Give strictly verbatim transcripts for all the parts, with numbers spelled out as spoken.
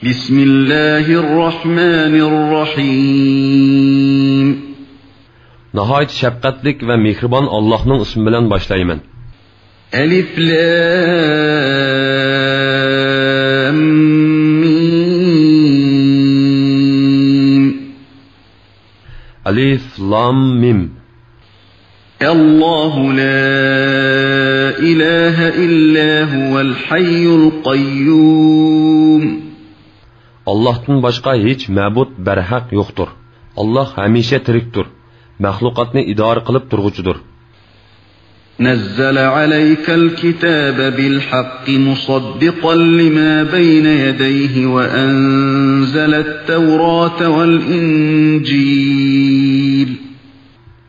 بسم الله الرحمن الرحيم. ناھايىتى شەپقەتلىك ۋە مېھرىبان ئاللاھنىڭ ئىسمى بىلەن باشلايمەن. ألف لام ميم. ئەلىف لام مىم. الله لا إله إلا هو الحي القيوم. ئاللاھتىن باشقا ھېچ مەبۇد بەرھەق يوقتۇر. ئاللاھ ھەمىشە تىرىكتۇر، مەخلۇقاتنى ئىدارە قىلىپ تۇرغۇچىدۇر. نزل عليك الكتاب بالحق مصدقا لما بين يديه وأنزل التوراة والإنجيل.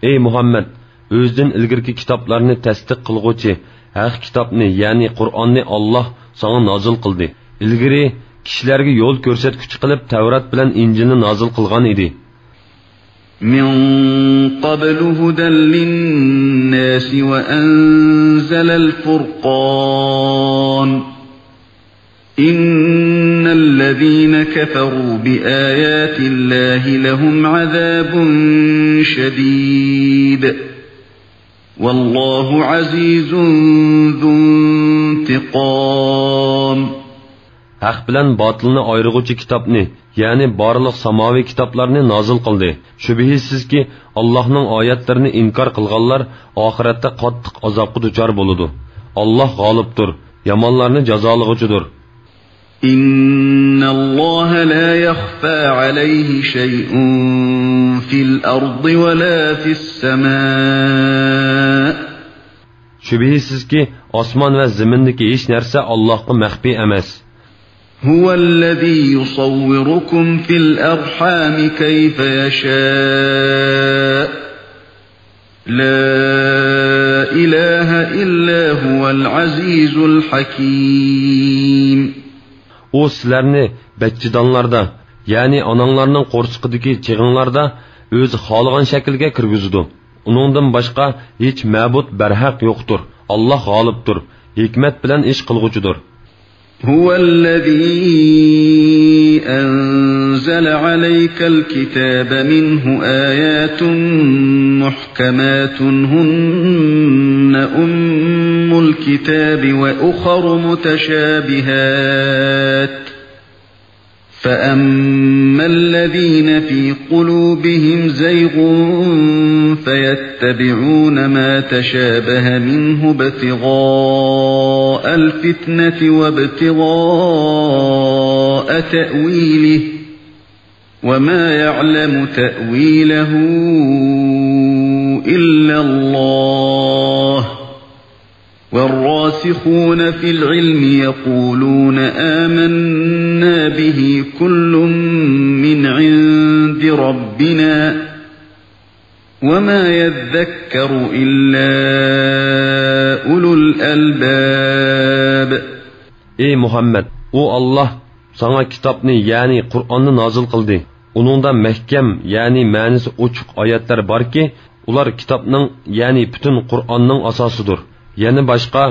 ئەي مۇھەممەد، ئۆزىدىن ئىلگىرىكى كىتابلارنى تەستىق قىلغۇچى ھەق كىتابنى، يەنى قۇرئاننى ئاللاھ ساڭا نازىل قىلدى. ئىلگىرى كىشىلەرگە يول كۆرسەتكۈچى قىلىپ تەۋرات بىلەن ئىنجىلنى نازىل قىلغان ئىدى. من قبل هدى للناس وأنزل الفرقان. إن الذين كفروا بآيات الله لهم عذاب شديد. والله عزيز ذو انتقام. ھەق بىلەن باتىلنى ئايرىغۇچى كىتابنى، يەنى بارلىق ساماۋىي كىتابلارنى نازىل قىلدى. شۈبھىسىزكى، ئاللاھنىڭ ئايەتلىرىنى ئىنكار قىلغانلار ئاخىرەتتە قاتتىق ئازابقا دۇچار بولىدۇ. ئاللاھ غالىبتۇر، يامانلارنى جازالىغۇچىدۇر. إن الله لا يخفى عليه شيء في الأرض ولا في السماء. شۈبھىسىزكى، ئاسمان ۋە زېمىندىكى ھېچ نەرسە ئاللاھقا مەخپىي ئەمەس. هو الذي يصوركم في الأرحام كيف يشاء. لا إله إلا هو العزيز الحكيم. ئۇ سىلەرنى بەچچىدانلاردا، يەنى ئاناڭلارنىڭ قورسىقىدىكى چېغىڭلاردا ئۆزى خالىغان شەكىلگە كىرگۈزىدۇ. ئۇنىڭدىن باشقا ھېچ مەبۇد بەرھەق يوقتۇر. ئاللاھ غالىبتۇر، ھېكمەت بىلەن ئىش قىلغۇچىدۇر. هو الذي أنزل عليك الكتاب منه آيات محكمات هن أم الكتاب وأخر متشابهات. فأما الذين في قلوبهم زيغ فيتبعون ما تشابه منه ابتغاء الفتنة وابتغاء تأويله وما يعلم تأويله إلا الله والراسخون في العلم يقولون آمنا به كل من عند ربنا وما يذكر إلا أولو الألباب. ئەي مۇھەممەد، ئۇ ئاللاھ ساڭا كىتابنى، يەنى قۇرئاننى نازىل قىلدى. ئۇنىڭدا مەھكەم، يەنى مەنىسى ئوچۇق ئايەتلەر باركى، ئۇلار كىتابنىڭ، يەنى پۈتۈن قۇرئاننىڭ ئاساسىدۇر. يەنە باشقا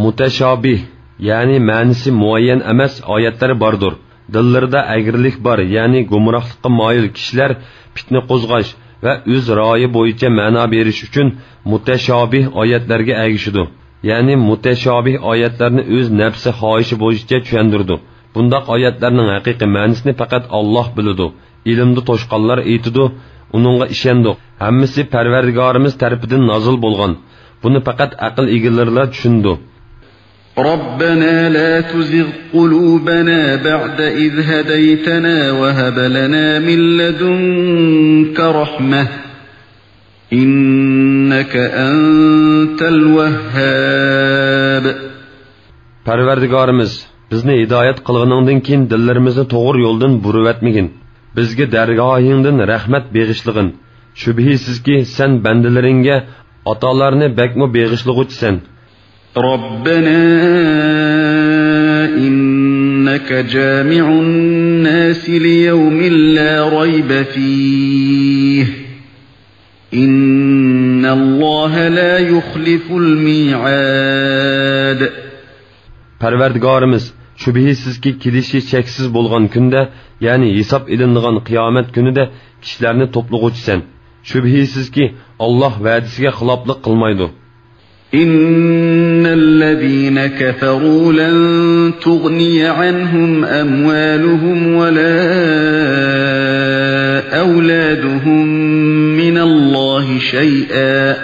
مۇتەشابىھ، يەنى مەنىسى مۇئەييەن ئەمەس ئايەتلەر باردۇر. دىللىرىدا ئەگرىلىك بار، يەنى گۇمراھلىققا مايىل كىشىلەر پىتنە قوزغاش ۋە ئۆز رايى بويىچە مەنا بېرىش ئۈچۈن مۇتەشابىھ ئايەتلەرگە ئەگىشىدۇ. يەنى مۇتەشابىھ ئايەتلەرنى ئۆز نەپسى خاھىشى بويىچە چۈشەندۈرىدۇ. بۇنداق ئايەتلەرنىڭ ھەقىقىي مەنىسىنى پەقەت ئاللاھ بىلىدۇ. ئىلىمدا توشقانلار ئېيتىدۇ، ئۇنىڭغا ئىشەندۇق. ھەممىسى پەرۋەردىگارىمىز تەرىپىدىن نازىل بولغان. بۇنى پەقەت ئەقىل ئىگىلىرىلا چۈشىنىدۇ. ربنا لا تزغ قلوبنا بعد إذ هديتنا وهب لنا من لدنك رحمة إنك أنت الوهاب. پەرۋەردىگارىمىز، بىزنى ھىدايەت قىلغىنىڭدىن كېيىن دىللىرىمىزنى توغرا يولدىن بۇرۇۋەتمىگىن. بىزگە دەرگاھىڭدىن رەھمەت بېغىشلىغىن. شۈبھىسىزكى، سەن بەندىلىرىڭگە ئاتالارنى بەكمۇ بېغىشلىغۇچىسەن. ربنا إنك جامع الناس ليوم لا ريب فيه إن الله لا يخلف الميعاد. پەرۋەردىگارىمىز، شۈبھىسىزكى، كېلىشى شەكسىز بولغان كۈندە، يەنى ھېساب ئېلىنىدىغان قىيامەت كۈنىدە كىشىلەرنى توپلىغۇچى سەن. شۈبھىسىزكى، ئاللاھ ۋەدىسىگە خىلاپلىق قىلمايدۇ. إن الذين كفروا لن تغني عنهم أموالهم ولا أولادهم من الله شيئا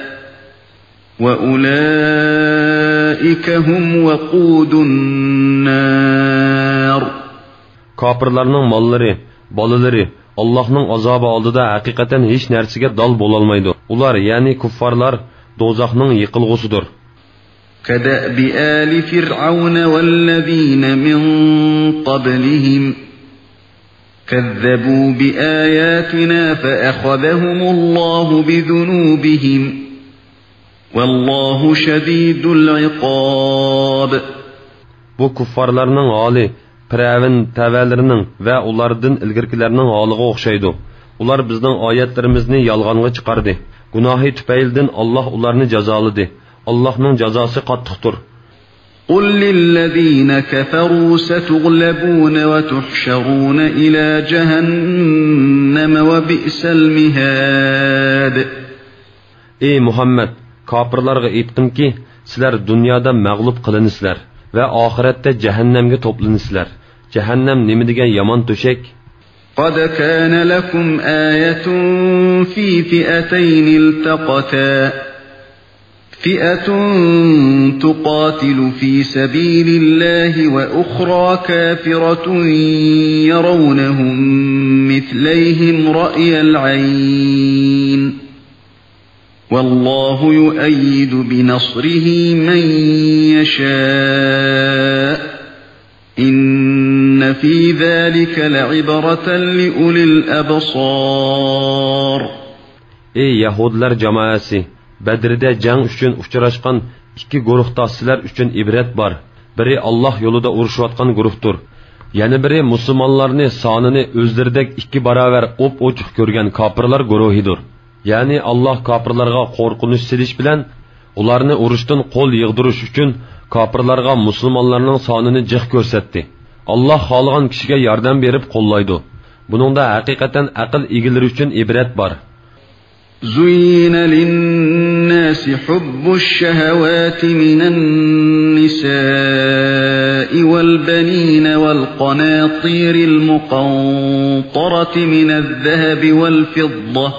وأولئك هم وقود النار. كاپىرلارنىڭ ماللىرى، بالىلىرى ئاللاھنىڭ ئازابى ئالدىدا ھەقىقەتەن ھېچ نەرسىگە دال بولالمايدۇ. ئۇلار، يەنى كۇففارلار، دوزاخنىڭ يېقىلغۇسىدۇر. كدأب آل فرعون والذين من قبلهم كذبوا بآياتنا فأخذهم الله بذنوبهم والله شديد العقاب. بۇ كۇففارلارنىڭ ھالى پىرئەۋن تەۋەلىرىنىڭ ۋە ئۇلاردىن ئىلگىرىكىلەرنىڭ ھالىغا ئوخشايدۇ. ئۇلار بىزنىڭ ئايەتلىرىمىزنى يالغانغا چىقاردى. گۇناھى تۈپەيلىدىن ئاللاھ ئۇلارنى جازالىدى. ئاللاھنىڭ جازاسى قاتتىقتۇر. قل للذين كفروا ستغلبون وتحشرون إلى جهنم وبئس المهاد. ئەي مۇھەممەد، كاپىرلارغا ئېيتقىنكى، سىلەر دۇنيادا مەغلۇپ قىلىنىسىلەر ۋە ئاخىرەتتە جەھەننەمگە توپلىنىسىلەر. جەھەننەم نېمە دېگەن يامان تۆشەك! قد كان لكم آية في فئتين التقتا فئة تقاتل في سبيل الله وأخرى كافرة يرونهم مثليهم رأي العين والله يؤيد بنصره من يشاء إن في ذلك لعبرة لأولي الأبصار. ئەي يەھۇدىيلار جامائەسى! بەدرىدە جەڭ ئۈچۈن ئۇچراشقان ئىككى گۇرۇھتا سىلەر ئۈچۈن ئىبرەت بار. بىرى ئاللاھ يولىدا ئۇرۇشۇۋاتقان گۇرۇھتۇر. يەنە بىرى مۇسۇلمانلارنى سانىنى ئۆزلىرىدەك ئىككى باراۋەر ئوپئوچۇق كۆرگەن كاپىرلار گۇرۇھىدۇر. يەنى ئاللاھ كاپىرلارغا قورقۇنچ سېلىش بىلەن ئۇلارنى ئۇرۇشتىن قول يىغدۇرۇش ئۈچۈن كاپىرلارغا مۇسۇلمانلارنىڭ سانىنى جىق كۆرسەتتى. ئاللاھ خالىغان كىشىگە ياردەم بېرىپ قوللايدۇ. بۇنىڭدا ھەقىقەتەن ئەقىل ئىگىلىرى ئۈچۈن ئىبرەت بار. زين للناس حب الشهوات من النساء والبنين والقناطير المقنطرة من الذهب والفضة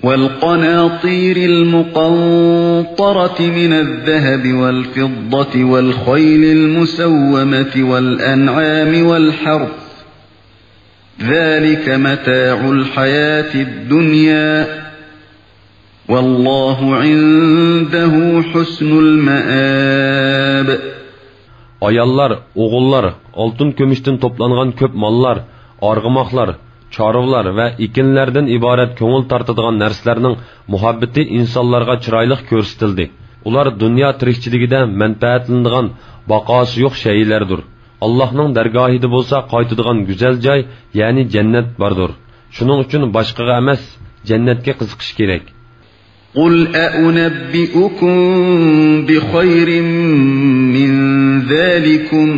والقناطير المقنطرة من الذهب والفضة والخيل المسومة والأنعام والحرث ذلك متاع الحياة الدنيا والله عنده حسن المآب. ئاياللار، ئوغۇللار، ئالتۇن-كۈمۈشتىن توپلانغان كۆپ ماللار، ئارغىماقلار، چارۋىلار ۋە ئېكىنلەردىن ئىبارەت كۆڭۈل تارتىدىغان نەرسىلەرنىڭ مۇھەببىتى ئىنسانلارغا چىرايلىق كۆرسىتىلدى. ئۇلار دۇنيا تىرىكچىلىكىدە مەنپەئەتلىنىدىغان باقاسى يوق شەيئىلەردۇر. ئاللاھنىڭ دەرگاھىدا بولسا قايتىدىغان گۈزەل جاي، يەنى جەننەت باردۇر. شۇنىڭ ئۈچۈن باشقىغا ئەمەس، جەننەتكە قىزىقىش كېرەك. قل أأنبئكم بخير من ذلكم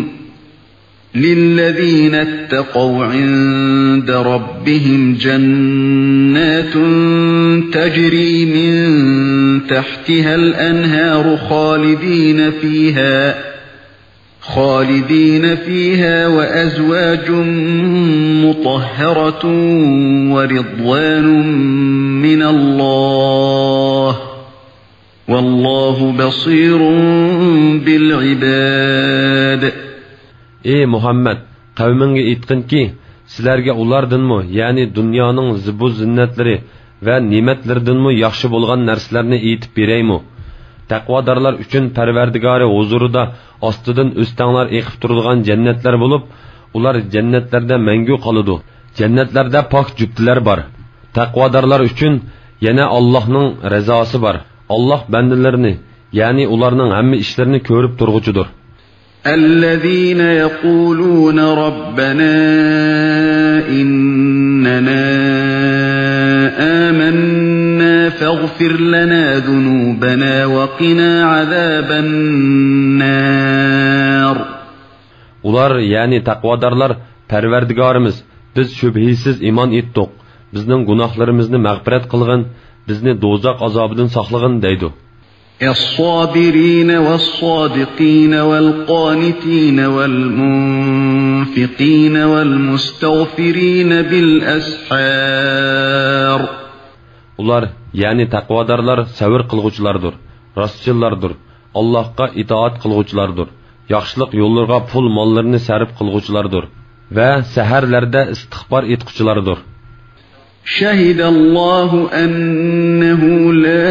للذين اتقوا عند ربهم جنات تجري من تحتها الأنهار خالدين فيها خالدين فيها وأزواج مطهرة ورضوان من الله والله بصير بالعباد. ئەي مۇھەممەد، قەۋمىڭگە ئېيتقىنكى، سىلەرگە ئۇلاردىنمۇ، يەنى دۇنيانىڭ زىبۇ زىننەتلىرى ۋە نېمەتلىرىدىنمۇ ياخشى بولغان نەرسىلەرنى ئېيتىپ بېرەيمۇ؟ تەقۋادارلار ئۈچۈن پەرۋەردىگارى ھۇزۇرىدا ئاستىدىن ئۆستەڭلار ئېقىپ تۇرىدىغان جەننەتلەر بولۇپ، ئۇلار جەننەتلەردە مەڭگۈ قالىدۇ. جەننەتلەردە پاك جۈپتىلەر بار. تەقۋادارلار ئۈچۈن يەنە ئاللاھنىڭ رىزاسى بار. ئاللاھ بەندىلىرىنى، يەنى ئۇلارنىڭ ھەممە ئىشلىرىنى كۆرۈپ تۇرغۇچىدۇر. الذين يقولون ربنا إننا آمنا فاغفر لنا ذنوبنا وقنا عذاب النار. ئۇلار، يەنى تەقۋادارلار، پەرۋەردىگارىمىز، بىز شۈبھىسىز ئىمان ئېيتتۇق، بىزنىڭ گۇناھلىرىمىزنى مەغپىرەت قىلغىن، بىزنى دوزاخ ئازابىدىن ساقلىغىن دەيدۇ. الصابرين والصادقين والقانتين والمنفقين والمستغفرين بالأسحار. ئۇلار، يەنى تەقۋادارلار سەۋر قىلغۇچىلاردۇر، راستچىللاردۇر، ئاللاھقا ئىتائەت قىلغۇچىلاردۇر، ياخشىلىق يوللىرىغا پۇل ماللىرىنى سەرپ قىلغۇچىلاردۇر ۋە سەھەرلەردە ئىستىغپار ئېيتقۇچىلاردۇر. شهد الله أنه لا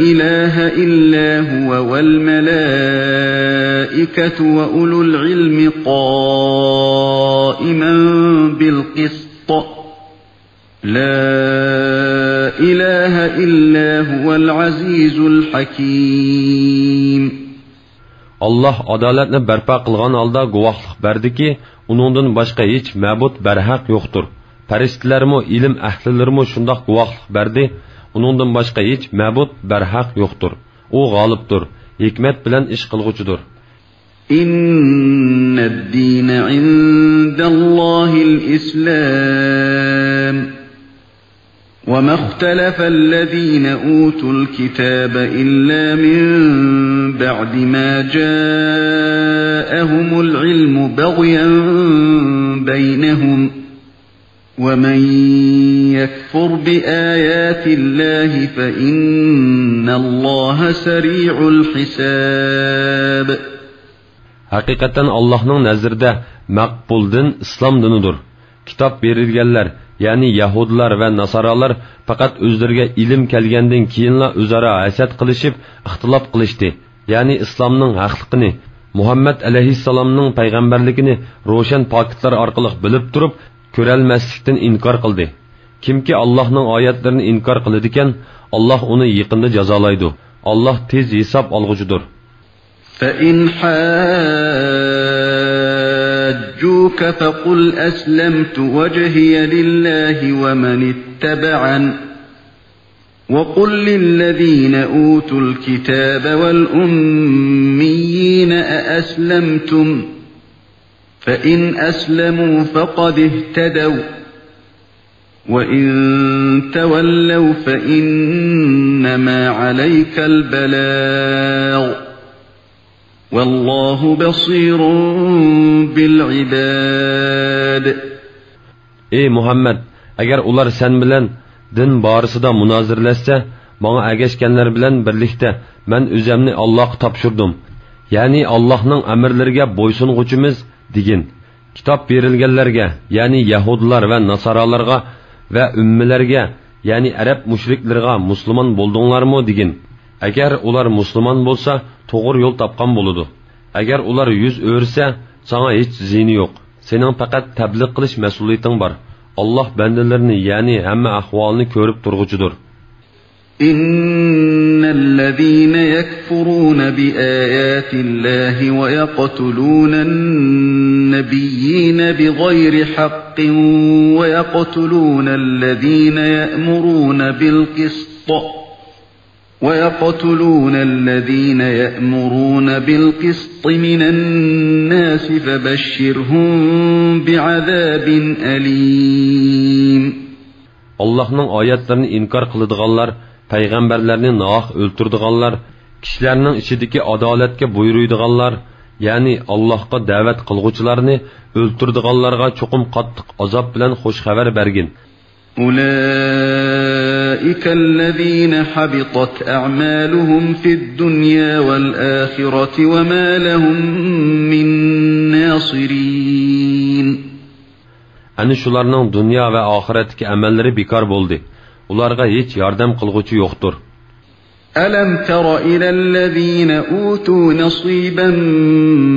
إله إلا هو والملائكة وأولو العلم قائما بالقسط لا إله إلا هو العزيز الحكيم. ئاللاھ ئادالەتنى بەرپا قىلغان ھالدا گۇۋاھلىق بەردىكى، ئۇنىڭدىن باشقا ھېچ مەبۇد بەرھەق يوقتۇر. پەرىشتىلەرمۇ، ئىلىم ئەھلىلىرىمۇ شۇنداق گۇۋاھلىق بەردى، ئۇنىڭدىن باشقا ھېچ مەبۇد بەرھەق يوقتۇر. ئۇ غالىبتۇر، ھېكمەت بىلەن ئىش قىلغۇچىدۇر. إن الدين عند الله الإسلام وما اختلف الذين أوتوا الكتاب إلا من بعد ما جاءهم العلم بغيا بينهم ومن يكفر بآيات الله فإن الله سريع الحساب. ھەقىقەتەن ئاللاھنىڭ نەزىرىدە مەقبۇل دىن ئىسلام دىنىدۇر. كىتاب بېرىلگەنلەر، يەنى يەھۇدىيلار ۋە ناسارالار پەقەت ئۆزلىرىگە ئىلىم كەلگەندىن كېيىنلا ئۆزئارا ھەسەت قىلىشىپ، ئىختىلاپ قىلىشتى. يەنى ئىسلامنىڭ ھەقلىقىنى، مۇھەممەد ئەلەيھىسسالامنىڭ پەيغەمبەرلىكىنى روشەن پاكىتلار ئارقىلىق بىلىپ تۇرۇپ، كۆرەلمەسلىكتىن ئىنكار قىلدى. كىمكى ئاللاھنىڭ ئايەتلىرىنى ئىنكار قىلىدىكەن، ئاللاھ ئۇنى يېقىندا جازالايدۇ. ئاللاھ تېز ھېساب ئالغۇچىدۇر. فإن حاجوك فقل أسلمت وجهي لله ومن اتبعن وقل للذين أوتوا الكتاب والأميين أأسلمتم فإن أسلموا فقد اهتدوا وإن تولوا فإنما عليك البلاغ والله بصير بالعباد. ئەي مۇھەممەد، ئەگەر ئۇلار سەن بىلەن دىن بارىسىدا مۇنازىرىلەشسە، ماڭا ئەگەشكەنلەر بىلەن بىرلىكتە مەن ئۆزەمنى ئاللاھقا تاپشۇردۇم. يەنى ئاللاھنىڭ ئەمىرلىرىگە بويسۇنغۇچىمىز، دېگىن. كىتاب بېرىلگەنلەرگە، يەنى يەھۇدىيلار ۋە ناسارالارغا ۋە ئۈممىلەرگە، يەنى ئەرەب مۇشرىكلىرىغا مۇسۇلمان بولدۇڭلارمۇ دېگىن. ئەگەر ئۇلار مۇسۇلمان بولسا، توغرا يول تاپقان بولىدۇ. ئەگەر ئۇلار يۈز ئۆرۈسە، ساڭا ھېچ زىيىنى يوق. سېنىڭ پەقەت تەبلىغ قىلىش مەسئۇلىيىتىڭ بار. ئاللاھ بەندىلىرىنى، يەنى ھەممە ئەھۋالنى كۆرۈپ تۇرغۇچىدۇر. إن الذين يكفرون بآيات الله ويقتلون النبيين بغير حق ويقتلون الذين يأمرون بالقسط ويقتلون الذين يأمرون بالقسط من الناس فبشرهم بعذاب أليم. ئاللاھنىڭ ئايەتلىرىنى ئىنكار قىلىدىغانلار، پەيغەمبەرلەرنى ناھەق ئۆلتۈرىدىغانلار، كىشىلەرنىڭ ئىچىدىكى ئادالەتكە بۇيرۇيدىغانلار، يەنى ئاللاھقا دەۋەت قىلغۇچىلارنى ئۆلتۈرىدىغانلارغا چوقۇم قاتتىق ئازاب بىلەن خۇش خەۋەر بەرگىن. أولئك الذين حبطت أعمالهم في الدنيا والآخرة وما لهم من ناصرين. ئەنە شۇلارنىڭ دۇنيا ۋە ئاخىرەتتىكى ئەمەللىرى بىكار بولدى. ئۇلارغا ھېچ ياردەم قىلغۇچى يوقتۇر. ألم تر إلى الذين أوتوا نصيبا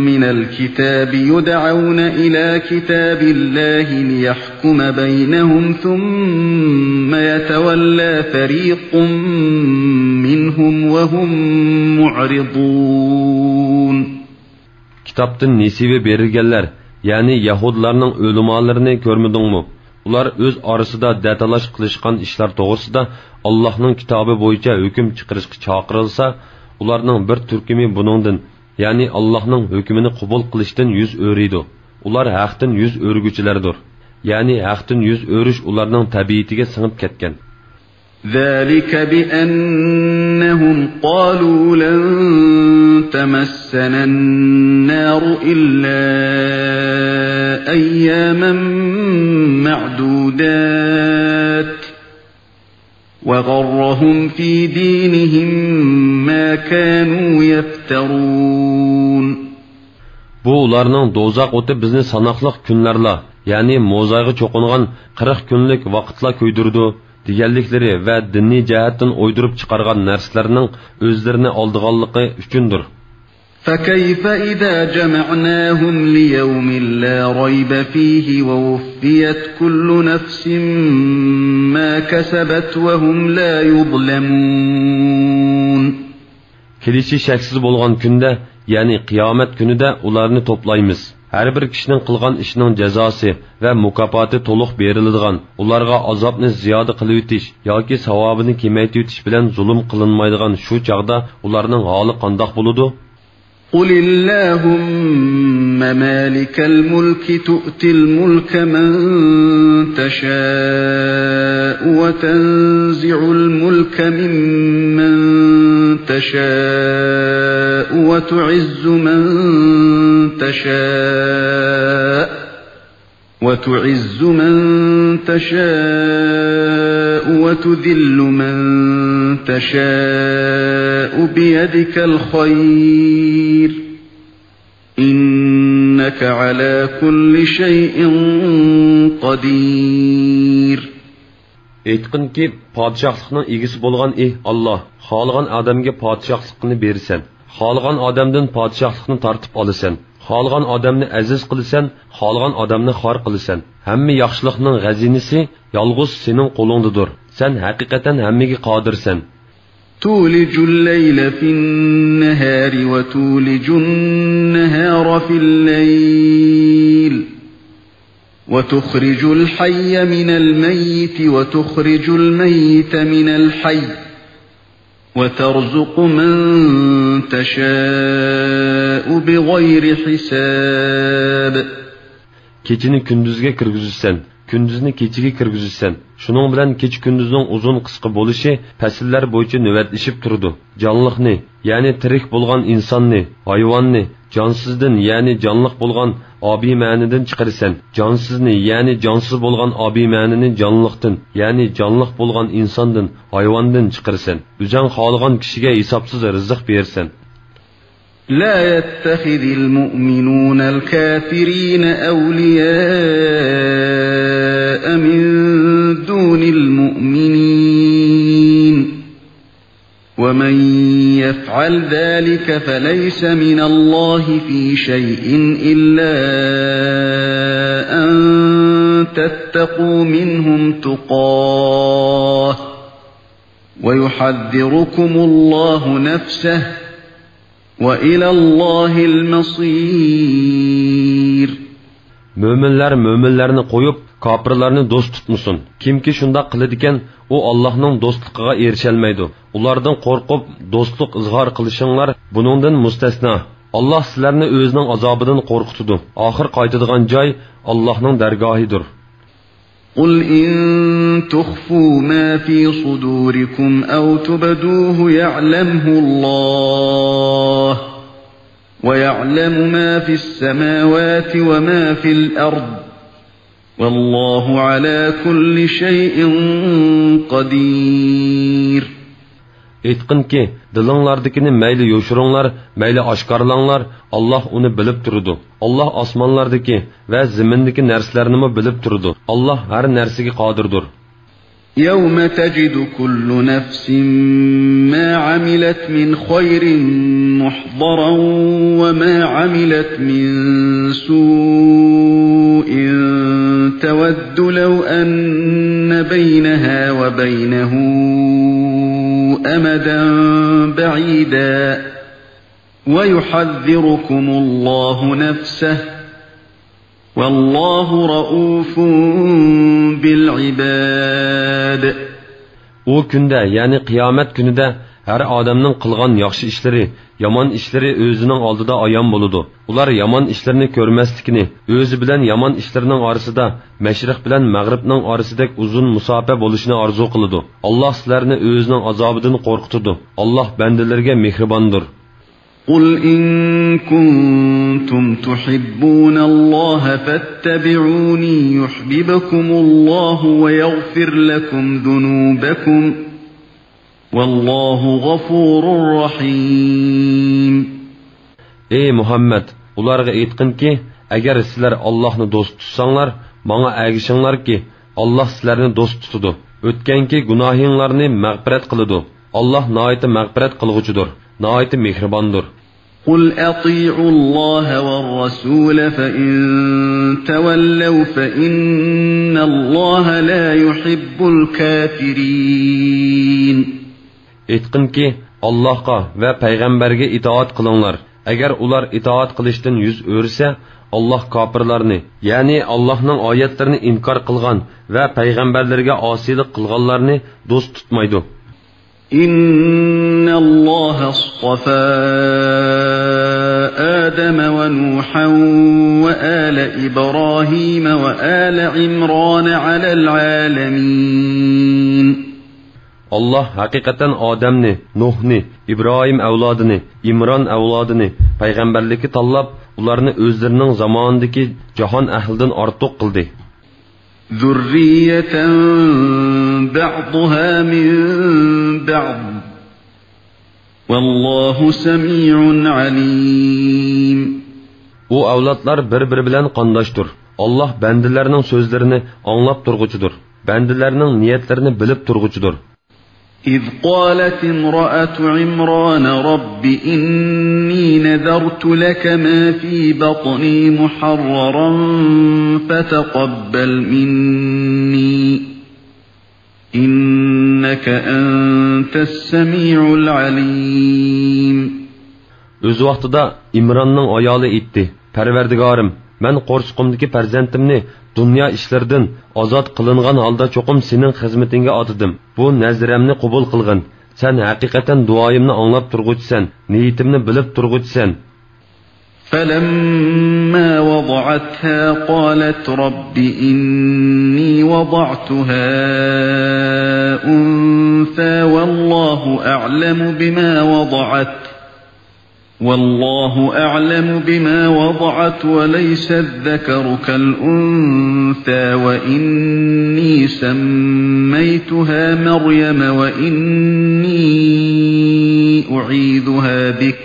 من الكتاب يدعون إلى كتاب الله ليحكم بينهم ثم يتولى فريق منهم وهم معرضون. كىتابتىن نېسىۋى بېرىلگەنلەر، يەنى يەھۇدىيلارنىڭ ئۆلىمالىرىنى كۆرمىدىڭمۇ؟ ئۇلار ئۆز ئارىسىدا دەتالاش قىلىشقان ئىشلار توغرىسىدا ئاللاھنىڭ كىتابى بويىچە ھۆكۈم چىقىرىشقا چاقىرىلسا، ئۇلارنىڭ بىر تۈركۈمى بۇنىڭدىن، يەنى ئاللاھنىڭ ھۆكمىنى قوبۇل قىلىشتىن يۈز ئۆرۈيدۇ. ئۇلار ھەقتىن يۈز ئۆرۈگۈچىلەردۇر. يەنى ھەقتىن يۈز ئۆرۈش ئۇلارنىڭ تەبىئىتىگە سىڭىپ كەتكەن. ذلك بأنهم قالوا لن تمسنا النار إلا أياما معدودات وغرهم في دينهم ما كانوا يفترون. بۇ ئۇلارنىڭ دوزاخ ئوتى بىزنى ساناقلىق كۈنلەرلا، يەنى موزايغا چوقۇنغان قىرىق كۈنلۈك ۋاقىتلا كۆيدۈرىدۇ، دېگەنلىكلىرى ۋە دىنىي جەھەتتىن ئويدۇرۇپ چىقارغان نەرسىلەرنىڭ ئۆزلىرىنى ئالدىغانلىقى ئۈچۈندۇر. فكيف إذا جمعناهم ليوم لا ريب فيه ووفيت كل نفس ما كسبت وهم لا يظلمون. كېلىشى شەكسىز بولغان كۈندە، يەنى قىيامەت كۈنىدە ئۇلارنى توپلايمىز. ھەر بىر كىشىنىڭ قىلغان ئىشىنىڭ جازاسى ۋە مۇكاپاتى تولۇق بېرىلىدىغان، ئۇلارغا ئازابنى زىيادە قىلىۋېتىش ياكى ساۋابىنى كېمەيتىۋېتىش بىلەن زۇلۇم قىلىنمايدىغان شۇ چاغدا ئۇلارنىڭ ھالى قانداق بولىدۇ؟ قل اللهم مالك الملك تؤتي الملك من تشاء وتنزع الملك ممن تشاء وتعز من تشاء وتعز من تشاء وتذل من تشاء بيدك الخير إنك على كل شيء قدير. ئېيتقىنكى، پادىشاھلىقنىڭ ئىگىسى بولغان ئى ئاللاھ، خالىغان ئادەمگە پادىشاھلىقنى بېرىسەن، خالىغان ئادەمدىن پادىشاھلىقنى تارتىپ ئالىسەن، خالىغان ئادەمنى ئەزىز قىلىسەن، خالىغان ئادەمنى خار قىلىسەن. ھەممە ياخشىلىقنىڭ غەزىنىسى يالغۇز سېنىڭ قولۇڭدىدۇر. سەن ھەقىقەتەن ھەممىگە قادىرسەن. تولج الليل في النهار وتولج النهار في الليل وتخرج الحي من الميت وتخرج الميت من الحي وترزق من تشاء بغير حساب. كېچىنى كۈندۈزگە كىرگۈزىسەن، كۈندۈزنى كېچىگە كىرگۈزىسەن. شۇنىڭ بىلەن كېچە-كۈندۈزنىڭ ئۇزۇن-قىسقا بولۇشى پەسىللەر بويىچە نۆۋەتلىشىپ تۇرىدۇ. جانلىقنى، يەنى تىرىك بولغان ئىنساننى، ھايۋاننى، جانسىزدىن، يەنى جانلىق بولغان ئابىمەنىدىن چىقىرىسەن. جانسىزنى، يەنى جانسىز بولغان ئابىمەنىنى جانلىقتىن، يەنى جانلىق بولغان ئىنساندىن، ھايۋاندىن چىقىرىسەن. ئۆزۈڭ خالىغان كىشىگە ھېسابسىز رىزىق بېرىسەن. لا يتخذ المؤمنون الكافرين أولياء من دون المؤمنين، ومن يفعل ذلك فليس من الله في شيء إلا أن تتقوا منهم تقاة، ويحذركم الله نفسه، وإلى الله المصير. مۆمىنلەر مۆمىنلەرنى قويۇپ، كاپىرلارنى دوست تۇتمىسۇن. كىمكى شۇنداق قىلىدىكەن، ئۇ ئاللاھنىڭ دوستلۇقىغا ئېرىشەلمەيدۇ. ئۇلاردىن قورقۇپ، دوستلۇق ئىزھار قىلىشىڭلار بۇنىڭدىن مۇستەسنا. ئاللاھ سىلەرنى ئۆزىنىڭ ئازابىدىن قورقۇتىدۇ. ئاخىر قايتىدىغان جاي ئاللاھنىڭ دەرگاھىدۇر. قل إن تخفوا ما في صدوركم أو تبدوه يعلمه الله، ويعلم ما في السماوات وما في الأرض، والله على كل شيء قدير. ئېيتقىنكى، دىلىڭلاردىكىنى مەيلى يوشۇرۇڭلار، مەيلى ئاشكارىلاڭلار، ئاللاھ ئۇنى بىلىپ تۇرىدۇ. ئاللاھ ئاسمانلاردىكى ۋە زېمىندىكى نەرسىلەرنىمۇ بىلىپ تۇرىدۇ. ئاللاھ ھەر نەرسىگە قادىردۇر. يوم تجد كل نفس ما عملت من خير محضرا وما عملت من سوء تود لو أن بينها وبينه أمدا بعيدا ويحذركم الله نفسه والله رءوف بالعباد. ئۇ كۈندە، يەنى قىيامەت كۈنىدە ھەر ئادەمنىڭ قىلغان ياخشى ئىشلىرى، يامان ئىشلىرى ئۆزىنىڭ ئالدىدا ئايان بولىدۇ. ئۇلار يامان ئىشلىرىنى كۆرمەسلىكىنى، ئۆزى بىلەن يامان ئىشلىرىنىڭ ئارىسىدا مەشرىق بىلەن مەغرىبنىڭ ئارىسىدەك ئۇزۇن مۇساپە بولۇشىنى ئارزۇ قىلىدۇ. ئاللاھ سىلەرنى ئۆزىنىڭ ئازابىدىن قورقۇتىدۇ. ئاللاھ بەندىلىرىگە مېھرىباندۇر. قل إن كنتم تحبون الله فاتبعوني يحببكم الله ويغفر لكم ذنوبكم والله غفور رحيم. ئەي مۇھەممەد، ئۇلارغا ئېيتقىنكى، ئەگەر سىلەر ئاللاھنى دوست تۇتساڭلار، ماڭا ئەگىشىڭلاركى، ئاللاھ سىلەرنى دوست تۇتىدۇ. ئۆتكەنكى گۇناھىڭلارنى مەغپىرەت قىلىدۇ. ئاللاھ ناھايىتى مەغپىرەت قىلغۇچىدۇر، ناھايىتى مېھرىباندۇر. قل أطيعوا الله والرسول فإن تولوا فإن الله لا يحب الكافرين. ئېيتقىنكى، ئاللاھقا ۋە پەيغەمبەرگە ئىتائەت قىلىڭلار. ئەگەر ئۇلار ئىتائەت قىلىشتىن يۈز ئۆرۈسە، ئاللاھ كاپىرلارنى، يەنى ئاللاھنىڭ ئايەتلىرىنى ئىنكار قىلغان ۋە پەيغەمبەرلىرىگە ئاسىيلىق قىلغانلارنى دوست تۇتمايدۇ. إن الله اصطفى آدم ونوحا وآل إبراهيم وآل عمران على العالمين. ئاللاھ ھەقىقەتەن ئادەمنى، نۇھنى، ئىبراھىم ئەۋلادىنى، ئىمران ئەۋلادىنى پەيغەمبەرلىككە تاللاپ، ئۇلارنى ئۆزلىرىنىڭ زامانىدىكى جاھان ئەھلىدىن ئارتۇق قىلدى. ذرية بعضها من بعض والله سميع عليم. ئۇ ئەۋلادلار بىر-بىرى بىلەن قانداشتۇر. ئاللاھ بەندىلەرنىڭ سۆزلىرىنى ئاڭلاپ تۇرغۇچىدۇر. بەندىلەرنىڭ نىيەتلىرىنى بىلىپ تۇرغۇچىدۇر. إذ قالت امرأة عمران رب إني نذرت لك ما في بطني محررا فتقبل مني إنك أنت السميع العليم. ئۆز ۋاقتىدا ئىمراننىڭ ئايالى ئېيتتى: پەرۋەردىگارىم، مەن قورسىقىمدىكى پەرزەنتىمنى دۇنيا ئىشلىرىدىن ئازاد قىلىنغان ھالدا چوقۇم سېنىڭ خىزمىتىڭگە ئاتىدىم. بۇ نەزرەمنى قوبۇل قىلغىن. سەن ھەقىقەتەن دۇئايىمنى ئاڭلاپ تۇرغۇچىسەن، نىيىتىمنى بىلىپ تۇرغۇچىسەن. فلما وضعتها قالت رب إني وضعتها أنثى والله أعلم بما وضعت والله أعلم بما وضعت وليس الذكر كالأنثى وإني سميتها مريم وإني أعيذها بك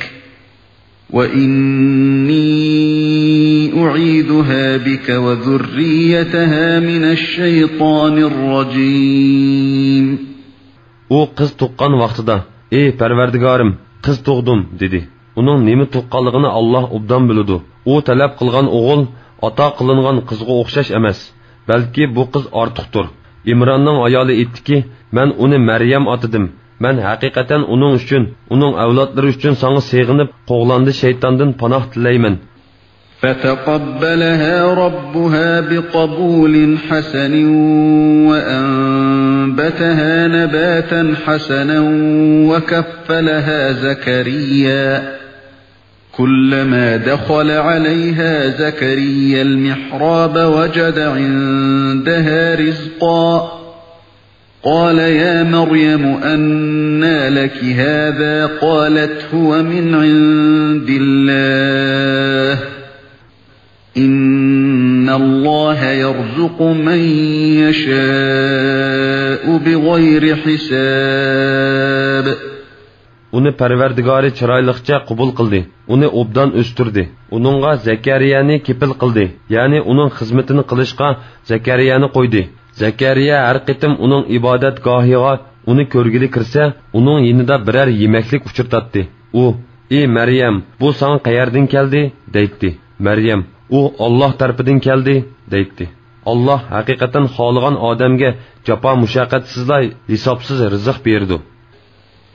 وإني أعيذها بك وذريتها من الشيطان الرجيم. ئۇ قىز تۇغقان ۋاقتىدا: ئى پەرۋەردىگارىم، قىز تۇغدۇم، دېدى. ئۇنىڭ نېمە تۇغقانلىقىنى ئاللاھ ئوبدان بىلىدۇ. ئۇ تەلەپ قىلغان ئوغۇل ئاتا قىلىنغان قىزغا ئوخشاش ئەمەس، بەلكى بۇ قىز ئارتۇقتۇر. ئىمراننىڭ ئايالى ئېيتتىكى: مەن ئۇنى مەريەم ئاتىدىم. مەن ھەقىقەتەن ئۇنىڭ ئۈچۈن، ئۇنىڭ ئەۋلادلىرى ئۈچۈن ساڭا سېغىنىپ، قوغلاندى شەيتاندىن پاناھ تىلەيمەن. فتقبلها ربها بقبول حسن وأنبتها نباتا حسنا وكفلها زكريا كلما دخل عليها زكريا المحراب وجد عندها رزقا قال يا مريم أنى لك هذا قالت هو من عند الله إن الله يرزق من يشاء بغير حساب. ئۇنى پەرۋەردىگارى چىرايلىقچە قوبۇل قىلدى، ئۇنى ئوبدان ئۆستۈردى. ئۇنىڭغا زەكەرىيەنى كېپىل قىلدى، يەنى ئۇنىڭ خىزمىتىنى قىلىشقا زەكەرىيەنى قويدى. زەكەرىيە ھەر قېتىم ئۇنىڭ ئىبادەتگاھىغا ئۇنى كۆرگىلى كىرسە، ئۇنىڭ يېنىدا بىرەر يېمەكلىك ئۇچرىتاتتى. ئۇ: ئى مەريەم، بۇ ساڭا قەيەردىن كەلدى؟ دەيتتى. مەريەم: ئۇ ئاللاھ تەرىپىدىن كەلدى، دەيتتى. ئاللاھ ھەقىقەتەن خالىغان ئادەمگە جاپا مۇشەققەتسىزلا ھېسابسىز رىزىق بېرىدۇ.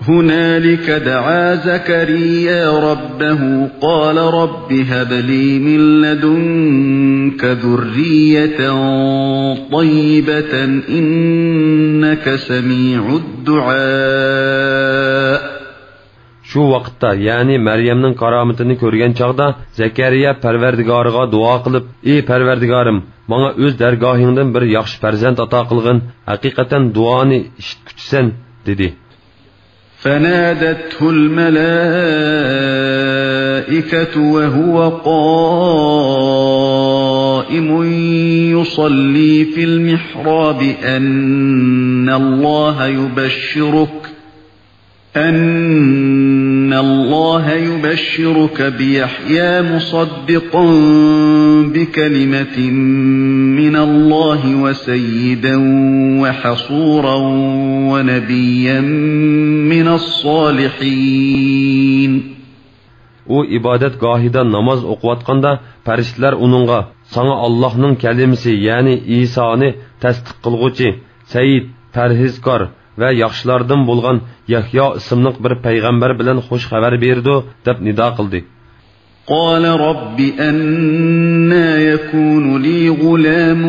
هنالك دعا زكريا ربه قال رب هب لي من لدنك ذرية طيبة إنك سميع الدعاء. شۇ ۋاقىتتا، يەنى مەريەمنىڭ كارامىتىنى كۆرگەن چاغدا، زەكەرىيا پەرۋەردىگارىغا دۇئا قىلىپ، ئى پەرۋەردىگارىم، ماڭا ئۆز دەرگاھىڭدىن بىر ياخشى پەرزەنت ئاتا قىلغىن، ھەقىقەتەن دۇئانى ئىشىتكۈچىسەن، دېدى. فنادته الملائكة وهو قائم يصلي في المحراب أن الله يبشرك أن الله يبشرك بيحيى مصدقا بكلمة من الله وسيدا وحصورا ونبيا من الصالحين. ئۇ ئىبادەتگاھىدا ناماز ئوقۇۋاتقاندا، پەرىشتىلەر ئۇنىڭغا، ساڭا ئاللاھنىڭ كەلىمىسى، يەنى ئىسانى تەستىق قىلغۇچى، سەييىد، پەرھىزكار ۋە ياخشىلاردىن بولغان يەھيا ئىسىملىق بىر پەيغەمبەر بىلەن خۇش خەۋەر بېرىدۇ، دەپ نىدا قىلدى. قال رب أنى يكون لي غلام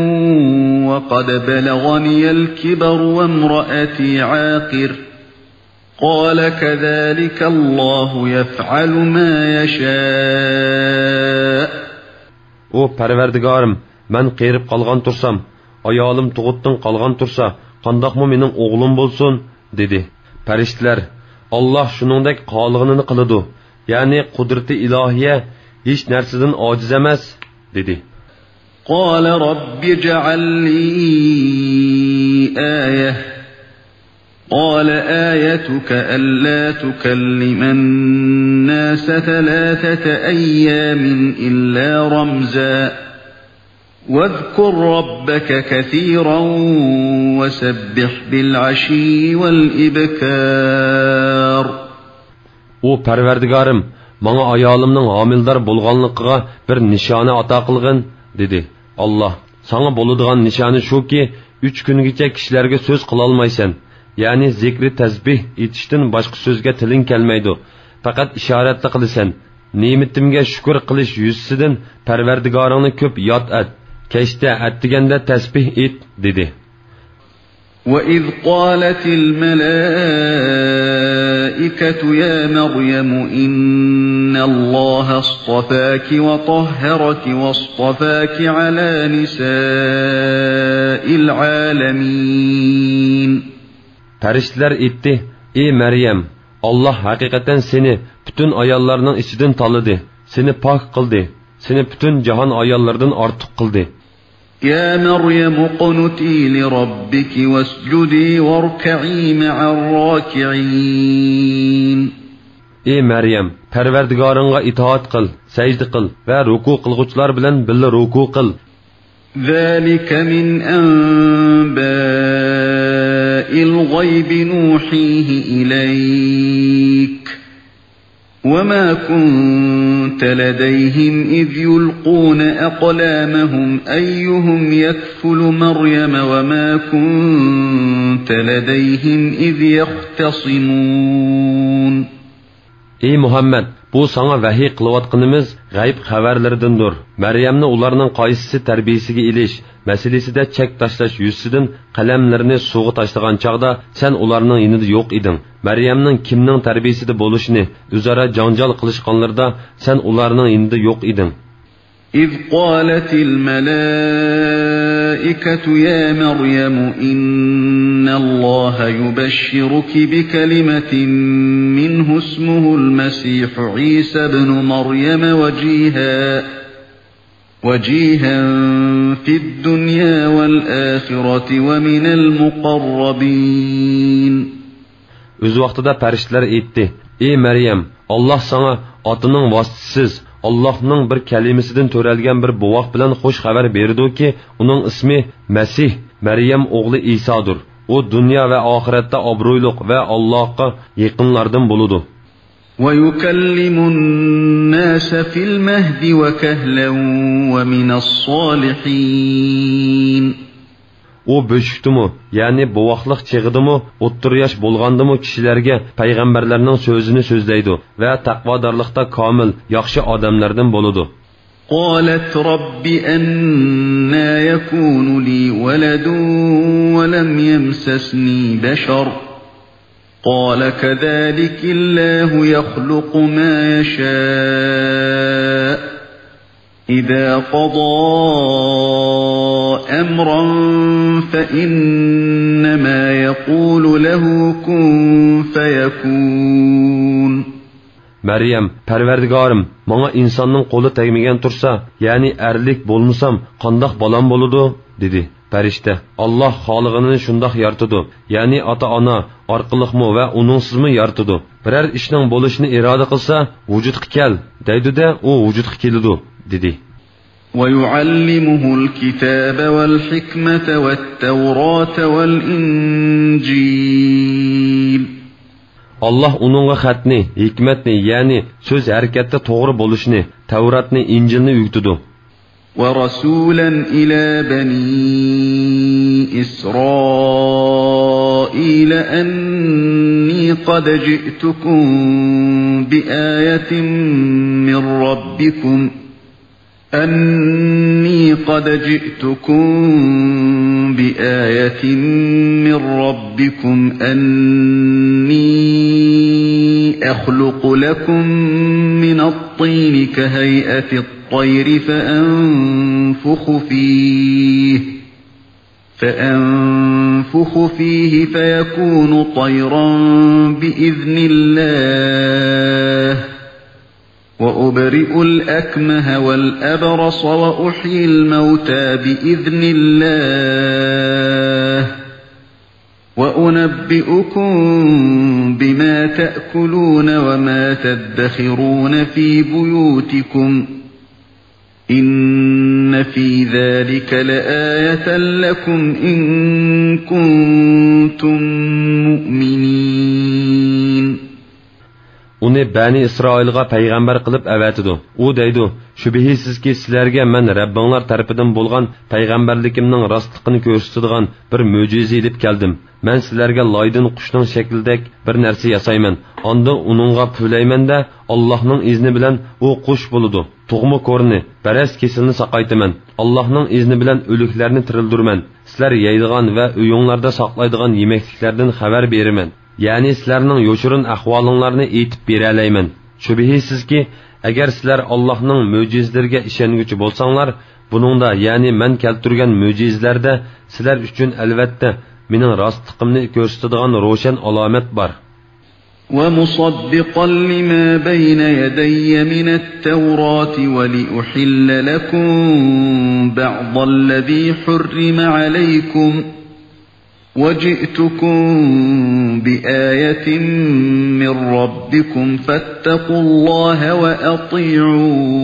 وقد بلغني الكبر وامرأتي عاقر. قال كذلك الله يفعل ما يشاء. ئۇ، پەرۋەردىگارىم، مەن قېرىپ قالغان تۇرسام، ئايالىم تۇغۇتتىن قالغان تۇرسا، قانداقمۇ مېنىڭ ئوغلۇم بولسۇن؟ دېدى. پەرىشتىلەر، ئاللاھ شۇنىڭدەك قالىغىنىنى قىلىدۇ، يەنى قۇدرىتى ئىلاھىيە ھېچ نەرسىدىن ئاجىز ئەمەس، دېدى. قال رب اجعل لي آية. قال آيتك ألا تكلم الناس ثلاثة أيام إلا رمزا. واذكر ربك كثيرا وسبح بالعشي والإبكار. ئۇ، پەرۋەردىگارىم، ماڭا ئايالىمنىڭ ھامىلىدار بولغانلىقىغا بىر نىشانە ئاتا قىلغىن، دېدى. ئاللاھ، ساڭا بولىدىغان نىشانە شۇكى، ئۈچ كۈنگىچە كىشىلەرگە سۆز قىلالمايسەن، يەنى زىكرى تەسبىھ ئېيتىشتىن باشقا سۆزگە تىلىڭ كەلمەيدۇ، پەقەت ئىشارەتلا قىلىسەن. نېمىتىمگە شۈكۈر قىلىش يۈزىسىدىن پەرۋەردىگارىڭنى كۆپ ياد ئەت، كەچتە، ئەتىگەندە تەسبىھ ئېيت، دېدى. وإذ قالت الملائكة يا مريم إن الله اصطفاك وطهرك واصطفاك على نساء العالمين. پەرىشتىلەر ئېيتتى، ئى مەريەم، ئاللاھ ھەقىقەتەن سېنى پۈتۈن ئاياللارنىڭ ئىچىدىن تاللىدى، سېنى پاك قىلدى، سېنى پۈتۈن جاھان ئاياللىرىدىن ئارتۇق قىلدى. يا مريم اقنتي لربك واسجدي واركعي مع الراكعين. ئى مەريەم، پەرۋەردىگارىڭغا ئىتائەت قىل، سەجدە قىل ۋە رۇكۇ قىلغۇچىلار بىلەن بىللە رۇكۇ قىل. ذلك من أنباء الغيب نوحيه إليك وما كنت لديهم إذ يلقون أقلامهم أيهم يكفل مريم وما كنت لديهم إذ يختصمون. ئى مۇھەممەد، بۇ ساڭا ۋەھىي قىلىۋاتقىنىمىز غەيب خەۋەرلىرىدىندۇر. مەريەمنى ئۇلارنىڭ قايسىسى تەربىيىسىگە ئېلىش مەسىلىسىدە چەك تاشلاش يۈزىسىدىن قەلەملىرىنى سۇغا تاشلىغان چاغدا سەن ئۇلارنىڭ يېنىدا يوق ئىدىڭ. مەريەمنىڭ كىمنىڭ تەربىيىسىدە بولۇشىنى ئۆزئارا جاڭجال قىلىشقانلىرىدا سەن ئۇلارنىڭ يېنىدا يوق ئىدىڭ. إذ قالت الملائكة يا مريم إن الله يبشرك بكلمة منه اسمه المسيح عيسى ابن مريم وجيها وجيها في الدنيا والآخرة ومن المقربين. ئۆز ۋاقتىدا پەرىشتىلەر ئېيتتى، ئى مەريەم، ئاللاھ ساڭا ئاتىنىڭ ۋاسىتىسىز، ئاللاھنىڭ بىر كەلىمىسىدىن تۆرەلگەن بىر بوۋاق بىلەن خۇش خەۋەر بېرىدۇكى، ئۇنىڭ ئىسمى مەسىھ، مەريەم ئوغلى ئىسادۇر. ئۇ دۇنيا ۋە ئاخىرەتتە ئابرۇيلۇق ۋە ئاللاھقا يېقىنلاردىن بولىدۇ. ويكلم الناس في المهد وكهلا ومن الصالحين. ئۇ بۆشۈكتىمۇ، يەنى بوۋاقلىق چېغىدىمۇ، ئوتتۇرا ياش بولغاندىمۇ كىشىلەرگە پەيغەمبەرلەرنىڭ سۆزىنى سۆزلەيدۇ ۋە تەقۋادارلىقتا كامىل، ياخشى ئادەملەردىن بولىدۇ. قالت رب أنى يكون لي ولد ولم يمسسني بشر قال كذلك الله يخلق ما يشاء إذا قضى أمرا فإنما يقول له كن فيكون. مەريەم، پەرۋەردىگارىم، ماڭا ئىنساننىڭ قولى تەگمىگەن تۇرسا، يەنى ئەرلىك بولمىسام، قانداق بالام بولىدۇ؟ دېدى. پەرىشتە، ئاللاھ خالىغىنىنى شۇنداق يارىتىدۇ، يەنى ئاتا-ئانا ئارقىلىقمۇ ۋە ئۇنىڭسىزمۇ يارىتىدۇ. بىرەر ئىشنىڭ بولۇشىنى ئىرادە قىلسا، ۋۇجۇدقا كەل، دەيدۇ-دە، ئۇ ۋۇجۇدقا كېلىدۇ، دېدى. ويعلمه الكتاب والحكمة والتوراة والإنجيل. ئاللاھ ئۇنىڭغا خەتنى، ھېكمەتنى، يەنى سۆز ھەرىكەتتە توغرا بولۇشنى، تەۋراتنى، ئىنجىلنى ئۆگىتىدۇ. ورسولا إلى بني إسرائيل أني قد جئتكم بآية من ربكم أني قد جئتكم بآية من ربكم أني أخلق لكم من الطين كهيئة الطير فأنفخ فيه، فأنفخ فيه فيكون طيرا بإذن الله، وأبرئ الأكمه والأبرص وأحيي الموتى بإذن الله، وأنبئكم بما تأكلون وما تدخرون في بيوتكم، إن في ذلك لآية لكم إن كنتم مؤمنين. ئۇنى بەنى ئىسرائىلغا پەيغەمبەر قىلىپ ئەۋەتىدۇ. ئۇ دەيدۇ، شۈبھىسىزكى، سىلەرگە مەن رەببىڭلار تەرىپىدىن بولغان پەيغەمبەرلىكىمنىڭ راستلىقىنى كۆرسىتىدىغان بىر مۆجىزە ئېلىپ كەلدىم. مەن سىلەرگە لايدىن قۇشنىڭ شەكلىدەك بىر نەرسە ياسايمەن. ئاندىن ئۇنىڭغا پۈۋلەيمەن-دە، ئاللاھنىڭ ئىزنى بىلەن ئۇ قۇش بولىدۇ. تۇغما كورىنى، بەرەس كېسىلىنى ساقايتىمەن. ئاللاھنىڭ ئىزنى بىلەن ئۆلۈكلەرنى تىرىلدۈرىمەن. سىلەر يەيدىغان ۋە ئۆيۈڭلاردا ساقلايدىغان يېمەكلىكلەردىن خەۋەر بېرىمەن. يەنى سىلەرنىڭ يوشۇرۇن ئەھۋالىڭلارنى ئېيتىپ بېرەلەيمەن. شۈبھىسىزكى، ئەگەر سىلەر ئاللاھنىڭ مۆجىزىلىرىگە ئىشەنگۈچى بولساڭلار، بۇنىڭدا، يەنى مەن كەلتۈرگەن مۆجىزىلەردە سىلەر ئۈچۈن ئەلۋەتتە مېنىڭ راستلىقىمنى كۆرسىتىدىغان روشەن ئالامەت بار. ومصدقا لما بين يدي من التوراة ولأحل لكم بعض الذي حرم عليكم وجئتكم بآية من ربكم فاتقوا الله وأطيعون.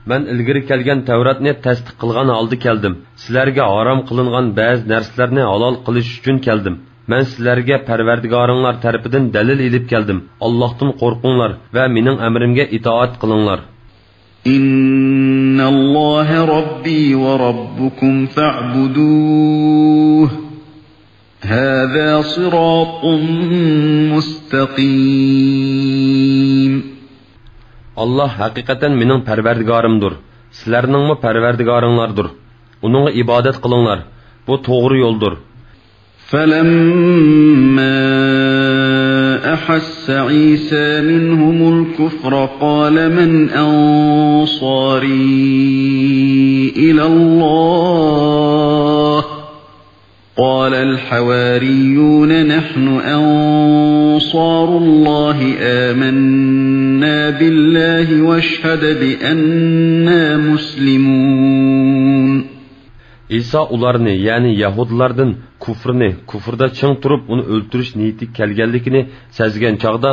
مەن ئىلگىرى كەلگەن تەۋراتنى تەستىق قىلغان ھالدا كەلدىم، سىلەرگە ھارام قىلىنغان بەزى نەرسىلەرنى ھالال قىلىش ئۈچۈن كەلدىم. مەن سىلەرگە پەرۋەردىگارىڭلار تەرىپىدىن دەلىل ئېلىپ كەلدىم. ئاللاھتىن قورقۇڭلار ۋە مېنىڭ ئەمرىمگە ئىتائەت قىلىڭلار. إن الله ربي وربكم فاعبدوه هذا صراط مستقيم. ئاللاھ ھەقىقەتەن مېنىڭ پەرۋەردىگارىمدۇر، سىلەرنىڭمۇ پەرۋەردىگارىڭلاردۇر. ئۇنىڭغا ئىبادەت قىلىڭلار، بۇ توغرا يولدۇر. فلما أحس عيسى منهم الكفر قال من أنصاري إلى الله؟ قال الحواريون نحن أنصار الله آمنا بالله واشهد بأننا مسلمون. ئىسا ئۇلارنى، يەنى يەھۇدىيلاردىن كۇفرنى، كۇفردا چىڭ تۇرۇپ ئۇنى ئۆلتۈرۈش نىيىتىگە كەلگەنلىكىنى سەزگەن چاغدا،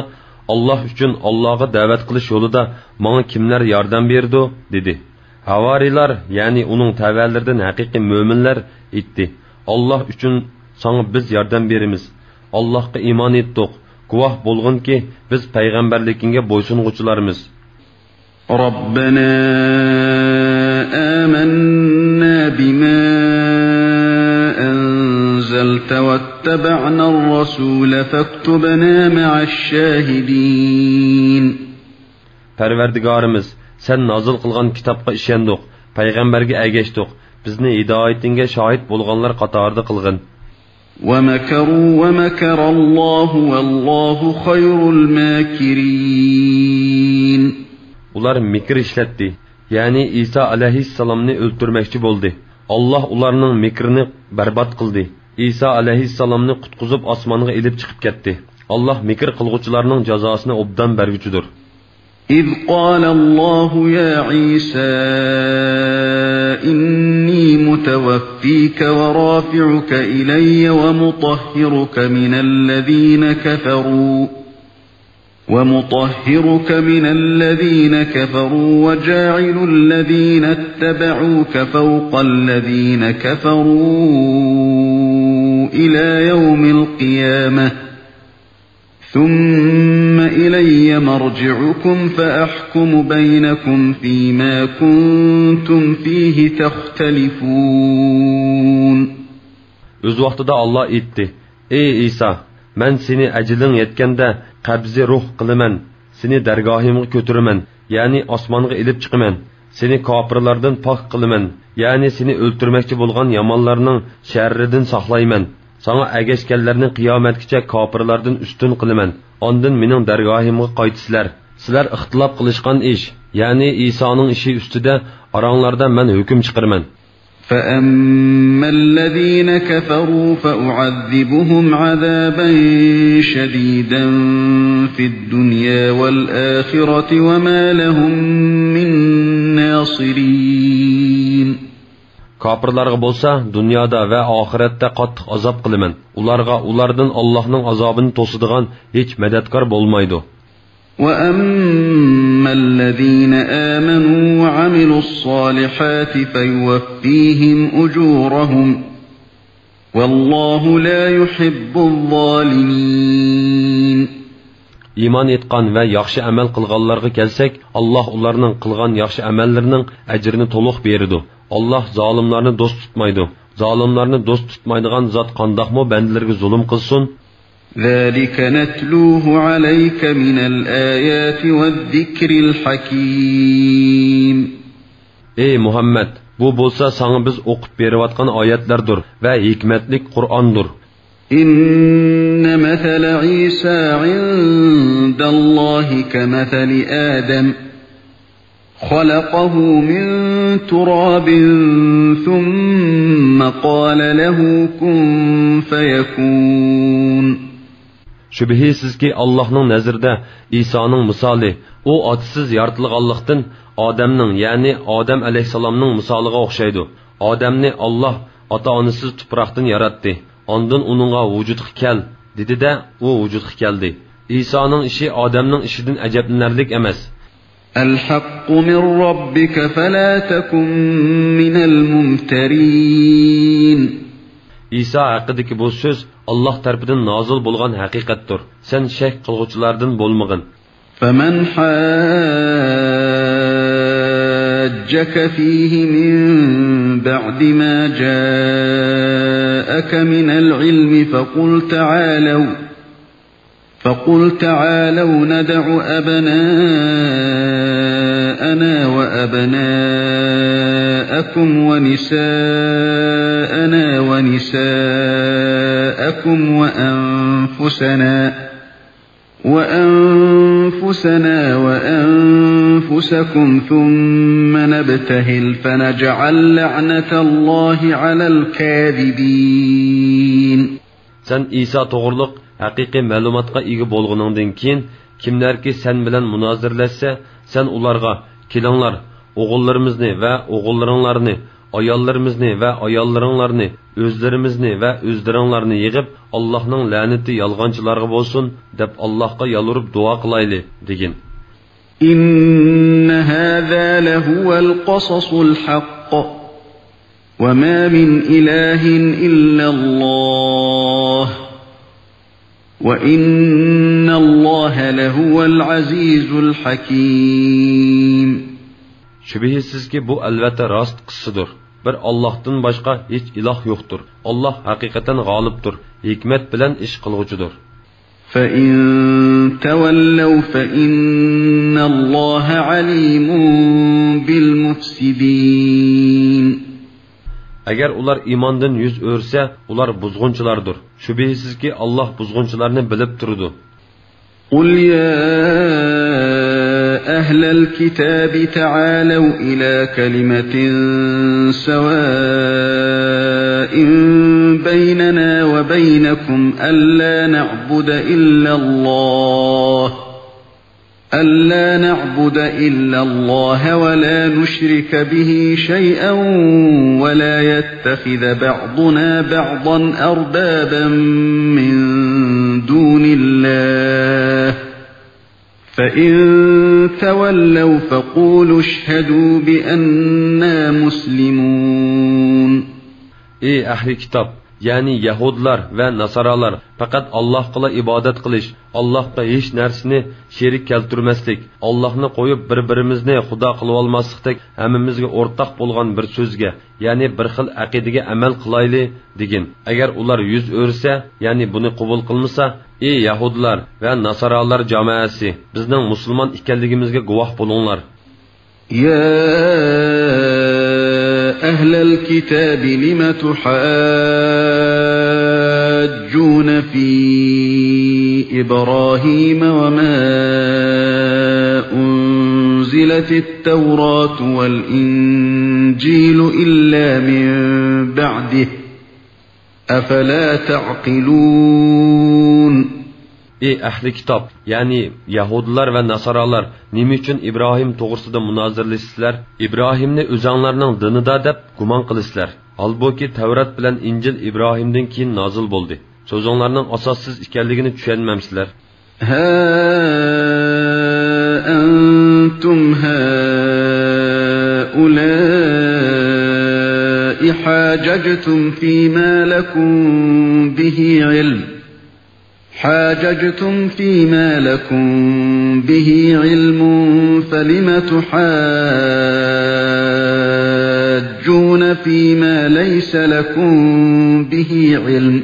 ئاللاھ ئۈچۈن ئاللاھقا دەۋەت قىلىش يولىدا ماڭا كىملەر ياردەم بېرىدۇ؟ دېدى. ھاۋارىيلار، يەنى ئۇنىڭ تەۋەلىرىدىن ھەقىقىي مۆمىنلەر ئېيتتى، ئاللاھ ئۈچۈن ساڭا بىز ياردەم بېرىمىز. ئاللاھقا ئىمان ئېيتتۇق، گۇۋاھ بولغىنكى، بىز پەيغەمبەرلىكىڭگە بويسۇنغۇچىلارمىز. ربنا آمنا بما فاكتبنا مع الشاهدين. پەرۋەردىگارىمىز، سەن نازىل قىلغان كىتابقا ئىشەندۇق، پەيغەمبەرگە ئەگەشتۇق، بىزنى ھىدايىتىڭگە شاھىت بولغانلار قاتارىدا قىلغىن. ومكروا ومكر الله والله خير الماكرين. ئۇلار مىكىر ئىشلەتتى، يەنى ئىسا ئەلەيھىسسالامنى ئۆلتۈرمەكچى بولدى. ئاللاھ ئۇلارنىڭ مىكرىنى بەربات قىلدى. ئىسا ئەلەيھىسسالامنى قۇتقۇزۇپ ئاسمانغا ئېلىپ چىقىپ كەتتى. ئاللاھ مىكىر قىلغۇچىلارنىڭ جازاسىنى ئوبدان بەرگۈچىدۇر. إذ قال الله يا عيسى إني متوفيك ورافعك إلي ومطهرك من الذين كفروا ومطهرك من الذين كفروا وجاعل الذين اتبعوك فوق الذين كفروا إلى يوم القيامة ثم إلي مرجعكم فأحكم بينكم فيما كنتم فيه تختلفون. ئۆز ۋاقتىدا ئاللاھ ئېيتتى: ئەي ئىسا، مەن سېنى ئەجىلىڭ يەتكەندە قەبزى روھ قىلىمەن، سېنى دەرگاھىمغا كۆتۈرىمەن، يەنى ئاسمانغا ئېلىپ چىقىمەن. سېنى كاپىرلاردىن پاك قىلىمەن، يەنى سېنى ئۆلتۈرمەكچى بولغان يامانلارنىڭ شەررىدىن ساقلايمەن. ساڭا ئەگەشكەنلەرنى قىيامەتكىچە كاپىرلاردىن ئۈستۈن قىلىمەن. ئاندىن مېنىڭ دەرگاھىمغا قايتىسىلەر. سىلەر ئىختىلاپ قىلىشقان ئىش، يەنى ئىسانىڭ ئىشى ئۈستىدە ئاراڭلاردا مەن ھۆكۈم چىقىرىمەن. فأما الذين كفروا فأعذبهم عذابا شديدا في الدنيا والآخرة وما لهم من ناصرين. كاپىرلارغا بولسا دۇنيادا ۋە ئاخىرەتتە قاتتىق ئازاب قىلىمەن. ئۇلارغا ئۇلاردىن ئاللاھنىڭ ئازابىنى توسىدىغان ھېچ مەدەتكار بولمايدۇ. وأما الذين آمنوا وعملوا الصالحات فيوفيهم أجورهم والله لا يحب الظالمين. ئىمان ئېيتقان ۋە ياخشى ئەمەل قىلغانلارغا كەلسەك، ئاللاھ ئۇلارنىڭ قىلغان ياخشى ئەمەللىرىنىڭ ئەجرىنى تولۇق بېرىدۇ. ئاللاھ زالىملارنى دوست تۇتمايدۇ. زالىملارنى دوست تۇتمايدىغان زات قانداقمۇ بەندىلىرىگە زۇلۇم قىلسۇن؟ ذلك نتلوه عليك من الآيات والذكر الحكيم. ئەي مۇھەممەد، بۇ بولسا ساڭا بىز ئوقۇپ بېرىۋاتقان ئايەتلەردۇر ۋە ھېكمەتلىك قۇرئاندۇر. إن مثل عيسى عند الله كمثل آدم خلقه من تراب ثم قال له كن فيكون. شۈبھىسىزكى، ئاللاھنىڭ نەزىرىدە ئىسانىڭ مىسالى، ئۇ ئاتىسىز يارىتىلغانلىقتىن، ئادەمنىڭ، يەنى ئادەم ئەلەيھىسسالامنىڭ مىسالىغا ئوخشايدۇ. ئادەمنى ئاللاھ ئاتا-ئانىسىز تۇپراقتىن ياراتتى. ئاندىن ئۇنىڭغا ۋۇجۇدقا كەل، دېدى-دە، ئۇ ۋۇجۇدقا كەلدى. ئىسانىڭ ئىشى ئادەمنىڭ ئىشىدىن ئەجەبلىنەرلىك ئەمەس. الحق من ربك فلا تكن من الممترين. ئىسا ھەققىدىكى بۇ سۆز ئاللاھ تەرىپىدىن نازىل بولغان ھەقىقەتتۇر. سەن شەك قىلغۇچىلاردىن بولمىغىن. فمن حاجك فيه من بعد ما جاءك من العلم فقل تعالوا فقل تعالوا ندع أبناءنا وأبناءكم ونساءنا ونساءكم وأنفسنا وأنفسنا وأنفسكم ثم نبتهل فنجعل لعنة الله على الكاذبين. سەن ئىسا توغرۇلۇق ھەقىقىي مەلۇماتقا ئىگە بولغىنىڭدىن كېيىن، كىملەركى سەن بىلەن مۇنازىرىلەشسە، سەن ئۇلارغا، كېلىڭلار، ئوغۇللىرىمىزنى ۋە ئوغۇللىرىڭلارنى، ئاياللىرىمىزنى ۋە ئاياللىرىڭلارنى، ئۆزلىرىمىزنى ۋە ئۆزلىرىڭلارنى يىغىپ، ئاللاھنىڭ لەنىتى يالغانچىلارغا بولسۇن، دەپ ئاللاھقا يالۋۇرۇپ دۇئا قىلايلى، دېگىن. إن هذا لهو القصص الحق وما من إله إلا الله وإن الله لهو العزيز الحكيم. شۈبھىسىزكى، بۇ ئەلۋەتتە راست قىسسىدۇر. بىر ئاللاھتىن باشقا ھېچ ئىلاھ يوقتۇر. ئاللاھ ھەقىقەتەن غالىبتۇر، ھېكمەت بىلەن ئىش قىلغۇچىدۇر. فَإِن تَوَلَّوْا فَإِنَّ اللَّهَ عَلِيمٌ بِالْمُفْسِدِينَ. ئەگەر ئۇلار ئىماندىن يۈز ئۆرۈسە، ئۇلار بۇزغۇنچىلاردۇر. شۈبھىسىزكى، ئاللاھ بۇزغۇنچىلارنى بىلىپ تۇرىدۇ. قُلْ يَا أَهْلَ الْكِتَابِ تَعَالَوْا إِلَى كَلِمَةٍ سَوَاءٍ بَيْنَنَا وَبَيْنَكُمْ أَلَّا نَعْبُدَ إِلَّا اللَّهَ أَلَّا نَعْبُدَ إِلَّا اللَّهَ وَلَا نُشْرِكَ بِهِ شَيْئًا وَلَا يَتَّخِذَ بَعْضُنَا بَعْضًا أَرْبَابًا مِنْ دُونِ اللَّهِ، فَإِنْ تَوَلَّوْا فَقُولُوا اشْهَدُوا بِأَنَّا مُسْلِمُونَ. ئى ئەھلى كىتاب، يەنى يەھۇدىيلار ۋە ناسارالار، پەقەت ئاللاھقىلا ئىبادەت قىلىش، ئاللاھقا ھېچ نەرسىنى شېرىك كەلتۈرمەسلىك، ئاللاھنى قويۇپ بىر-بىرىمىزنى خۇدا قىلىۋالماسلىقتەك ھەممىمىزگە ئورتاق بولغان بىر سۆزگە، يەنى بىر خىل ئەقىدىگە ئەمەل قىلايلى، دېگىن. ئەگەر ئۇلار يۈز ئۆرۈسە، يەنى بۇنى قوبۇل قىلمىسا، ئى يەھۇدىيلار ۋە ناسارالار جامائەسى، بىزنىڭ مۇسۇلمان ئىكەنلىكىمىزگە گۇۋاھ بولۇڭلار. يَا أَهْلَ الْكِتَابِ لِمَ تُحَاجُّونَ فِي إِبْرَاهِيمَ وَمَا أُنْزِلَتِ التَّوْرَاةُ وَالْإِنْجِيلُ إِلَّا مِنْ بَعْدِهِ، أَفَلَا تَعْقِلُونَ. ئى ئەھلى كىتاب، يەنى يەھۇدىيلار ۋە ناسارالار، نېمە ئۈچۈن ئىبراھىم توغرىسىدا مۇنازىرىلىشىسىلەر؟ ئىبراھىمنى ئۆزەڭلارنىڭ دىنىدا دەپ گۇمان قىلىسىلەر. ھالبۇكى، تەۋرات بىلەن ئىنجىل ئىبراھىمدىن كېيىن نازىل بولدى. سۆزۈڭلارنىڭ ئاساسسىز ئىكەنلىكىنى چۈشەنمەمسىلەر؟ هَا أَنْتُمْ هَؤُلَاءِ حَاجَجْتُمْ فِيمَا لَكُمْ بِهِ عِلْمٌ، حَاجَجْتُمْ فِيمَا لَكُمْ بِهِ عِلْمٌ، فَلِمَ تُحَاجُّونَ فِيمَا لَيْسَ لَكُمْ بِهِ عِلْمٌ،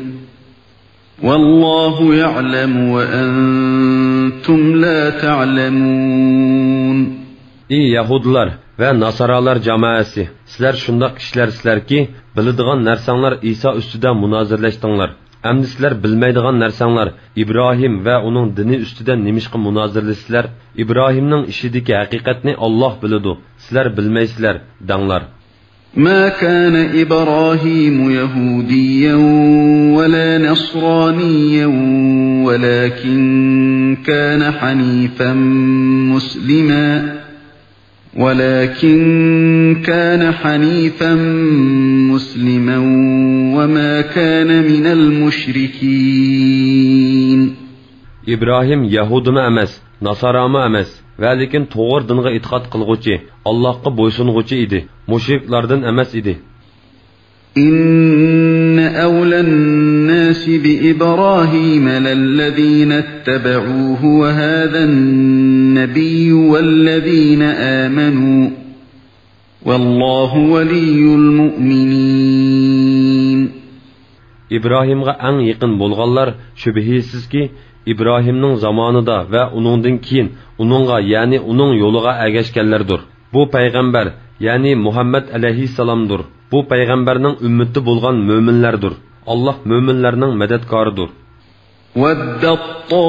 وَاللَّهُ يَعْلَمُ وَأَنْتُمْ لَا تَعْلَمُونَ. ئى يەھۇدىيلار ۋە ناسارالار جامائەسى، سىلەر شۇنداق كىشىلەرسىلەركى، بىلىدىغان نەرسەڭلار ئىسا ئۈستىدە مۇنازىرىلەشتىڭلار. ئەمدى سىلەر بىلمەيدىغان نەرسەڭلار ئىبراھىم ۋە ئۇنىڭ دىنى ئۈستىدە نېمىشقا مۇنازىرىلىسىلەر؟ ئىبراھىمنىڭ ئىشىدىكى ھەقىقەتنى ئاللاھ بىلىدۇ، سىلەر بىلمەيسىلەر، دەڭلار. مَا كَانَ إِبْرَاهِيمُ يَهُودِيًّا وَلَا نَصْرَانِيًّا وَلَكِنْ كَانَ حَنِيفًا مُسْلِمًا، وَلَكِنْ كَانَ حَنِيفًا مُسْلِمًا وَمَا كَانَ مِنَ الْمُشْرِكِينَ. ئىبراھىم يەھۇدىيمۇ ئەمەس، ناسارامۇ ئەمەس، ۋە لېكىن توغرا دىنغا ئېتىقاد قىلغۇچى، ئاللاھقا بويسۇنغۇچى ئىدى، مۇشرىكلاردىن ئەمەس ئىدى. إِنَّ أَوْلَى النَّاسِ بِإِبْرَاهِيمَ لَلَّذِينَ اتَّبَعُوهُ وَهَذَا النَّبِيُّ وَالَّذِينَ آمَنُوا، وَاللَّهُ وَلِيُّ الْمُؤْمِنِينَ. ئىبراھىمغا ئەڭ يېقىن بولغانلار، شۈبھىسىزكى، ئىبراھىمنىڭ زامانىدا ۋە ئۇنىڭدىن كېيىن ئۇنىڭغا، يەنى ئۇنىڭ يولىغا ئەگەشكەنلەردۇر. بۇ پەيغەمبەر، يەنى مۇھەممەد ئەلەيھىسسالامدۇر. بۇ پەيغەمبەرنىڭ ئۈممىتى بولغان مۆمىنلەردۇر. ئاللاھ مۆمىنلەرنىڭ مەدەتكارىدۇر. وَدَّت طَّائِفَةٌ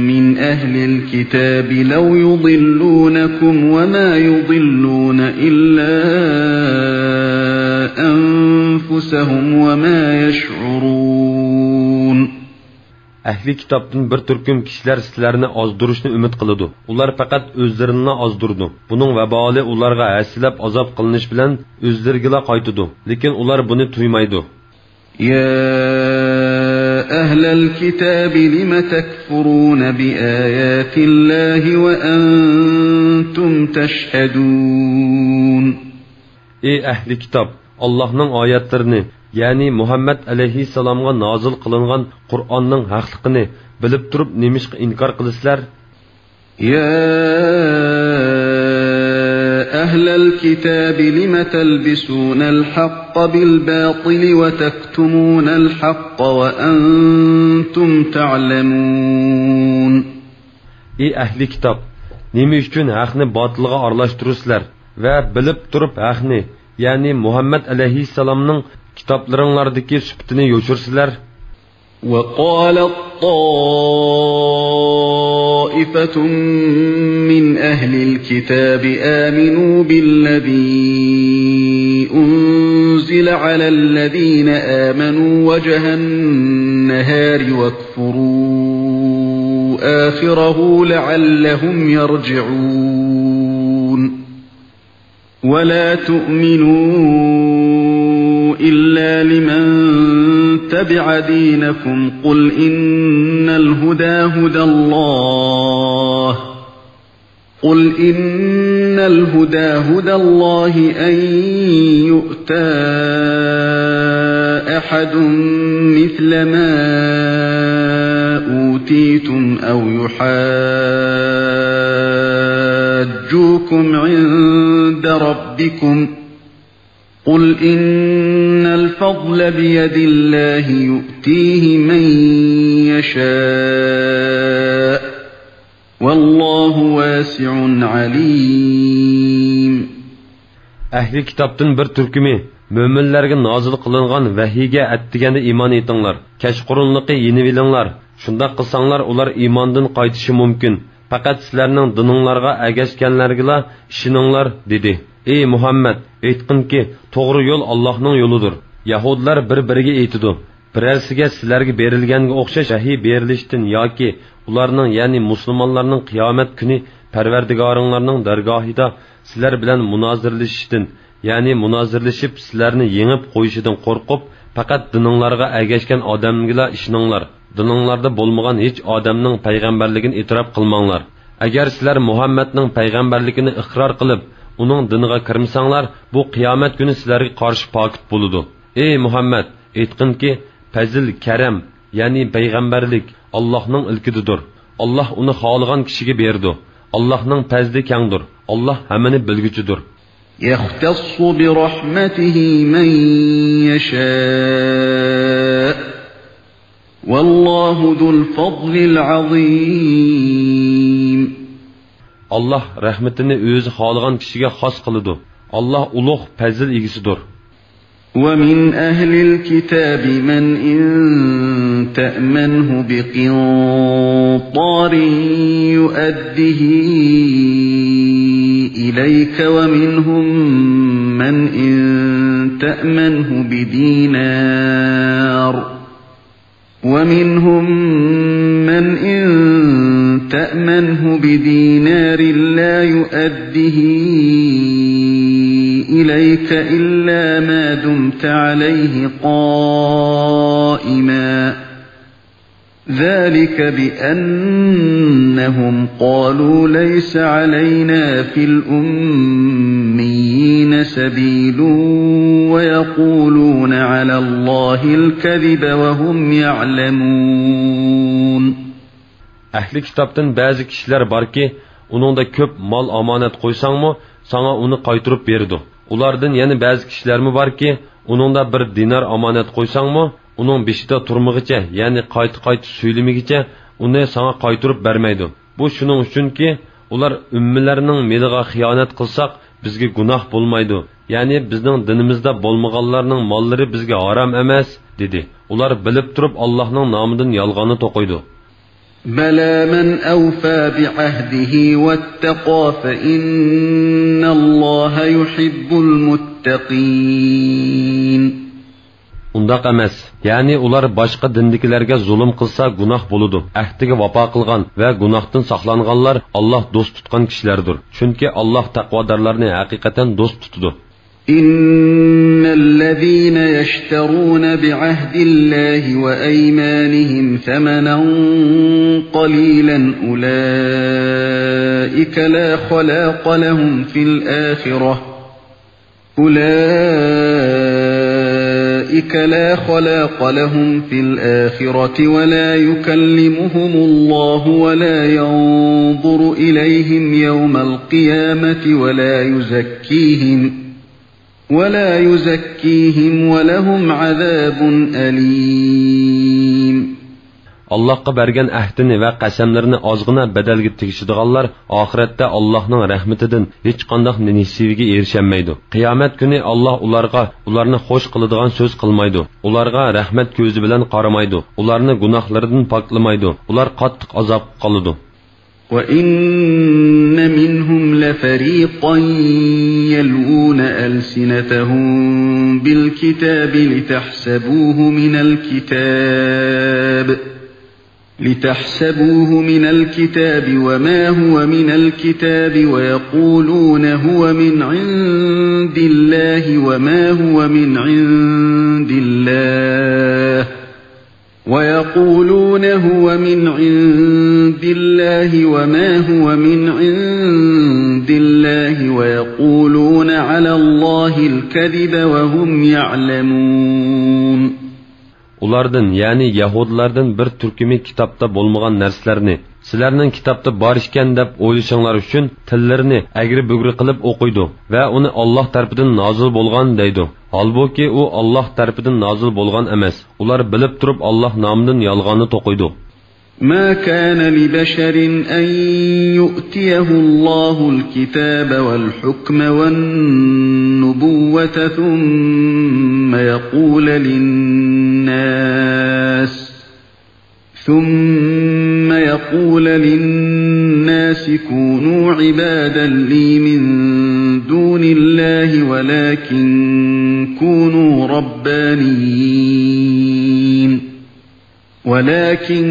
مِّنْ أَهْلِ الْكِتَابِ لَوْ يُضِلُّونَكُمْ وَمَا يُضِلُّونَ إِلَّا أَنفُسَهُمْ وَمَا يَشْعُرُونَ. ئەھلى كىتابتىن بىر تۈركۈم كىشىلەر سىلەرنى ئازدۇرۇشنى ئۈمىد قىلىدۇ. ئۇلار پەقەت ئۆزلىرىنىلا ئازدۇرىدۇ. بۇنىڭ ۋابالى ئۇلارغا ھەسسىلەپ ئازاب قىلىنىش بىلەن ئۆزلىرىگىلا قايتىدۇ. لېكىن ئۇلار بۇنى تۇيمايدۇ. يَا أَهْلَ الْكِتَابِ لِمَ تَكْفُرُونَ بِآيَاتِ اللَّهِ وَأَنْتُمْ تَشْهَدُونَ. ئى ئەھلى كىتاب! ئاللاھنىڭ ئايەتلىرىنى، يەنى مۇھەممەد ئەلەيھىسسالامغا نازىل قىلىنغان قۇرئاننىڭ ھەقلىقىنى بىلىپ تۇرۇپ نېمىشقا ئىنكار قىلىسىلەر؟ يَا أهل الكتاب لم تلبسون الحق بالباطل وتكتمون الحق وأنتم تعلمون. ئى ئەھلى كىتاب! نېمە ئۈچۈن ھەقنى باتىلغا ئارىلاشتۇرىسىلەر ۋە بىلىپ تۇرۇپ ھەقنى، يەنى مۇھەممەد ئەلەيھىسسالامنىڭ كىتابلىرىڭلاردىكى سۈپىتىنى يوشۇرىسىلەر؟ وقالت طائفة من أهل الكتاب آمنوا بالذي أنزل على الذين آمنوا وجه النهار واكفروا آخره لعلهم يرجعون. ولا تؤمنوا إلا لمن تبع دينكم قل إن الهدى هدى الله، قل إن الهدى هدى الله أن يؤتى أحد مثل ما أوتيتم أو يحاجوكم عند ربكم، قل إن الفضل بيد الله يؤتيه من يشاء، والله واسع عليم. ئەھلى كىتابتىن بىر تۈركۈمى مۆمىنلەرگە نازىل قىلىنغان ۋەھىيگە ئەتىگەندە ئىمان ئېيتىڭلار، كەچقۇرۇنلۇقى يېنىۋېلىڭلار، شۇنداق قىلساڭلار ئۇلار ئىماندىن قايتىشى مۇمكىن. پەقەت سىلەرنىڭ دىنىڭلارغا ئەگەشكەنلەرگىلا ئىشىنىڭلار، دېدى. ئى مۇھەممەد، ئېيتقىنكى، توغرا يول ئاللاھنىڭ يولىدۇر. يەھۇدىيلار بىر-بىرىگە ئېيتىدۇ، بىرەرسىگە سىلەرگە بېرىلگەنگە ئوخشاش ۋەھىي بېرىلىشتىن ياكى ئۇلارنىڭ، يەنى مۇسۇلمانلارنىڭ قىيامەت كۈنى پەرۋەردىگارىڭلارنىڭ دەرگاھىدا سىلەر بىلەن مۇنازىرىلىشىشتىن، يەنى مۇنازىرىلىشىپ سىلەرنى يېڭىپ قويۇشىدىن قورقۇپ، پەقەت دىنىڭلارغا ئەگەشكەن ئادەمگىلا ئىشىنىڭلار. دىنىڭلاردا بولمىغان ھېچ ئادەمنىڭ پەيغەمبەرلىكىنى ئېتىراپ قىلماڭلار. ئەگەر سىلەر مۇھەممەدنىڭ پەيغەمبەرلىكىنى ئىقرار قىلىپ، ئۇنىڭ دىنىغا كىرمىسەڭلار، بۇ قىيامەت كۈنى سىلەرگە قارشى پاكىت بولىدۇ. ئى مۇھەممەد، ئېيتقىنكى، پەزىل، كەرەم، يەنى پەيغەمبەرلىك ئاللاھنىڭ ئىلكىدىدۇر. ئاللاھ ئۇنى خالىغان كىشىگە بېرىدۇ. ئاللاھنىڭ پەزلى كەڭدۇر. ئاللاھ ھەممىنى بىلگۈچىدۇر. يختص برحمته من يشاء، والله ذو الفضل العظيم. ئاللاھ رەھمىتىنى ئۆزى خالىغان كىشىگە خاس قىلىدۇ. ئاللاھ ئۇلۇغ پەزىل ئىگىسىدۇر. ومن أهل الكتاب من إن تأمنه بقنطار يؤده إليك ومنهم من إن تأمنه بدينار ومنهم من إن تأمنه بدينار لا يؤده إليك إلا ما دمت عليه قائما. ذلك بأنهم قالوا ليس علينا في الأميين سبيل ويقولون على الله الكذب وهم يعلمون. ئەھلى كىتابتىن بەزى كىشىلەر باركى، ئۇنىڭدا كۆپ مال ئامانەت قويساڭمۇ، ساڭا ئۇنى قايتۇرۇپ بېرىدۇ. ئۇلاردىن يەنە بەزى كىشىلەرمۇ باركى، ئۇنىڭدا بىر دىنار ئامانەت قويساڭمۇ، ئۇنىڭ بېشىدا تۇرمىغىچە، يەنى قايتا-قايتا سۆيلىمىگىچە ئۇنى ساڭا قايتۇرۇپ بەرمەيدۇ. بۇ شۇنىڭ ئۈچۈنكى، ئۇلار ئۈممىلەرنىڭ مېلىغا خىيانەت قىلساق، بىزگە گۇناھ بولمايدۇ، يەنى بىزنىڭ دىنىمىزدا بولمىغانلارنىڭ ماللىرى بىزگە ھارام ئەمەس، دېدى. ئۇلار بىلىپ تۇرۇپ ئاللاھنىڭ نامىدىن يالغاننى توقۇيدۇ. بلى من أوفى بعهده واتقى فإن الله يحب المتقين. ئۇنداق ئەمەس. يەنى ئۇلار باشقا دىندىكىلەرگە زۇلۇم قىلسا گۇناھ بولىدۇ. ئەھدىگە ۋاپا قىلغان ۋە گۇناھتىن ساقلانغانلار ئاللاھ دوست تۇتقان كىشىلەردۇر. چۈنكى ئاللاھ تەقۋادارلارنى ھەقىقەتەن دوست تۇتىدۇ. إن الذين يشترون بعهد الله وأيمانهم ثمنا قليلا أولئك لا خلاق لهم في الآخرة، أولئك أولئك لا خلاق لهم في الآخرة ولا يكلمهم الله ولا ينظر إليهم يوم القيامة ولا يزكيهم، ولا يزكيهم ولهم عذاب أليم. ئاللاھقا بەرگەن ئەھدىنى ۋە قەسەملىرىنى ئازغىنا بەدەلگە تېگىشىدىغانلار ئاخىرەتتە ئاللاھنىڭ رەھمىتىدىن ھېچقانداق نېسىۋىگە ئېرىشەلمەيدۇ. قىيامەت كۈنى ئاللاھ ئۇلارغا ئۇلارنى خوش قىلىدىغان سۆز قىلمايدۇ. ئۇلارغا رەھمەت كۆزى بىلەن قارىمايدۇ. ئۇلارنى گۇناھلىرىدىن پاكلىمايدۇ. ئۇلار قاتتىق ئازابقا قالىدۇ. وإن منهم لفريقا يلوون ألسنتهم بالكتاب لتحسبوه من الكتاب، لتحسبوه من الكتاب وما هو من الكتاب ويقولون هو من عند الله وما هو من عند الله، ويقولون هو من عند الله وما هو من عند الله ويقولون على الله الكذب وهم يعلمون. ئۇلاردىن، يەنى يەھۇدىيلاردىن بىر تۈركۈمى كىتابتا بولمىغان نەرسىلەرنى، سىلەرنىڭ كىتابتا بار ئىكەن دەپ ئويلىشىڭلار ئۈچۈن، تىللىرىنى ئەگرى-بۈگرى قىلىپ ئوقۇيدۇ ۋە ئۇنى ئاللاھ تەرىپىدىن نازىل بولغان دەيدۇ. ھالبۇكى، ئۇ ئاللاھ تەرىپىدىن نازىل بولغان ئەمەس. ئۇلار بىلىپ تۇرۇپ ئاللاھ نامىدىن يالغاننى توقۇيدۇ. ما كان لبشر أن يؤتيه الله الكتاب والحكم والنبوة ثم يقول للناس، ثم يقول للناس كونوا عبادا لي من دون الله ولكن كونوا ربانيين، ولكن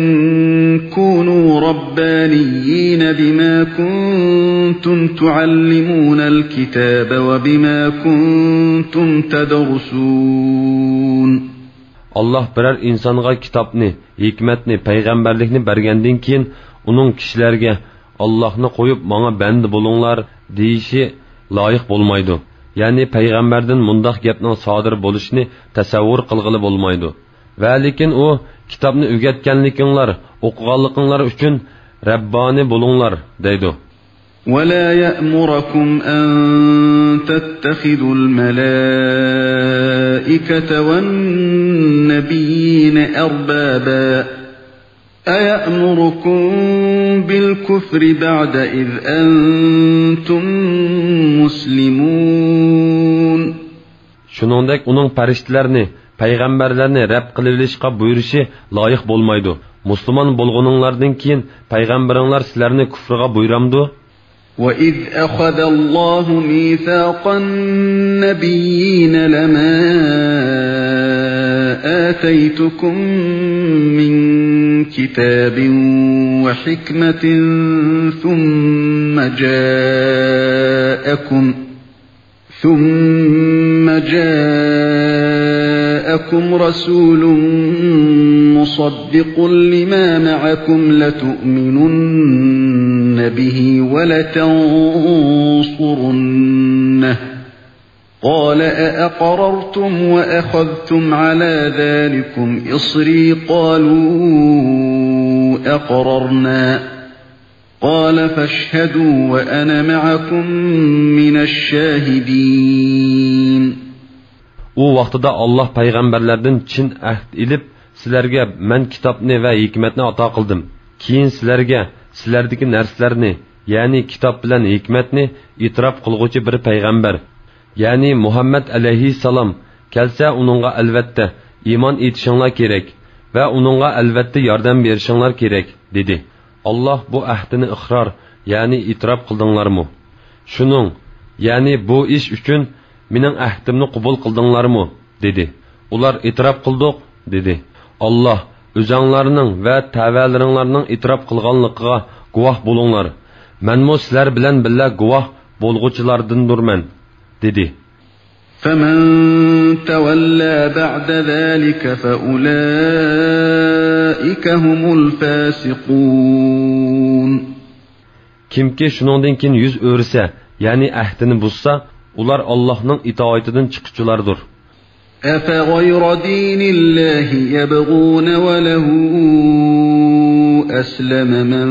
كونوا ربانيين بما كنتم تعلمون الكتاب وبما كنتم تدرسون. ئاللاھ بىرەر ئىنسانغا كىتابنى، ھېكمەتنى، پەيغەمبەرلىكنى بەرگەندىن كېيىن، ئۇنىڭ كىشىلەرگە، ئاللاھنى قويۇپ ماڭا بەندە بولۇڭلار، دېيىشى لايىق بولمايدۇ. يەنى پەيغەمبەردىن مۇنداق گەپنىڭ سادىر بولۇشىنى تەسەۋۋۇر قىلغىلى بولمايدۇ. ۋەلىكىن ئۇ، كىتابنى ئۆگەتكەنلىكىڭلار، ئوقۇغانلىقىڭلار ئۈچۈن رەببانى بولۇڭلار، دەيدۇ. ولا يأمركم أن تتخذوا الملائكة والنبيين أربابا، أيأمركم بالكفر بعد إذ أنتم مسلمون. شۇنىڭدەك ئۇنىڭ پەرىشتىلەرنى، پەيغەمبەرلەرنى رەب قىلىۋېلىشقا بۇيرۇشى لايىق بولمايدۇ. مۇسۇلمان بولغىنىڭلاردىن كېيىن پەيغەمبىرىڭلار سىلەرنى كۇفرىغا بۇيرامدۇ؟ وإذ أخذ الله ميثاق النبيين لما آتيتكم من كتاب وحكمة ثم جاءكم ثم جاءكم رسول مصدق لما معكم لتؤمنن به ولتنصرنه، قال أأقررتم وأخذتم على ذلكم إصري؟ قالوا أقررنا. قال فاشهدوا وأنا معكم من الشاهدين. ئۇ ۋاقتىدا ئاللاھ پەيغەمبەرلەردىن چىن ئەھد ئېلىپ، سىلەرگە مەن كىتابنى ۋە ھېكمەتنى ئاتا قىلدىم. كېيىن سىلەرگە سىلەردىكى نەرسىلەرنى، يەنى كىتاب بىلەن ھېكمەتنى ئېتىراپ قىلغۇچى بىر پەيغەمبەر، يەنى مۇھەممەد ئەلەيھىسسالام كەلسە، ئۇنىڭغا ئەلۋەتتە ئىمان ئېيتىشىڭلار كېرەك ۋە ئۇنىڭغا ئەلۋەتتە ياردەم بېرىشىڭلار كېرەك، دېدى. ئاللاھ بۇ ئەھدىنى ئىقرار، يەنى ئېتىراپ قىلدىڭلارمۇ؟ شۇنىڭ، يەنى بۇ ئىش ئۈچۈن مېنىڭ ئەھدىمنى قوبۇل قىلدىڭلارمۇ؟ دېدى. ئۇلار ئېتىراپ قىلدۇق، دېدى. ئاللاھ، ئۆزەڭلارنىڭ ۋە تەۋەلىرىڭلارنىڭ ئېتىراپ قىلغانلىقىغا گۇۋاھ بولۇڭلار. مەنمۇ سىلەر بىلەن بىللە گۇۋاھ بولغۇچىلاردىندۇرمەن، دېدى. فمن تولى بعد ذلك فأولئك هم الفاسقون. كىمكى شۇنىڭدىن كېيىن يۈز ئۆرۈسە، يەنى ئەھدىنى بۇزسا، ئۇلار ئاللاھنىڭ ئىتائىتىدىن چىققۇچىلاردۇر. أفغير دين الله يبغون وله أسلم من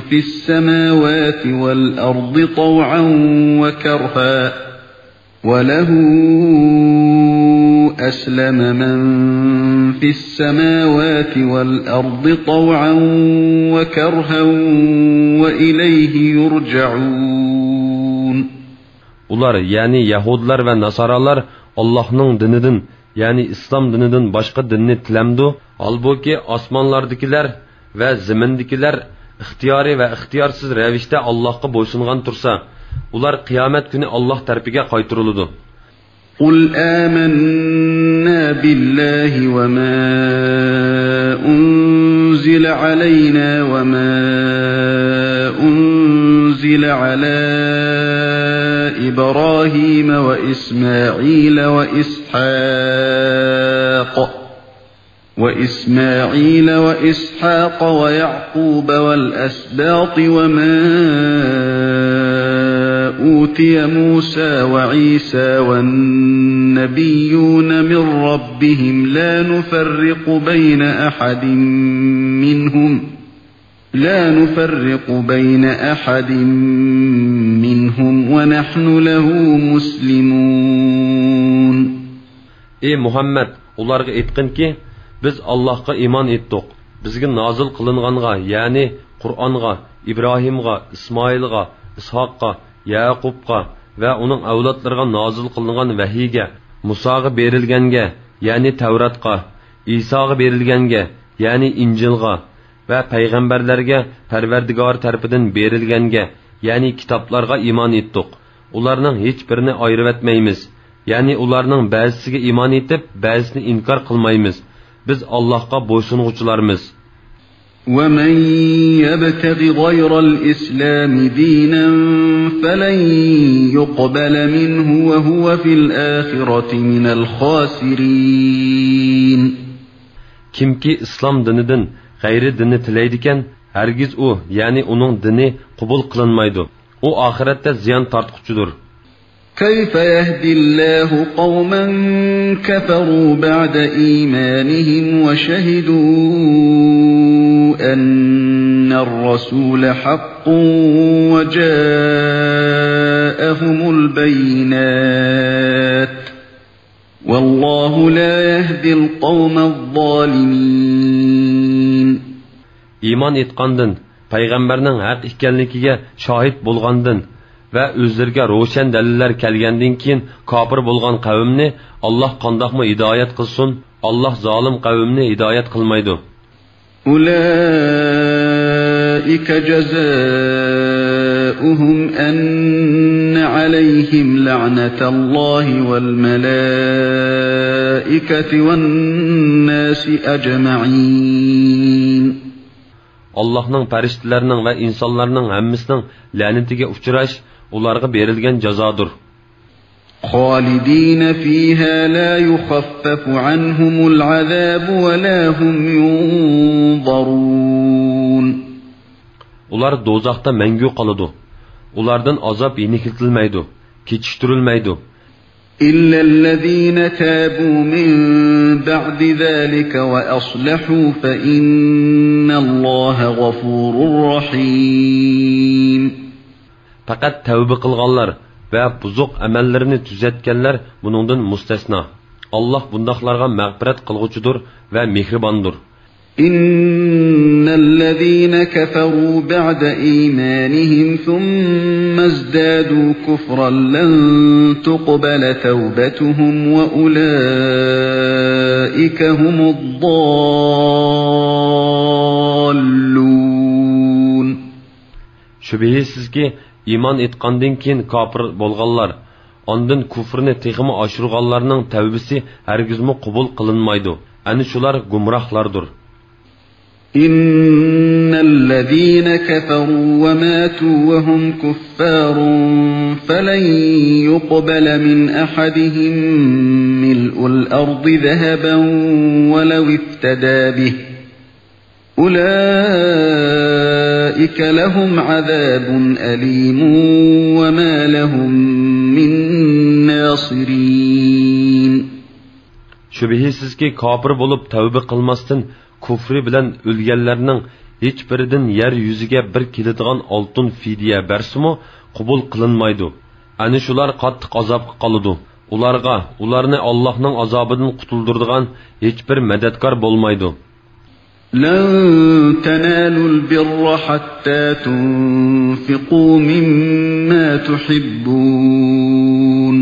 في السماوات والأرض طوعا وكرها، وله أسلم من في السماوات والأرض طوعا وكرها وإليه يرجعون. ئۇلار، يەنى يەھۇدىيلار ۋە ناسارالار ئاللاھنىڭ دىنىدىن، يەنى ئىسلام دىنىدىن باشقا دىننى تىلەمدۇ؟ ھالبۇكى، ئاسمانلاردىكىلەر ۋە زېمىندىكىلەر ئىختىيارىي ۋە ئىختىيارسىز رەۋىشتە ئاللاھقا بويسۇنغان تۇرسا، ئۇلار قىيامەت كۈنى ئاللاھ تەرىپىگە قايتۇرۇلىدۇ. قل آمنا بالله وما أنزل علينا وما أنزل على إبراهيم وإسماعيل وإسحاق وإسماعيل وإسحاق ويعقوب والأسباط وما أوتي موسى وعيسى والنبيون من ربهم لا نفرق بين أحد منهم لا نفرق بين أحد منهم ونحن له مسلمون. ئى مۇھەممەد، ئۇلارغا ئېيتقىنكى، بىز ئاللاھقا ئىمان ئېيتتۇق، بىزگە نازىل قىلىنغانغا، يەنى قۇرئانغا، ئىبراھىمغا، ئىسمائىلغا، ئىسھاققا، يەئقۇبقا ۋە ئۇنىڭ ئەۋلادلىرىغا نازىل قىلىنغان ۋەھىيگە، مۇساغا بېرىلگەنگە، يەنى تەۋراتقا، ئىساغا بېرىلگەنگە، يەنى ئىنجىلغا ۋە پەيغەمبەرلەرگە پەرۋەردىگارى تەرىپىدىن بېرىلگەنگە، يەنى كىتابلارغا ئىمان ئېيتتۇق. ئۇلارنىڭ ھېچبىرىنى ئايرىۋەتمەيمىز. يەنى ئۇلارنىڭ بەزىسىگە ئىمان ئېيتىپ، بەزىسىنى ئىنكار قىلمايمىز. بىز ئاللاھقا بويسۇنغۇچىلارمىز. ومن يبتغ غير الإسلام دينا فلن يقبل منه وهو في الآخرة من الخاسرين. كىمكى ئىسلام دىنىدىن غەيرىي دىننى تىلەيدىكەن، ھەرگىز ئۇ، يەنى ئۇنىڭ دىنى قوبۇل قىلىنمايدۇ. ئۇ ئاخىرەتتە زىيان تارتقۇچىدۇر. كيف يهدي الله قوما كفروا بعد إيمانهم وشهدوا أن الرسول حق وجاءهم البينات والله لا يهدي القوم الظالمين. ئىمان ئېيتقاندىن، پەيغەمبەرنىڭ ھەق ئىكەنلىكىگە شاھىت بولغاندىن ۋە ئۆزلىرىگە روشەن دەلىللەر كەلگەندىن كېيىن كاپىر بولغان قەۋمنى ئاللاھ قانداقمۇ ھىدايەت قىلسۇن؟ ئاللاھ زالىم قەۋمنى ھىدايەت قىلمايدۇ. أولئك جزاؤهم أن عليهم لعنة الله والملائكة والناس أجمعين. ئاللاھنىڭ، پەرىشتىلەرنىڭ ۋە ئىنسانلارنىڭ ھەممىسىنىڭ لەنىتىگە ئۇچراش ئۇلارغا بېرىلگەن جازادۇر. خالدين فيها لا يخفف عنهم العذاب ولا هم ينظرون. ئۇلار دوزاختا مەڭگۈ قالىدۇ. ئۇلاردىن ئازاب يېنىكلىتىلمەيدۇ، كېچىكتۈرۈلمەيدۇ. إلا الذين تابوا من بعد ذلك وأصلحوا فإن الله غفور رحيم. پەقەت تەۋبە قىلغانلار ۋە بۇزۇق ئەمەللىرىنى تۈزەتكەنلەر بۇنىڭدىن مۇستەسنا. ئاللاھ بۇنداقلارغا مەغپىرەت قىلغۇچىدۇر ۋە مېھرىباندۇر. إن الذين كفروا بعد إيمانهم ثم ازدادوا كفرا لن تقبل توبتهم وأولئك هم الضالون. شۈبھىسىزكى، ئىمان ئېيتقاندىن كېيىن كاپىر بولغانلار، ئاندىن كۇفرىنى تېخىمۇ ئاشۇرغانلارنىڭ تەۋبىسى ھەرگىزمۇ قوبۇل قىلىنمايدۇ. ئەنە شۇلار گۇمراھلاردۇر. إن الذين كفروا وماتوا وهم كفار فلن يقبل من أحدهم ملء الأرض ذهبا ولو افتدى به أولئك لهم عذاب أليم وما لهم من ناصرين. شۈبھىسىزكى، كاپىر بولۇپ تەۋبە قىلماستىن كۇفرى بىلەن ئۆلگەنلەرنىڭ ھېچبىرىدىن يەر يۈزىگە بىر كېلىدىغان ئالتۇن فىدىيە بەرسىمۇ قوبۇل قىلىنمايدۇ. ئەنە شۇلار قاتتىق ئازابقا قالىدۇ. ئۇلارغا، ئۇلارنى ئاللاھنىڭ ئازابىدىن قۇتۇلدۇرىدىغان ھېچبىر مەدەتكار بولمايدۇ. لن تنالوا البر حتى تنفقوا مما تحبون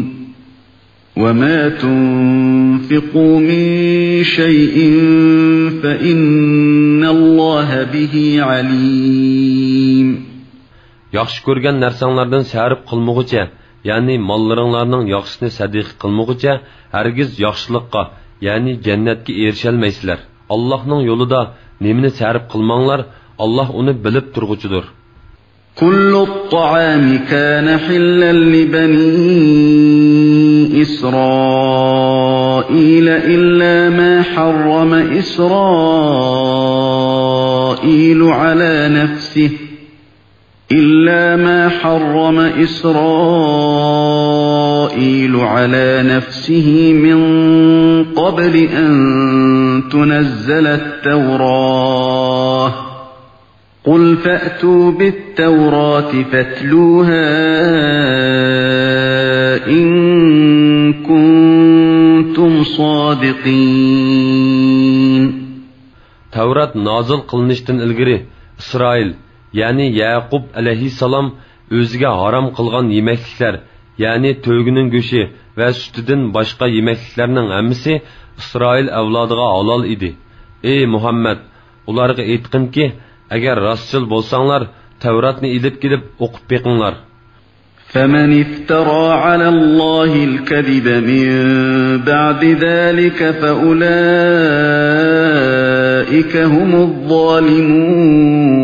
وما تنفقوا من شيء فإن الله به عليم. ياخشى كۆرگەن نەرسەڭلاردىن سەرپ قىلمىغۇچە، يەنى ماللىرىڭلارنىڭ ياخشىسىنى سەدىقە قىلمىغۇچە، ھەرگىز ياخشىلىققا، يەنى جەننەتكە ئېرىشەلمەيسىلەر. ئاللاھنىڭ يولىدا نېمىنى سەرپ قىلماڭلار، ئاللاھ ئۇنى بىلىپ تۇرغۇچىدۇر. كل الطعام كان حلا لبني إسرائيل إلا ما حرم إسرائيل على نفسه إلا ما حرم إسرائيل على نفسه من قبل أن تنزل التوراة. قل فأتوا بالتوراة فاتلوها إن كنتم صادقين. تەۋرات نازىل قىلىنىشتىن ئىلگىرى ئىسرائىل، يەنى يەقۇب ئەلەيھىسسالام ئۆزىگە ھارام قىلغان يېمەكلىكلەر، يەنى تۆگىنىڭ گۆشى ۋە سۈتىدىن باشقا يېمەكلىكلەرنىڭ ھەممىسى ئىسرائىل ئەۋلادىغا ھالال ئىدى. ئەي مۇھەممەد، ئۇلارغا ئېيتقىنكى، ئەگەر راستچىل بولساڭلار، تەۋراتنى ئېلىپ كېلىپ ئوقۇپ بېقىڭلار. فمن افترى على الله الكذب من بعد ذلك فأولئك هم الظالمون.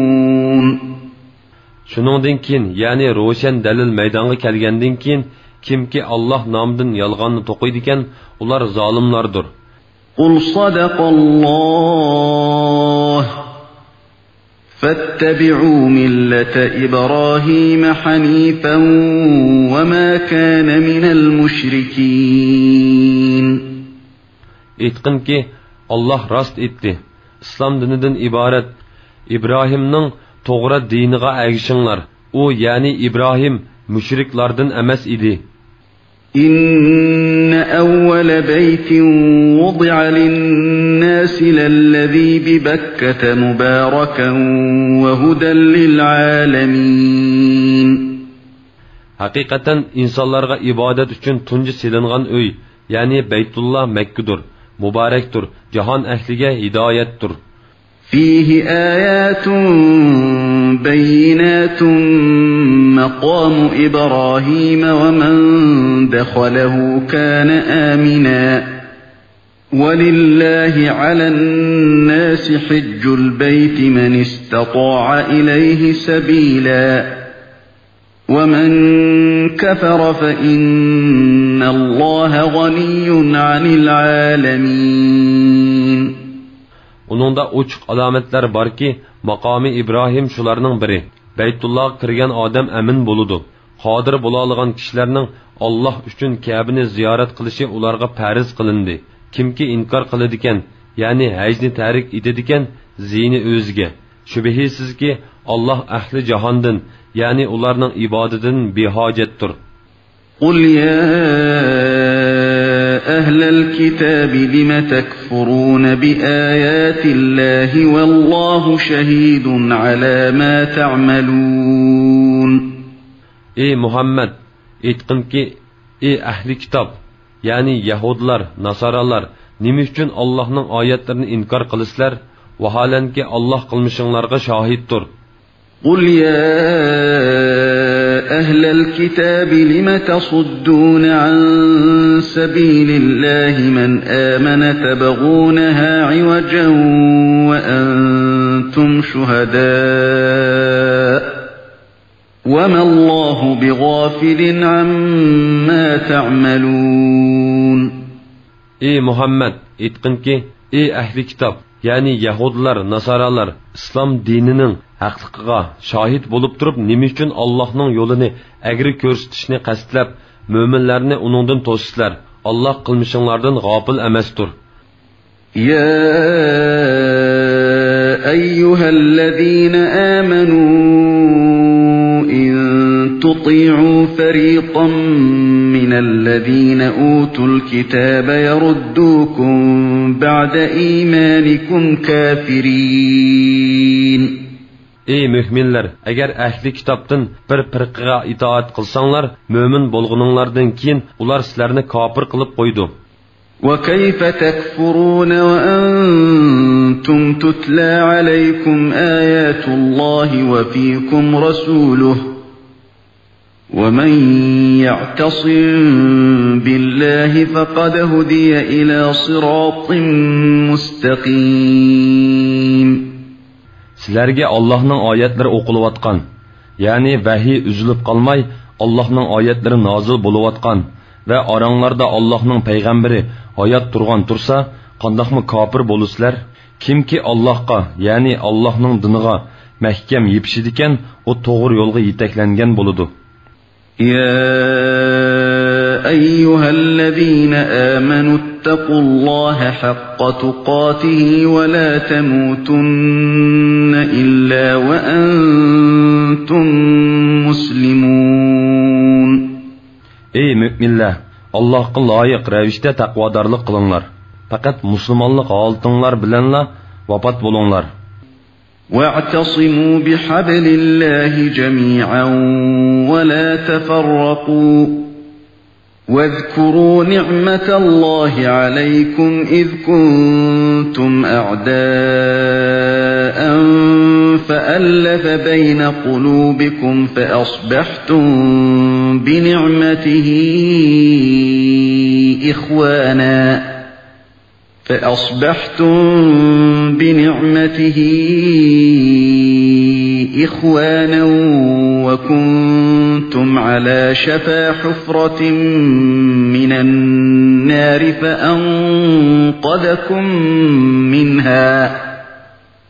شۇنىڭدىن كېيىن، يەنى روشەن دەلىل مەيدانغا كەلگەندىن كېيىن، كىمكى ئاللاھ نامىدىن يالغاننى توقۇيدىكەن، ئۇلار زالىملاردۇر. قل صدق الله فاتبعوا ملة إبراهيم حنيفا وما كان من المشركين. ئېيتقىنكى، ئاللاھ راست ئېيتتى، ئىسلام دىنىدىن ئىبارەت ئىبراھىمنىڭ توغرا دىنىغا ئەگىشىڭلار. ئۇ، يەنى ئىبراھىم، مۇشرىكلاردىن ئەمەس ئىدى. إن أول بيت وضع للناس للذي ببكة مباركا وهدى للعالمين. ھەقىقەتەن ئىنسانلارغا ئىبادەت ئۈچۈن تۇنجى سېلىنغان ئۆي، يەنى بەيتۇللا مەككىدۇر، مۇبارەكتۇر، جاھان ئەھلىگە ھىدايەتتۇر. فيه آيات بينات مقام إبراهيم ومن دخله كان آمنا ولله على الناس حج البيت من استطاع إليه سبيلا ومن كفر فإن الله غني عن العالمين. ئۇنىڭدا ئوچۇق ئالامەتلەر باركى، ماقامى ئىبراھىم شۇلارنىڭ بىرى. بەيتۇللاغا كىرگەن ئادەم ئەمىن بولىدۇ. قادىر بولالىغان كىشىلەرنىڭ ئاللاھ ئۈچۈن كەبىنى زىيارەت قىلىشى ئۇلارغا پەرز قىلىندى. كىمكى ئىنكار قىلىدىكەن، يەنى ھەجنى تەرك ئېتىدىكەن، زىيىنى ئۆزىگە. شۈبھىسىزكى، ئاللاھ ئەھلى جاھاندىن، يەنى ئۇلارنىڭ ئىبادىتىدىن بىھاجەتتۇر. قل يا أهل الكتاب لم تكفرون بآيات الله والله شهيد على ما تعملون. ئەي مۇھەممەد، ئېيتقىنكى، ئەي ئەھلى كىتاب، يەنى يەھۇدلار، ناسارالار، نېمە ئۈچۈن ئاللاھنىڭ ئايەتلىرىنى ئىنكار قىلىسىلەر؟ ۋاھالەنكى، ئاللاھ قىلمىشىڭلارغا شاھىتتۇر. قل يا أهل الكتاب لم تصدون عن سبيل الله من آمن تبغونها عوجا وأنتم شهداء وما الله بغافل عما تعملون. ئەي مۇھەممەد، ئېيتقىنكى، ئەي ئەھلى كىتاب، يەنى يەھۇدىيلار، ناسارالار ئىسلام دىنىنىڭ ھەقلىقىغا شاھىت بولۇپ تۇرۇپ، نېمە ئۈچۈن ئاللاھنىڭ يولىنى ئەگرى كۆرسىتىشنى قەستلەپ، مۆمىنلەرنى ئۇنىڭدىن توسىسىلەر؟ ئاللاھ قىلمىشىڭلاردىن غاپىل ئەمەستۇر. يا أيها الذين آمنوا إن تطيعوا فريقا من الذين أوتوا الكتاب يردوكم بعد إيمانكم كافرين. ئەي مۆمىنلەر، ئەگەر ئەھلى كىتابتىن بىر پىرقىگە ئىتائەت قىلساڭلار، مۆمىن بولغىنىڭلاردىن كېيىن ئۇلار سىلەرنى كاپىر قىلىپ قويىدۇ. وكيف تكفرون وأنتم تتلى عليكم آيات الله وفيكم رسوله ومن يعتصم بالله فقد هدي إلى صراط مستقيم. سىلەرگە ئاللاھنىڭ ئايەتلىرى ئوقۇلۇۋاتقان، يەنى ۋەھىي ئۈزۈلۈپ قالماي، ئاللاھنىڭ ئايەتلىرى نازىل بولۇۋاتقان ۋە ئاراڭلاردا ئاللاھنىڭ پەيغەمبىرى ھايات تۇرغان تۇرسا، قانداقمۇ كاپىر بولىسىلەر؟ كىمكى ئاللاھقا، يەنى ئاللاھنىڭ دىنىغا مەھكەم يېپىشىدىكەن، ئۇ توغرا يولغا يېتەكلەنگەن بولىدۇ. يا أيها الذين آمنوا اتقوا الله حق تقاته ولا تموتن إلا وأنتم مسلمون. ئەي مۆمىنلەر، ئاللاھقا لايىق رەۋىشتە تەقۋادارلىق قىلىڭلار. پەقەت مۇسۇلمانلىق ھالىتىڭلار بىلەنلا ۋاپات بولۇڭلار. واعتصموا بحبل الله جميعا ولا تفرقوا واذكروا نعمة الله عليكم إذ كنتم أعداء فألف بين قلوبكم فأصبحتم بنعمته إخوانا فأصبحتم بنعمته إخوانا وكنتم على شفا حفرة من النار فأنقذكم منها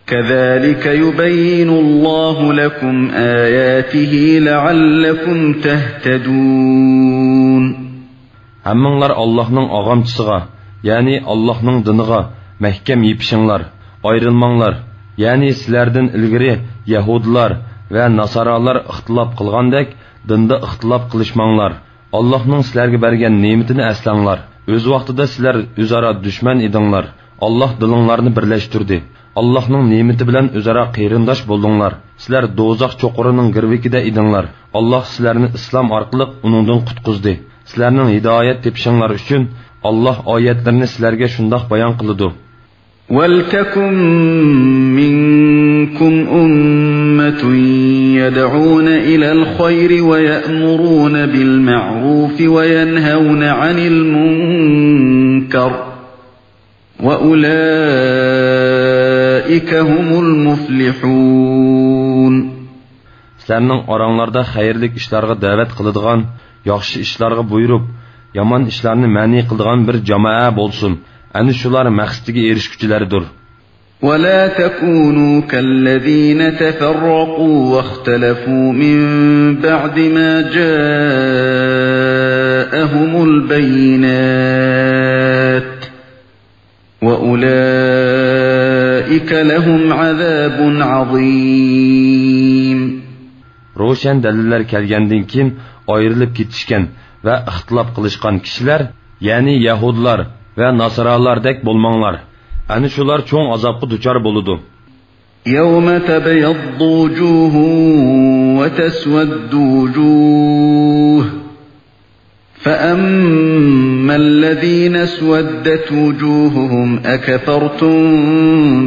كذلك يبين الله لكم آياته لعلكم تهتدون. ھەممىڭلار ئاللاھنىڭ ئاغامچىسىغا، يەنى ئاللاھنىڭ دىنىغا مەھكەم يېپىشىڭلار، ئايرىلماڭلار. يەنى سىلەردىن ئىلگىرى يەھۇدىيلار ۋە ناسارالار ئىختىلاپ قىلغاندەك، دىندا ئىختىلاپ قىلىشماڭلار. ئاللاھنىڭ سىلەرگە بەرگەن نېمىتىنى ئەسلەڭلار. ئۆز ۋاقتىدا سىلەر ئۆزئارا دۈشمەن ئىدىڭلار. ئاللاھ دىلىڭلارنى بىرلەشتۈردى. ئاللاھنىڭ نېمىتى بىلەن ئۆزئارا قېرىنداش بولدۇڭلار. سىلەر دوزاخ چوقۇرىنىڭ گىرۋىكىدە ئىدىڭلار. ئاللاھ سىلەرنى ئىسلام ئارقىلىق ئۇنىڭدىن قۇتقۇزدى. سىلەرنىڭ ھىدايەت تېپىشىڭلار ئۈچۈن ئاللاھ ئايەتلىرىنى سىلەرگە شۇنداق بايان قىلىدۇ. ولتكن منكم أمة يدعون إلى الخير ويأمرون بالمعروف وينهون عن المنكر وأولئك هم المفلحون. سىلەرنىڭ ئاراڭلاردا خەيرلىك ئىشلارغا دەۋەت قىلىدىغان، ياخشى ئىشلارغا بۇيرۇپ، يامان ئىشلارنى مەنئى قىلىدىغان بىر جامائە بولسۇن. ئەنە شۇلار مەقسىتىگە ئېرىشكۈچىلەردۇر. ولا تكونوا كالذين تفرقوا واختلفوا من بعد ما جاءهم البينات وأولئك لهم عذاب عظيم. روشەن دەلىللەر كەلگەندىن كېيىن ئايرىلىپ كېتىشكەن ۋە ئىختىلاپ قىلىشقان كىشىلەر، يەنى يەھۇدلار ۋە ناسارالاردەك بولماڭلار. ئەنە شۇلار چوڭ ئازابقا دۇچار بولىدۇ. يوم تبيض وجوه وتسود وجوه فأما الذين اسودت وجوههم أكفرتم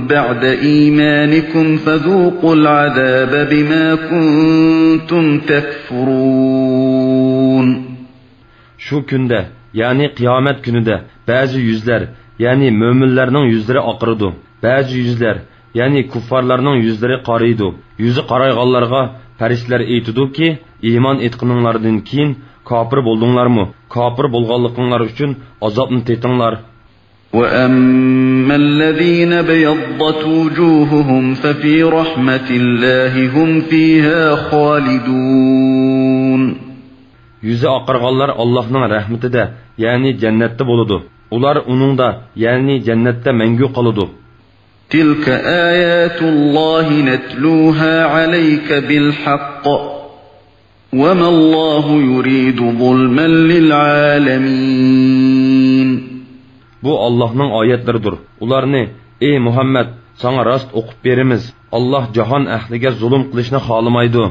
بعد إيمانكم فذوقوا العذاب بما كنتم تكفرون. شۇ كۈندە، يەنى قىيامەت كۈنىدە بەزى يۈزلەر، يەنى مۆمىنلەرنىڭ يۈزلىرى ئاقىرىدۇ. بەزى يۈزلەر، يەنى كۇففارلارنىڭ يۈزلىرى قارىيدۇ. يۈزى قارايغانلارغا پەرىشتىلەر ئېيتىدۇكى، ئىمان ئېيتقىنىڭلاردىن كېيىن كاپىر بولدۇڭلارمۇ؟ كاپىر بولغانلىقىڭلار ئۈچۈن ئازابنى تېتىڭلار. وأما الذين ابيضت وجوههم ففي رحمة الله هم فيها خالدون. يۈزى ئاقارغانلار ئاللاھنىڭ رەھمىتىدە، يەنى جەننەتتە بولىدۇ. ئۇلار ئۇنىڭدا، يەنى جەننەتتە مەڭگۈ قالىدۇ. تلك آيات الله نتلوها عليك بالحق وما الله يريد ظلما للعالمين. بۇ ئاللاھنىڭ ئايەتلىرىدۇر. ئۇلارنى، ئەي مۇھەممەد، ساڭا راست ئوقۇپ بېرىمىز. ئاللاھ جاھان ئەھلىگە زۇلۇم قىلىشنى خالىمايدۇ.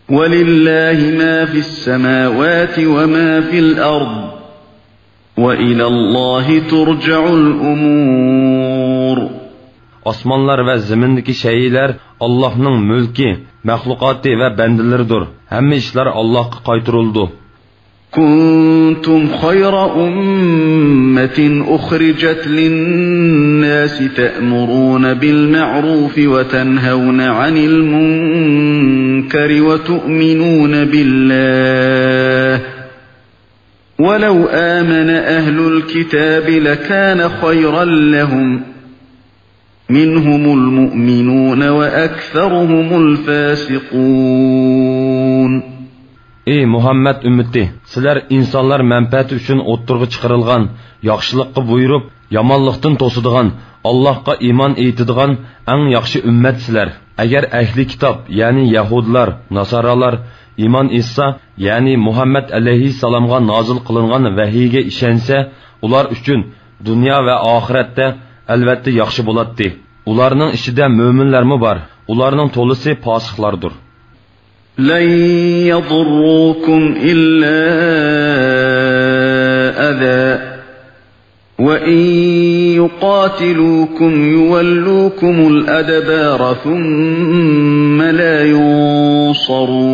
ولله ما في السماوات وما في الأرض وإلى الله ترجع الأمور. ئاسمانلار ۋە زېمىندىكى شەيئىلەر ئاللاھنىڭ مۈلكى، مەخلۇقاتى ۋە بەندىلىرىدۇر. ھەممە ئىشلار ئاللاھقا قايتۇرۇلىدۇ. كنتم خير أمة أخرجت للناس تأمرون بالمعروف وتنهون عن المنكر وتؤمنون بالله ولو آمن أهل الكتاب لكان خيرا لهم منهم المؤمنون وأكثرهم الفاسقون. ئەي مۇھەممەد ئۈممىتى، سىلەر ئىنسانلار مەنپەئەتى ئۈچۈن ئوتتۇرىغا چىقىرىلغان، ياخشىلىققا بۇيرۇپ، يامانلىقتىن توسىدىغان، ئاللاھقا ئىمان ئېيتىدىغان ئەڭ ياخشى ئۈممەتسىلەر. ئەگەر ئەھلى كىتاب، يەنى يەھۇدىيلار، ناسارالار ئىمان ئېيتسا، يەنى مۇھەممەد ئەلەيھىسسالامغا نازىل قىلىنغان ۋەھىيگە ئىشەنسە، ئۇلار ئۈچۈن دۇنيا ۋە ئاخىرەتتە ئەلۋەتتە ياخشى بولاتتى. ئۇلارنىڭ ئىچىدە مۆمىنلەرمۇ بار. ئۇلارنىڭ تولىسى پاسىقلاردۇر. لن يضروكم إلا أذى وإن يقاتلوكم يولوكم الأدبار ثم لا ينصرون.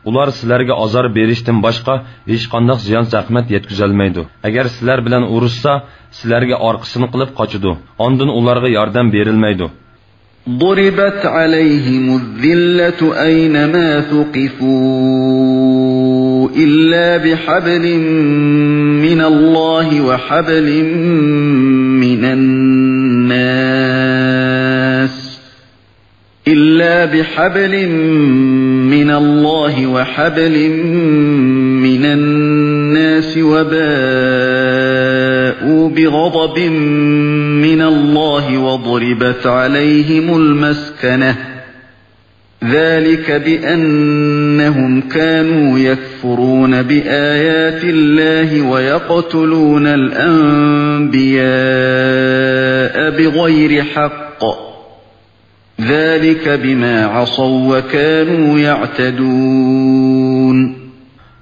ئۇلار سىلەرگە ئازار بېرىشتىن باشقا ھېچقانداق زىيان-زەخمەت يەتكۈزەلمەيدۇ. ئەگەر سىلەر بىلەن ئۇرۇشسا، سىلەرگە ئارقىسىنى قىلىپ قاچىدۇ. ئاندىن ئۇلارغا ياردەم بېرىلمەيدۇ. ضربت عليهم الذلة أينما ثقفوا إلا بحبل من الله وحبل من الناس إلا بحبل من الله وحبل من الناس وباءوا بغضب من الله وضربت عليهم المسكنة ذلك بأنهم كانوا يكفرون بآيات الله ويقتلون الأنبياء بغير حق ذلك بما عصوا وكانوا يعتدون.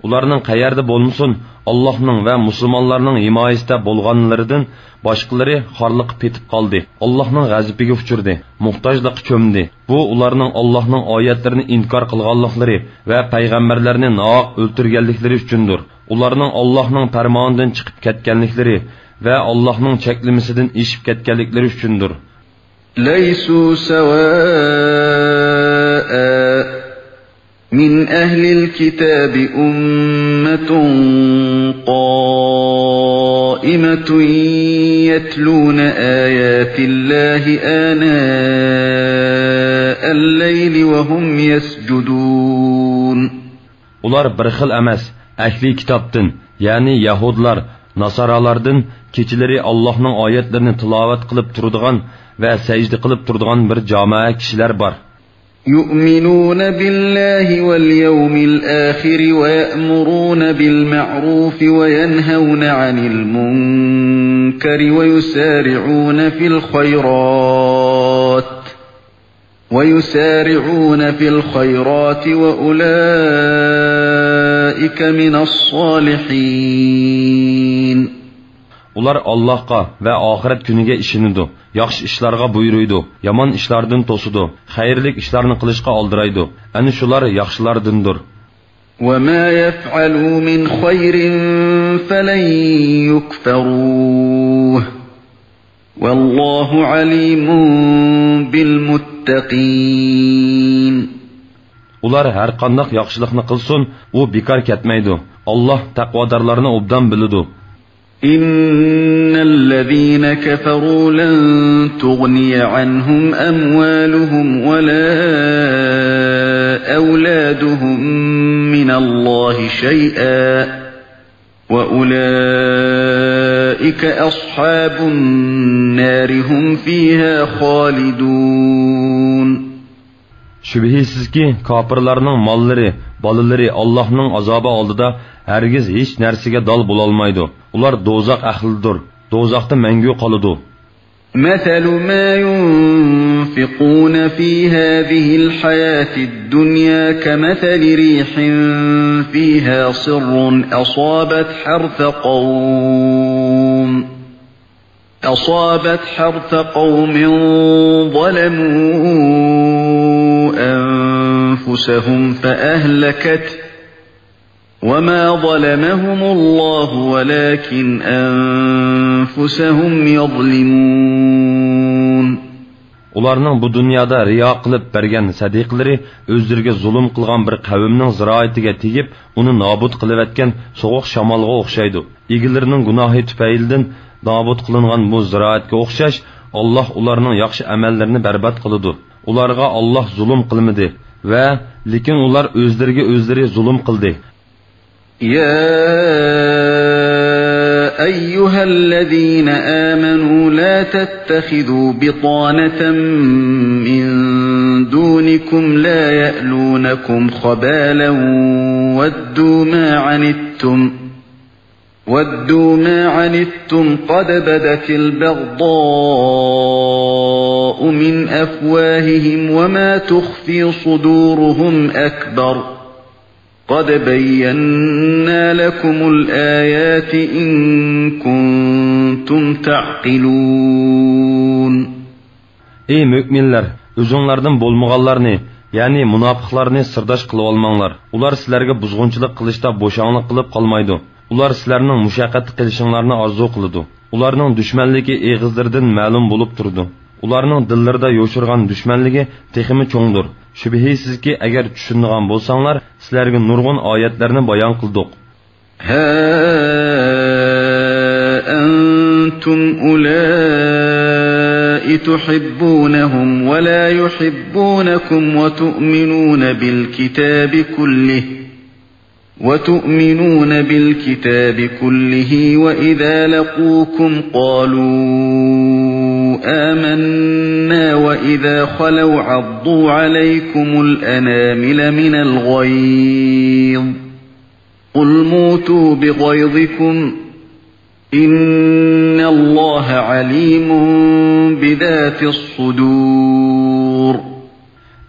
ئۇلارنىڭ قەيەردە بولمىسۇن، ئاللاھنىڭ ۋە مۇسۇلمانلارنىڭ ھىمايىسىدە بولغانلىرىدىن باشقىلىرى خارلىققا پېتىپ قالدى، ئاللاھنىڭ غەزىپىگە ئۇچرىدى، موھتاجلىققا چۆمدى. بۇ ئۇلارنىڭ ئاللاھنىڭ ئايەتلىرىنى ئىنكار قىلغانلىقلىرى ۋە پەيغەمبەرلەرنى ناھەق ئۆلتۈرگەنلىكلىرى ئۈچۈندۇر. ئۇلارنىڭ ئاللاھنىڭ پەرمانىدىن چىقىپ كەتكەنلىكلىرى ۋە ئاللاھنىڭ چەكلىمىسىدىن ئېشىپ كەتكەنلىكلىرى ئۈچۈندۇر. ليسوا سواء من أهل الكتاب أمة قائمة يتلون آيات الله آناء الليل وهم يسجدون. ئۇلار بىر خىل ئەمەس، ئەھلى كىتابتىن، يەنى يەھۇدلار، ناسارالاردىن كېچىلىرى ئاللاھنىڭ ئايەتلىرىنى تىلاۋەت قىلىپ تۇرىدىغان ۋە سەجدە قىلىپ تۇرىدىغان بىر جامائە كىشىلەر بار. يؤمنون بالله واليوم الآخر ويأمرون بالمعروف وينهون عن المنكر ويسارعون في الخيرات ويسارعون في الخيرات وأولئك من الصالحين. ئۇلار ئاللاھقا ۋە ئاخىرەت كۈنىگە ئىشىنىدۇ، ياخشى ئىشلارغا بۇيرۇيدۇ، يامان ئىشلاردىن توسىدۇ، خەيرلىك ئىشلارنى قىلىشقا ئالدىرايدۇ. ئەنە شۇلار ياخشىلاردىندۇر. وما يفعلوا من خير فلن يكفروه والله عليم بالمتقين. ئۇلار ھەرقانداق ياخشىلىقنى قىلسۇن، ئۇ بىكار كەتمەيدۇ. ئاللاھ تەقۋادارلارنى ئوبدان بىلىدۇ. إن الذين كفروا لن تغني عنهم أموالهم ولا أولادهم من الله شيئا وَأُولَٰئِكَ أَصْحَابُ النَّارِ هُمْ فِيهَا خَالِدُونَ. شۈبھىسىزكى، كاپىرلارنىڭ ماللىرى، بالىلىرى ئاللاھنىڭ ئازابى ئالدىدا ھەرگىز ھېچ نەرسىگە دال بولالمايدۇ. ئۇلار دوزاخ ئەھلىدۇر، دوزاختا مەڭگۈ قالىدۇ. مَثَلُ مَا يُنفِقُونَ فِي هَٰذِهِ الْحَيَاةِ الدُّنْيَا كَمَثَلِ رِيحٍ فِيهَا صِرٌّ أَصَابَتْ حَرْثَ قَوْمٍ أَصَابَتْ حَرْثَ قَوْمٍ ظَلَمُوا أَنفُسَهُمْ فَأَهْلَكَتْهُ وَمَا ظَلَمَهُمُ اللَّهُ وَلَٰكِنْ أَنفُسَهُمْ يَظْلِمُونَ. ئۇلارنىڭ بۇ دۇنيادا رىيا قىلىپ بەرگەن سەدىقىلىرى ئۆزلىرىگە زۇلۇم قىلغان بىر قەۋمنىڭ زىرائىتىگە تېگىپ، ئۇنى نابۇت قىلىۋەتكەن سوغۇق شامالغا ئوخشايدۇ. ئىگىلىرىنىڭ گۇناھى تۈپەيلىدىن نابۇت قىلىنغان بۇ زىرائەتكە ئوخشاش، ئاللاھ ئۇلارنىڭ ياخشى ئەمەللىرىنى بەربات قىلىدۇ. ئۇلارغا ئاللاھ زۇلۇم قىلمىدى ۋە لېكىن ئۇلار ئۆزلىرىگە ئۆزلىرى زۇلۇم قىلدى. يَا أَيُّهَا الَّذِينَ آمَنُوا لَا تَتَّخِذُوا بِطَانَةً مِّن دُونِكُمْ لَا يَأْلُونَكُمْ خَبَالًا وَدُّوا مَا عَنِتُّمْ وَدُّوا مَا عَنِتُّمْ قَدْ بَدَتِ الْبَغْضَاءُ مِنْ أَفْوَاهِهِمْ وَمَا تُخْفِي صُدُورُهُمْ أَكْبَرُ قَدْ بَيَّنَّا لَكُمُ الْآيَاتِ إِن كُنتُمْ تَعْقِلُونَ. ئەي مۆمىنلەر، ئۆزۈڭلاردىن بولمىغانلارنى، يەنى مۇناپىقلارنى سىرداش قىلىۋالماڭلار. ئۇلار سىلەرگە بۇزغۇنچىلىق قىلىشتا بوشاڭلىق قىلىپ قالمايدۇ. ئۇلار سىلەرنىڭ مۇشەققەتتە قېلىشىڭلارنى ئارزۇ قىلىدۇ. ئۇلارنىڭ دۈشمەنلىكى ئېغىزلىرىدىن مەلۇم بولۇپ تۇرىدۇ. ئۇلارنىڭ دىللىرىدا يوشۇرغان دۈشمەنلىكى تېخىمۇ چوڭدۇر. شۈبھىسىزكى، ئەگەر چۈشىنىدىغان بولساڭلار، سىلەرگە نۇرغۇن ئايەتلەرنى بايان قىلدۇق. هَا أَنتُمْ أُولَاءِ تُحِبُّونَهُمْ وَلَا يُحِبُّونَكُمْ وَتُؤْمِنُونَ بِالْكِتَابِ كُلِّهِ وَتُؤْمِنُونَ بِالْكِتَابِ كُلِّهِ وَإِذَا لَقُوكُمْ قَالُوا آمَنَّا وَإِذَا خَلَوْا عَضُّوا عَلَيْكُمُ الْأَنَامِلَ مِنَ الْغَيْظِ قُلْ مُوتُوا بِغَيْظِكُمْ إِنَّ اللَّهَ عَلِيمٌ بِذَاتِ الصُّدُورِ.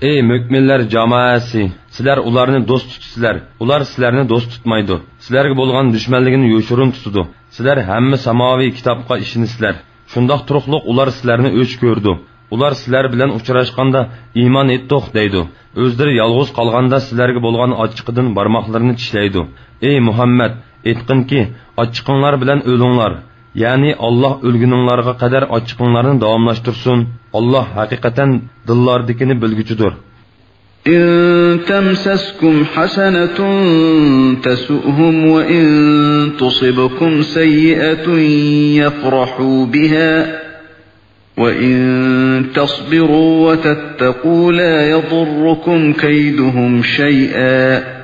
ئەي مۆمىنلەر جامائەسى، سىلەر ئۇلارنى دوست تۇتىسىلەر، ئۇلار سىلەرنى دوست تۇتمايدۇ. سىلەرگە بولغان دۈشمەنلىكىنى يوشۇرۇن تۇتىدۇ. سىلەر ھەممە ساماۋىي كىتابقا ئىشىنىسىلەر. شۇنداق تۇرۇقلۇق ئۇلار سىلەرنى ئۆچ كۆرىدۇ. ئۇلار سىلەر بىلەن ئۇچراشقاندا ئىمان ئېيتتۇق دەيدۇ. ئۆزلىرى يالغۇز قالغاندا سىلەرگە بولغان ئاچچىقىدىن بارماقلىرىنى چىشلەيدۇ. ئەي مۇھەممەد، ئېيتقىنكى، ئاچچىقىڭلار بىلەن ئۆلۈڭلار. يەنى ئاللاھ ئۆلگىنىڭلارغا قەدەر ئاچچىقىڭلارنى داۋاملاشتۇرسۇن. ئاللاھ ھەقىقەتەن دىللاردىكىنى بىلگۈچىدۇر. إِن تَمْسَسْكُمْ حَسَنَةٌ تَسُؤْهُمْ وَإِن تُصِبْكُمْ سَيِّئَةٌ يَفْرَحُوا بِهَا وَإِن تَصْبِرُوا وَتَتَّقُوا لَا يَضُرُّكُمْ كَيْدُهُمْ شَيْئًا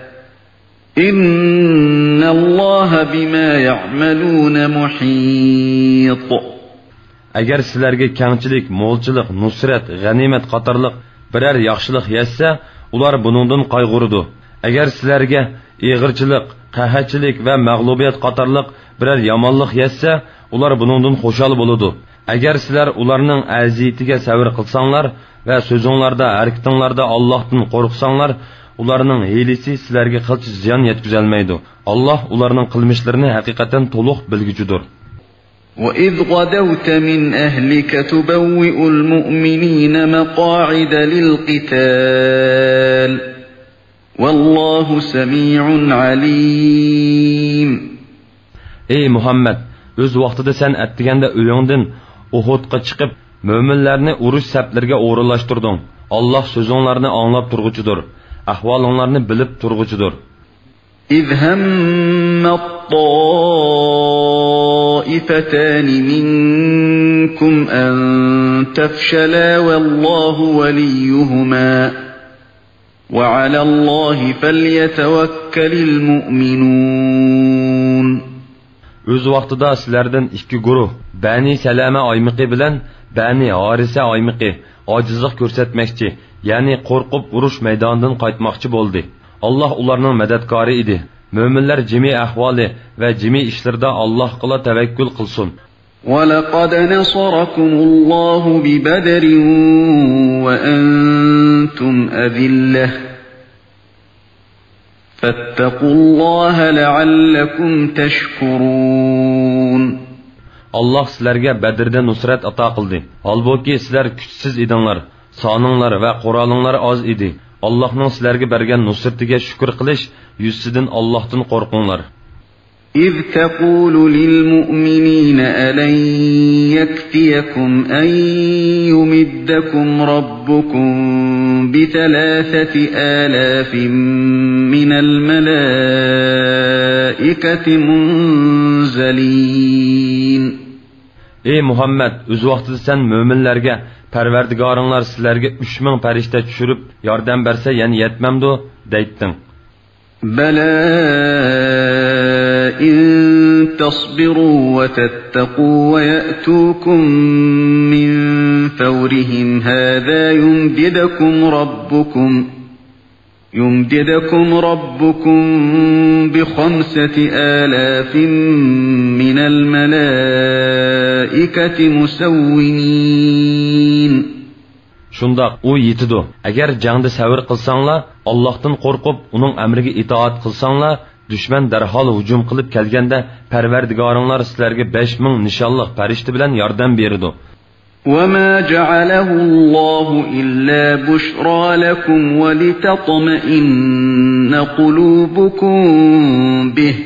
إِنَّ اللَّهَ بِمَا يَعْمَلُونَ مُحِيطٌ. ئەگەر سىلەرگە كەڭچىلىك، مولچىلىق، نۇسرەت، غەنىيمەت قاتارلىق بىرەر ياخشىلىق يەتسە، ئۇلار بۇنىڭدىن قايغۇرىدۇ. ئەگەر سىلەرگە ئېغىرچىلىق، قەھەتچىلىك ۋە مەغلۇبىيەت قاتارلىق بىرەر يامانلىق يەتسە، ئۇلار بۇنىڭدىن خۇشال بولىدۇ. ئەگەر سىلەر ئۇلارنىڭ ئەزىيىتىگە سەۋر قىلساڭلار ۋە سۆزۈڭلاردا، ھەرىكىتىڭلاردا ئاللاھتىن قورقساڭلار، ئۇلارنىڭ ھىيلىسى سىلەرگە قىلچە زىيان يەتكۈزەلمەيدۇ. ئاللاھ ئۇلارنىڭ قىلمىشلىرىنى ھەقىقەتەن تولۇق بىلگۈچىدۇر. وَإِذْ غَدَوْتَ مِنْ أَهْلِكَ تُبَوِّئُ الْمُؤْمِنِينَ مَقَاعِدَ لِلْقِتَالِ وَاللَّهُ سَمِيعٌ عَلِيمٌ. ئەي مۇھەممەد، ئۆز ۋاقتىدا سەن ئەتىگەندە ئۆيۈڭدىن ئۇھۇدقا چىقىپ، مۆمىنلەرنى ئۇرۇش سەپلىرىگە ئورۇنلاشتۇردۇڭ. ئاللاھ سۆزۈڭلارنى ئاڭلاپ تۇرغۇچىدۇر، ئەھۋالىڭلارنى بىلىپ تۇرغۇچىدۇر. إِذْ هَمَّت طَّائِفَتَانِ مِنكُمْ أَن تَفْشَلَا وَاللَّهُ وَلِيُّهُمَا وَعَلَى اللَّهِ فَلْيَتَوَكَّلِ الْمُؤْمِنُونَ. ئۆز ۋاقتىدا سىلەردىن ئىككى گۇرۇھ، بەنى سەلەمە ئايمىقى بىلەن بەنى ھارىسە ئايمىقى ئاجىزلىق كۆرسەتمەكچى، يەنى قورقۇپ ئۇرۇش مەيدانىدىن قايتماقچى بولدى. ئاللاھ ئۇلارنىڭ مەدەتكارى ئىدى. مۆمىنلەر جىمى ئەھۋالى ۋە جىمى ئىشلىرىدا ئاللاھقىلا تەۋەككۈل قىلسۇن. ولقد نصركم الله ببدر وأنتم أذلة فاتقوا الله لعلكم تشكرون. ئاللاھ سىلەرگە بەدردە نۇسرەت ئاتا قىلدى. ھالبۇكى، سىلەر كۈچسىز ئىدىڭلار، سانىڭلار ۋە قورالىڭلار ئاز ئىدى. ئاللاھنىڭ سىلەرگە بەرگەن نۇسرىتىگە شۈكۈر قىلىش يۈزىسىدىن ئاللاھتىن قورقۇڭلار. إذ تقول للمؤمنين ألن يكفيكم أن يمدكم ربكم بثلاثة آلاف من الملائكة منزلين. ئەي مۇھەممەد، ئۆز ۋاقتىدا سەن مۆمىنلەرگە، پەرۋەردىگارىڭلار سىلەرگە ئۈچ مىڭ پەرىشتە چۈشۈرۈپ ياردەم بەرسە يەنە يەتمەمدۇ؟ دەيتتىڭ. بلى إن تصبروا وتتقوا ويأتوكم من فورهم هذا يمددكم ربكم يمددكم ربكم بخمسة آلاف من الملائكة مسومين. شۇنداق، ئۇ يېتىدۇ. ئەگەر جەڭدە سەۋر قىلساڭلار، ئاللاھتىن قورقۇپ، ئۇنىڭ ئەمرىگە ئىتائەت قىلساڭلار، دۈشمەن دەرھال ھۇجۇم قىلىپ كەلگەندە، پەرۋەردىگارىڭلار سىلەرگە بەش مىڭ نىشانلىق پەرىشتە بىلەن ياردەم بېرىدۇ. وما جعله الله إلا بشرى لكم ولتطمئن قلوبكم به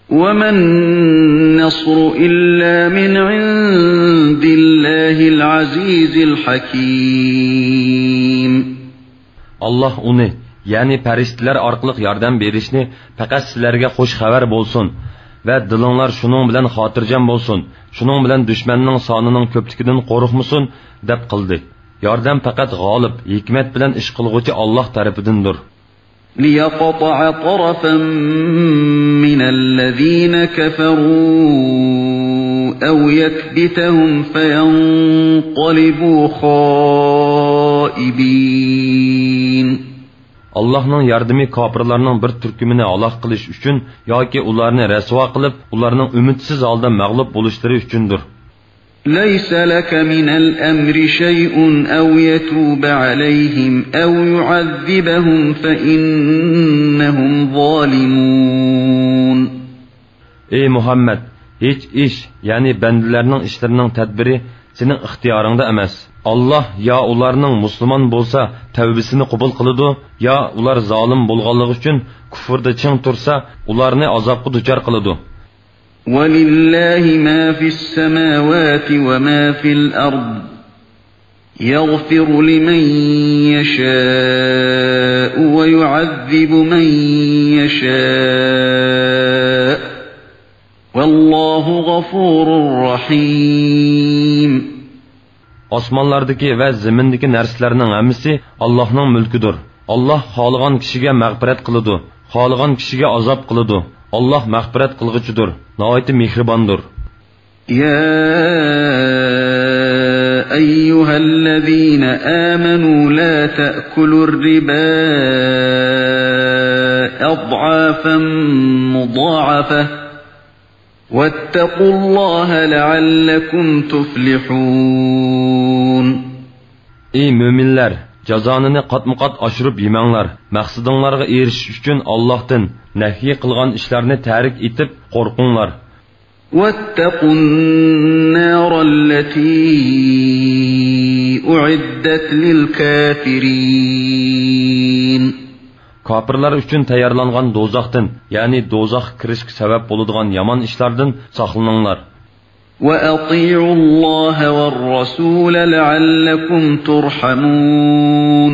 وما النصر إلا من عند الله العزيز الحكيم. ئاللاھ ئۇنى، يەنى پەرىشتىلەر ئارقىلىق ياردەم بېرىشنى پەقەت سىلەرگە خۇش خەۋەر بولسۇن ۋە دىلىڭلار شۇنىڭ بىلەن خاتىرجەم بولسۇن، شۇنىڭ بىلەن دۈشمەننىڭ سانىنىڭ كۆپلۈكىدىن قورقمىسۇن، دەپ قىلدى. ياردەم پەقەت غالىب، ھېكمەت بىلەن ئىش قىلغۇچى ئاللاھ تەرىپىدىندۇر. ليقطع طرفا من الذين كفروا أو يكبتهم فينقلبوا خائبين. ئاللاھنىڭ ياردىمى كاپىرلارنىڭ بىر تۈركۈمىنى ھالاك قىلىش ئۈچۈن ياكى ئۇلارنى رەسۋا قىلىپ، ئۇلارنىڭ ئۈمىدسىز ھالدا مەغلۇپ بولۇشلىرى ئۈچۈندۇر. ليس لك من الأمر شيء أو يتوب عليهم أو يعذبهم فإنهم ظالمون. ئەي مۇھەممەد، ھېچ ئىش، يەنى بەندىلەرنىڭ ئىشلىرىنىڭ تەدبىرى سېنىڭ ئىختىيارىڭدا ئەمەس. ئاللاھ يا ئۇلارنىڭ مۇسۇلمان بولسا تەۋبىسىنى قوبۇل قىلىدۇ، يا ئۇلار زالىم بولغانلىقى ئۈچۈن كۇفرىدا چىڭ تۇرسا ئۇلارنى ئازابقا دۇچار قىلىدۇ. ولله ما في السماوات وما في الأرض يغفر لمن يشاء ويعذب من يشاء والله غفور رحيم. ئاسمانلاردىكى ۋە زېمىندىكى نەرسىلەرنىڭ ھەممىسى ئاللاھنىڭ مۈلكىدۇر. ئاللاھ خالىغان كىشىگە مەغپىرەت قىلىدۇ، خالىغان كىشىگە ئازاب قىلىدۇ. ئاللاھ مەغپىرەت قىلغۇچىدۇر، ناھايىتى مېھرىباندۇر. يا أيها الذين آمنوا لا تأكلوا الربا أضعافا مضاعفة واتقوا الله لعلكم تفلحون. ئەي مۆمىنلەر، جازانىنى قاتمۇقات ئاشۇرۇپ يېمەڭلار. مەقسىتىڭلارغا ئېرىشىش ئۈچۈن ئاللاھتىن، نەھيى قىلغان ئىشلارنى تەرك ئېتىپ قورقۇڭلار. واتقوا النار التي أعدت للكافرين. كاپىرلار ئۈچۈن تەييارلانغان دوزاختىن، يەنى دوزاخقا كىرىشكە سەۋەب بولىدىغان يامان ئىشلاردىن ساقلىنىڭلار. وأطيعوا الله والرسول لعلكم ترحمون.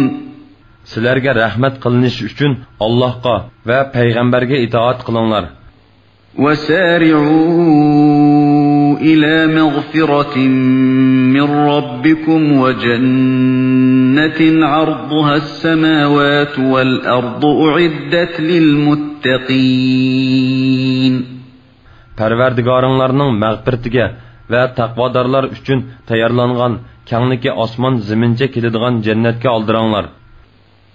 سىلەرگە رەھمەت قىلىنىشى ئۈچۈن ئاللاھقا ۋە پەيغەمبەرگە ئىتائەت قىلىڭلار. وسارعوا إلى مغفرة من ربكم وجنة عرضها السماوات والأرض أعدت للمتقين. پەرۋەردىگارىڭلارنىڭ مەغپىرىتىگە ۋە تەقۋادارلار ئۈچۈن تەييارلانغان، كەڭلىكى ئاسمان زېمىنچە كېلىدىغان جەننەتكە ئالدىراڭلار.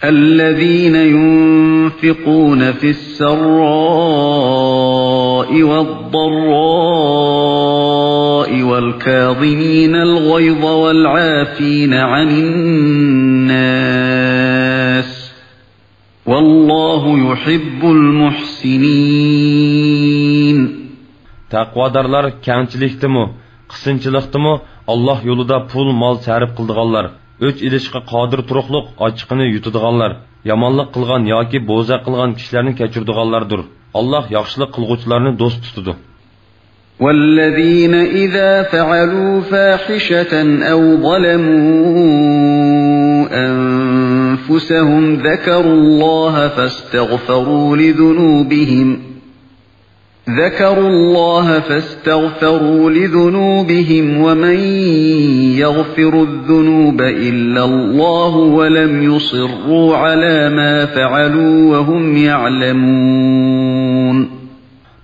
الذين ينفقون في السراء والضراء والكاظمين الغيظ والعافين عن الناس والله يحب المحسنين. تەقۋادارلار كەڭچىلىكتىمۇ، قىسىنچىلىقتىمۇ ئاللاھ يولىدا پۇل-مال سەرپ قىلىدىغانلار، ئۆچ ئېلىشقا قادىر تۇرۇقلۇق ئاچچىقىنى يۇتىدىغانلار، يامانلىق قىلغان ياكى بوزەك قىلغان كىشىلەرنى كەچۈرىدىغانلاردۇر. ئاللاھ ياخشىلىق قىلغۇچىلارنى دوست تۇتىدۇ. والذين إذا فعلوا فاحشة أو ظلموا أنفسهم ذكروا الله فاستغفروا لذنوبهم ذكروا الله فاستغفروا لذنوبهم ومن يغفر الذنوب إلا الله ولم يصروا على ما فعلوا وهم يعلمون.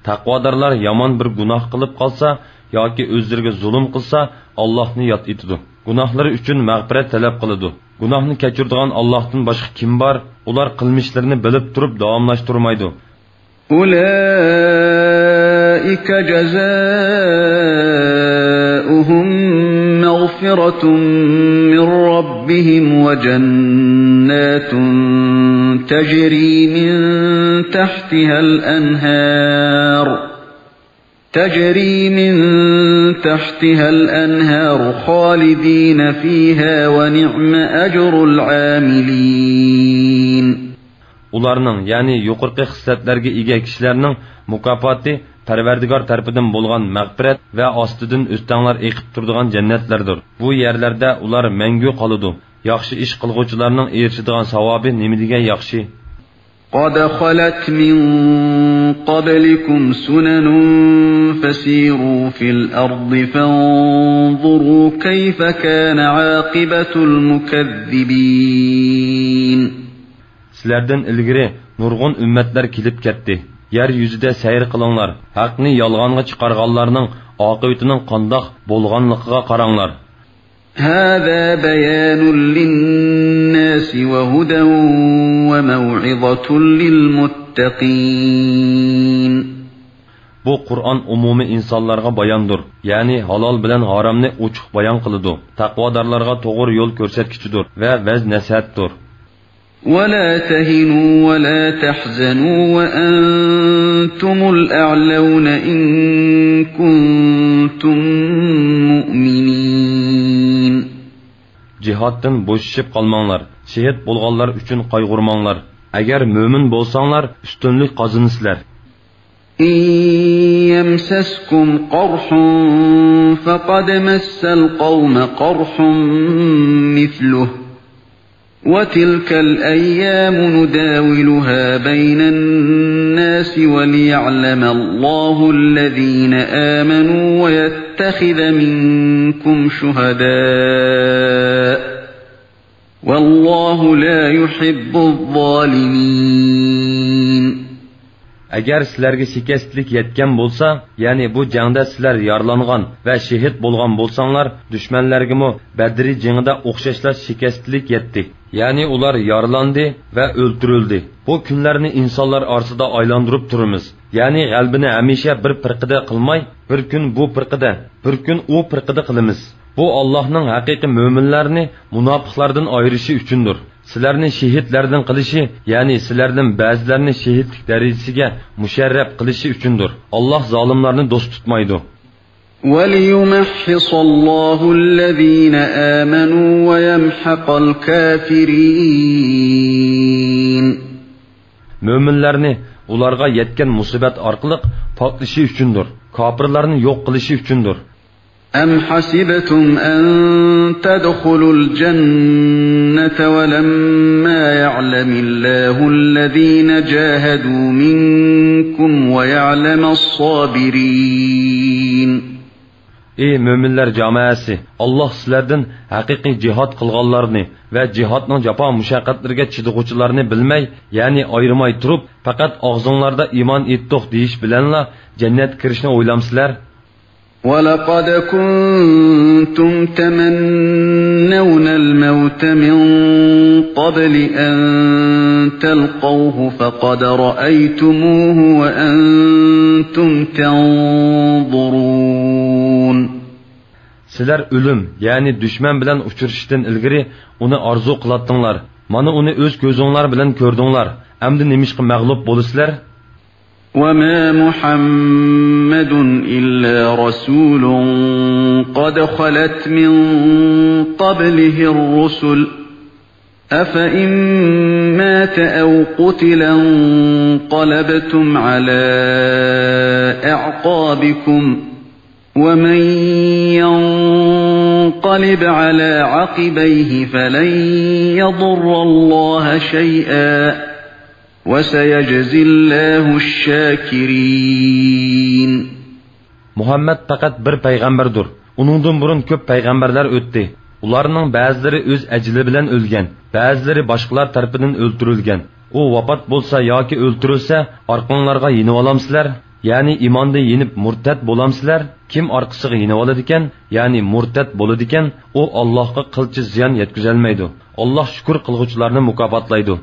تەقۋادارلار يامان بىر گۇناھ قىلىپ قالسا ياكى ئۆزلىرىگە زۇلۇم قىلسا، ئاللاھنى ياد ئېتىدۇ. گۇناھلىرى ئۈچۈن مەغپىرەت تەلەپ قىلىدۇ. گۇناھنى كەچۈرىدىغان ئاللاھتىن باشقا كىم بار؟ ئۇلار قىلمىشلىرىنى بىلىپ تۇرۇپ داۋاملاشتۇرمايدۇ. أولئك جزاؤهم مغفرة من ربهم وجنات تجري من تحتها الأنهار تجري من تحتها الأنهار خالدين فيها ونعم أجر العاملين. ئۇلارنىڭ، يەنى يۇقىرىقى خىسلەتلەرگە ئىگە كىشىلەرنىڭ مۇكاپاتى پەرۋەردىگار تەرىپىدىن بولغان مەغپىرەت ۋە ئاستىدىن ئۆستەڭلەر ئېقىپ تۇرىدىغان جەننەتلەردۇر. بۇ يەرلەردە ئۇلار مەڭگۈ قالىدۇ. ياخشى ئىش قىلغۇچىلارنىڭ ئېرىشىدىغان ساۋابى نېمىدېگەن ياخشى! قد خلت من قبلكم سنن فسيروا في الأرض فانظروا كيف كان عاقبة المكذبين. سىلەردىن ئىلگىرى نۇرغۇن ئۈممەتلەر كېلىپ كەتتى. يەر يۈزىدە سەير قىلىڭلار، ھەقنى يالغانغا چىقارغانلارنىڭ ئاقىۋىتىنىڭ قانداق بولغانلىقىغا قاراڭلار. هذا بيان للناس وهدى وموعظة للمتقين. بۇ قۇرئان ئومۇمىي ئىنسانلارغا باياندۇر، يەنى ھالال بىلەن ھارامنى ئوچۇق بايان قىلىدۇ، تەقۋادارلارغا توغرا يول كۆرسەتكۈچىدۇر ۋە ۋەز-نەسىھەتتۇر. ولا تهنوا ولا تحزنوا وأنتم الأعلون إن كنتم مؤمنين. جىھادتىن بوشىشىپ قالماڭلار، شېھىت بولغانلار ئۈچۈن قايغۇرماڭلار. ئەگەر مۆمىن بولساڭلار، ئۈستۈنلۈك قازىنىسىلەر. إن يمسسكم قرح فقد مس القوم قرح مثله وتلك الأيام نداولها بين الناس وليعلم الله الذين آمنوا ويتخذ منكم شهداء والله لا يحب الظالمين. ئەگەر سىلەرگە شىكەستلىك يەتكەن بولسا، يەنى بۇ جەڭدە سىلەر يارىلانغان ۋە شېھىت بولغان بولساڭلار، دۈشمەنلەرگىمۇ بەدرى جېڭىدا ئوخشاشلا شىكەستلىك يەتتى. يەنى ئۇلار يارىلاندى ۋە ئۆلتۈرۈلدى. بۇ كۈنلەرنى ئىنسانلار ئارىسىدا ئايلاندۇرۇپ تۇرىمىز. يەنى غەلىبىنى ھەمىشە بىر پىرقىدە قىلماي، بىر كۈن بۇ پىرقىدە، بىر كۈن ئۇ پىرقىدە قىلىمىز. بۇ ئاللاھنىڭ ھەقىقىي مۆمىنلەرنى مۇناپىقلاردىن ئايرىشى ئۈچۈندۇر. سىلەرنى شېھىتلەردىن قىلىشى، يەنى سىلەردىن بەزىلەرنى شېھىتلىك دەرىجىسىگە مۇشەررەپ قىلىشى ئۈچۈندۇر. ئاللاھ زالىملارنى دوست تۇتمايدۇ. وليمحص الله الذين آمنوا ويمحق الكافرين. مۆمىنلەرنى ئۇلارغا يەتكەن مۇسىبەت ئارقىلىق پاكلىشى ئۈچۈندۇر، كاپىرلارنى يوق قىلىشى ئۈچۈندۇر. أم حسبتم أن تدخلوا الجنة ولما يعلم الله الذين جاهدوا منكم ويعلم الصابرين. ئەي مۆمىنلەر جامائەسى! ئاللاھ سىلەردىن ھەقىقىي جىھاد قىلغانلارنى ۋە جىھادنىڭ جاپا-مۇشەققەتلىرىگە چىدىغۇچىلارنى بىلمەي، يەنى ئايرىماي تۇرۇپ، پەقەت ئاغزىڭلاردا ئىمان ئېيتتۇق دېيىش بىلەنلا جەننەتكە كىرىشنى ئويلامسىلەر؟ ولقد كنتم تمنون الموت من قبل أن تلقوه فقد رأيتموه وأنتم تنظرون. سىلەر ئۆلۈم، يەنى دۈشمەن بىلەن ئۇچرىشىشتىن ئىلگىرى ئۇنى ئارزۇ قىلاتتىڭلار. مانا ئۇنى ئۆز كۆزۈڭلار بىلەن كۆردۈڭلار. ئەمدى نېمىشقا مەغلۇپ بولىسىلەر؟ وما محمد إلا رسول قد خلت من قبله الرسل أفإن مات أو قتل انقلبتم على أعقابكم ومن ينقلب على عقبيه فلن يضر الله شيئا وسيجزي الله الشاكرين. مۇھەممەد پەقەت بىر پەيغەمبەردۇر. ئۇنىڭدىن بۇرۇن كۆپ پەيغەمبەرلەر ئۆتتى. ئۇلارنىڭ بەزىلىرى ئۆز ئەجىلى بىلەن ئۆلگەن، بەزىلىرى باشقىلار تەرىپىدىن ئۆلتۈرۈلگەن. ئۇ ۋاپات بولسا ياكى ئۆلتۈرۈلسە، ئارقاڭلارغا يېنىۋالامسىلەر؟ يەنى ئىماندىن يېنىپ مۇرتەت بولامسىلەر؟ كىم ئارقىسىغا يېنىۋالىدىكەن، يەنى مۇرتەت بولىدىكەن، ئۇ ئاللاھقا قىلچە زىيان يەتكۈزەلمەيدۇ. ئاللاھ شۈكۈر قىلغۇچىلارنى مۇكاپاتلايدۇ.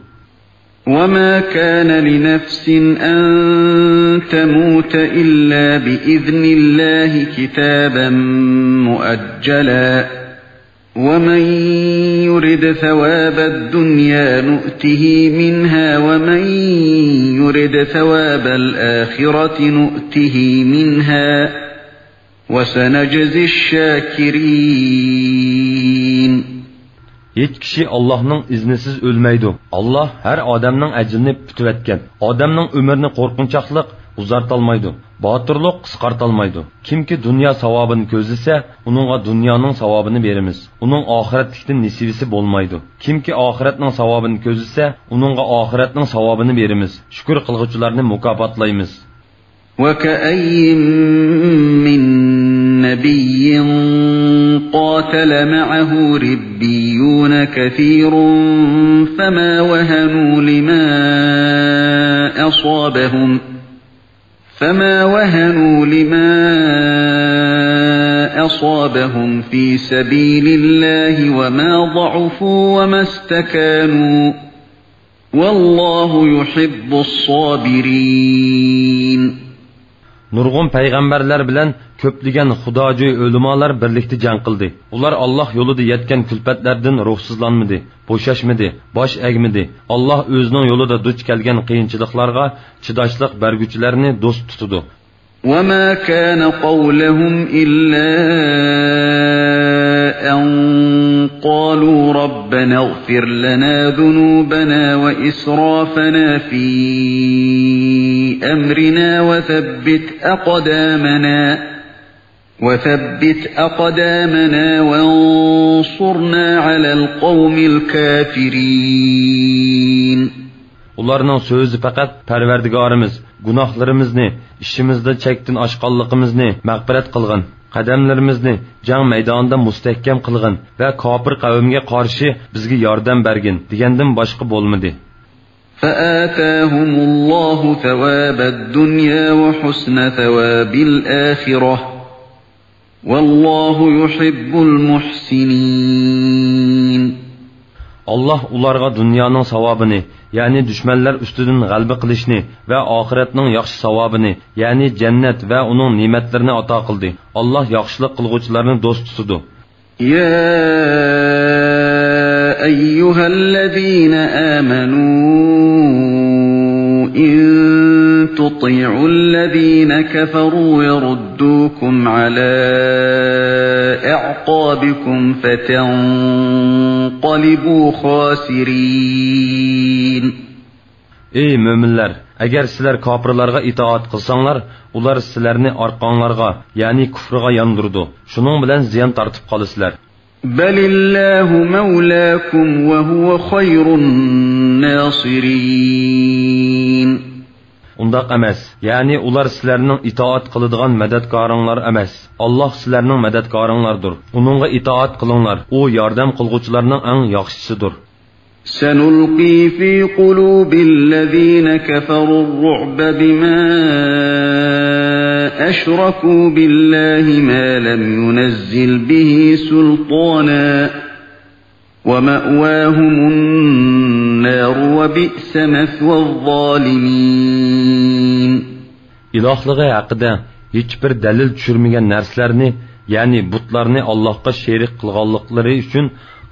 وما كان لنفس أن تموت إلا بإذن الله كتابا مؤجلا ومن يرد ثواب الدنيا نؤته منها ومن يرد ثواب الآخرة نؤته منها وسنجزي الشاكرين. ھېچ كىشى ئاللاھنىڭ ئىزنىسىز ئۆلمەيدۇ. ئاللاھ ھەر ئادەمنىڭ ئەجىلىنى پۈتۈۋەتكەن. ئادەمنىڭ ئۆمرىنى قورقۇنچاقلىق ئۇزارتالمايدۇ، باتۇرلۇق قىسقارتالمايدۇ. كىمكى دۇنيا ساۋابىنى كۆزلىسە، ئۇنىڭغا دۇنيانىڭ ساۋابىنى بېرىمىز. ئۇنىڭ ئاخىرەتلىكتىن نېسىۋىسى بولمايدۇ. كىمكى ئاخىرەتنىڭ ساۋابىنى كۆزلىسە، ئۇنىڭغا ئاخىرەتنىڭ ساۋابىنى بېرىمىز. شۈكۈر قىلغۇچىلارنى مۇكاپاتلايمىز. وكأين من نبي قاتل معه ربيون كثير فما وهنوا لما أصابهم فما وهنوا لما أصابهم في سبيل الله وما ضعفوا وما استكانوا والله يحب الصابرين. نۇرغۇن پەيغەمبەرلەر بىلەن كۆپلىگەن خۇداجۈي ئۆلىمالار بىرلىكتە جەڭ قىلدى. ئۇلار ئاللاھ يولىدا يەتكەن كۈلپەتلەردىن روھسىزلانمىدى، بوشاشمىدى، باش ئەگمىدى. ئاللاھ ئۆزىنىڭ يولىدا دۇچ كەلگەن قىيىنچىلىقلارغا چىداشلىق بەرگۈچىلەرني دوست تۇتىدۇ. وما كان قولهم إلا أن قالوا ربنا اغفر لنا ذنوبنا وإسرافنا في أمرنا وثبت أقدامنا وثبت أقدامنا وانصرنا على القوم الكافرين. ئۇلارنىڭ سۆزى پەقەت، پەرۋەردىگارىمىز، گۇناھلىرىمىزنى، ئىشىمىزدا چەكتىن ئاشقانلىقىمىزنى مەغپىرەت قىلغىن، قەدەملىرىمىزنى جەڭ مەيدانىدا مۇستەھكەم قىلغىن ۋە كاپىر قەۋمگە قارشى بىزگە ياردەم بەرگىن دېگەندىن باشقا بولمىدى. فآتاهم الله ثواب الدنيا وحسن ثواب الآخرة والله يحب المحسنين. ئاللاھ ئۇلارغا دۇنيانىڭ ساۋابىنى، يەنى دۈشمەنلەر ئۈستىدىن غەلىبە قىلىشنى ۋە ئاخىرەتنىڭ ياخشى ساۋابىنى، يەنى جەننەت ۋە ئۇنىڭ نېمەتلىرىنى ئاتا قىلدى. ئاللاھ ياخشىلىق قىلغۇچىلارنى دوست تۇتىدۇ. يا أيها الذين آمنوا إن تطيعوا الذين كفروا يردوكم على أعقابكم فتنقلبوا خاسرين. ئەي مۆمىنلەر! ئەگەر سىلەر كاپىرلارغا ئىتائەت قىلساڭلار، ئۇلار سىلەرنى ئارقاڭلارغا، يەنى كۇفرىغا ياندۇرىدۇ. شۇنىڭ بىلەن زىيان تارتىپ قالىسىلەر. بل الله مولاكم وهو خير الناصرين. ئۇنداق ئەمەس، يەنى ئۇلار سىلەرنىڭ ئىتائەت قىلىدىغان مەدەتكارىڭلار ئەمەس. ئاللاھ سىلەرنىڭ مەدەتكارىڭلاردۇر. ئۇنىڭغا ئىتائەت قىلىڭلار، ئۇ ياردەم قىلغۇچىلارنىڭ ئەڭ ياخشىسىدۇر. سنلقي في قلوب الذين كفروا الرعب بما أشركوا بالله ما لم ينزل به سلطانا ومأواهم النار وبئس مثوى الظالمين. ئىلاھلىقى ھەققىدە ھېچبىر دەلىل چۈشۈرمىگەن نەرسىلەرنى، يەنى بۇتلارنى ئاللاھقا شېرىك قىلغانلىقلىرى ئۈچۈن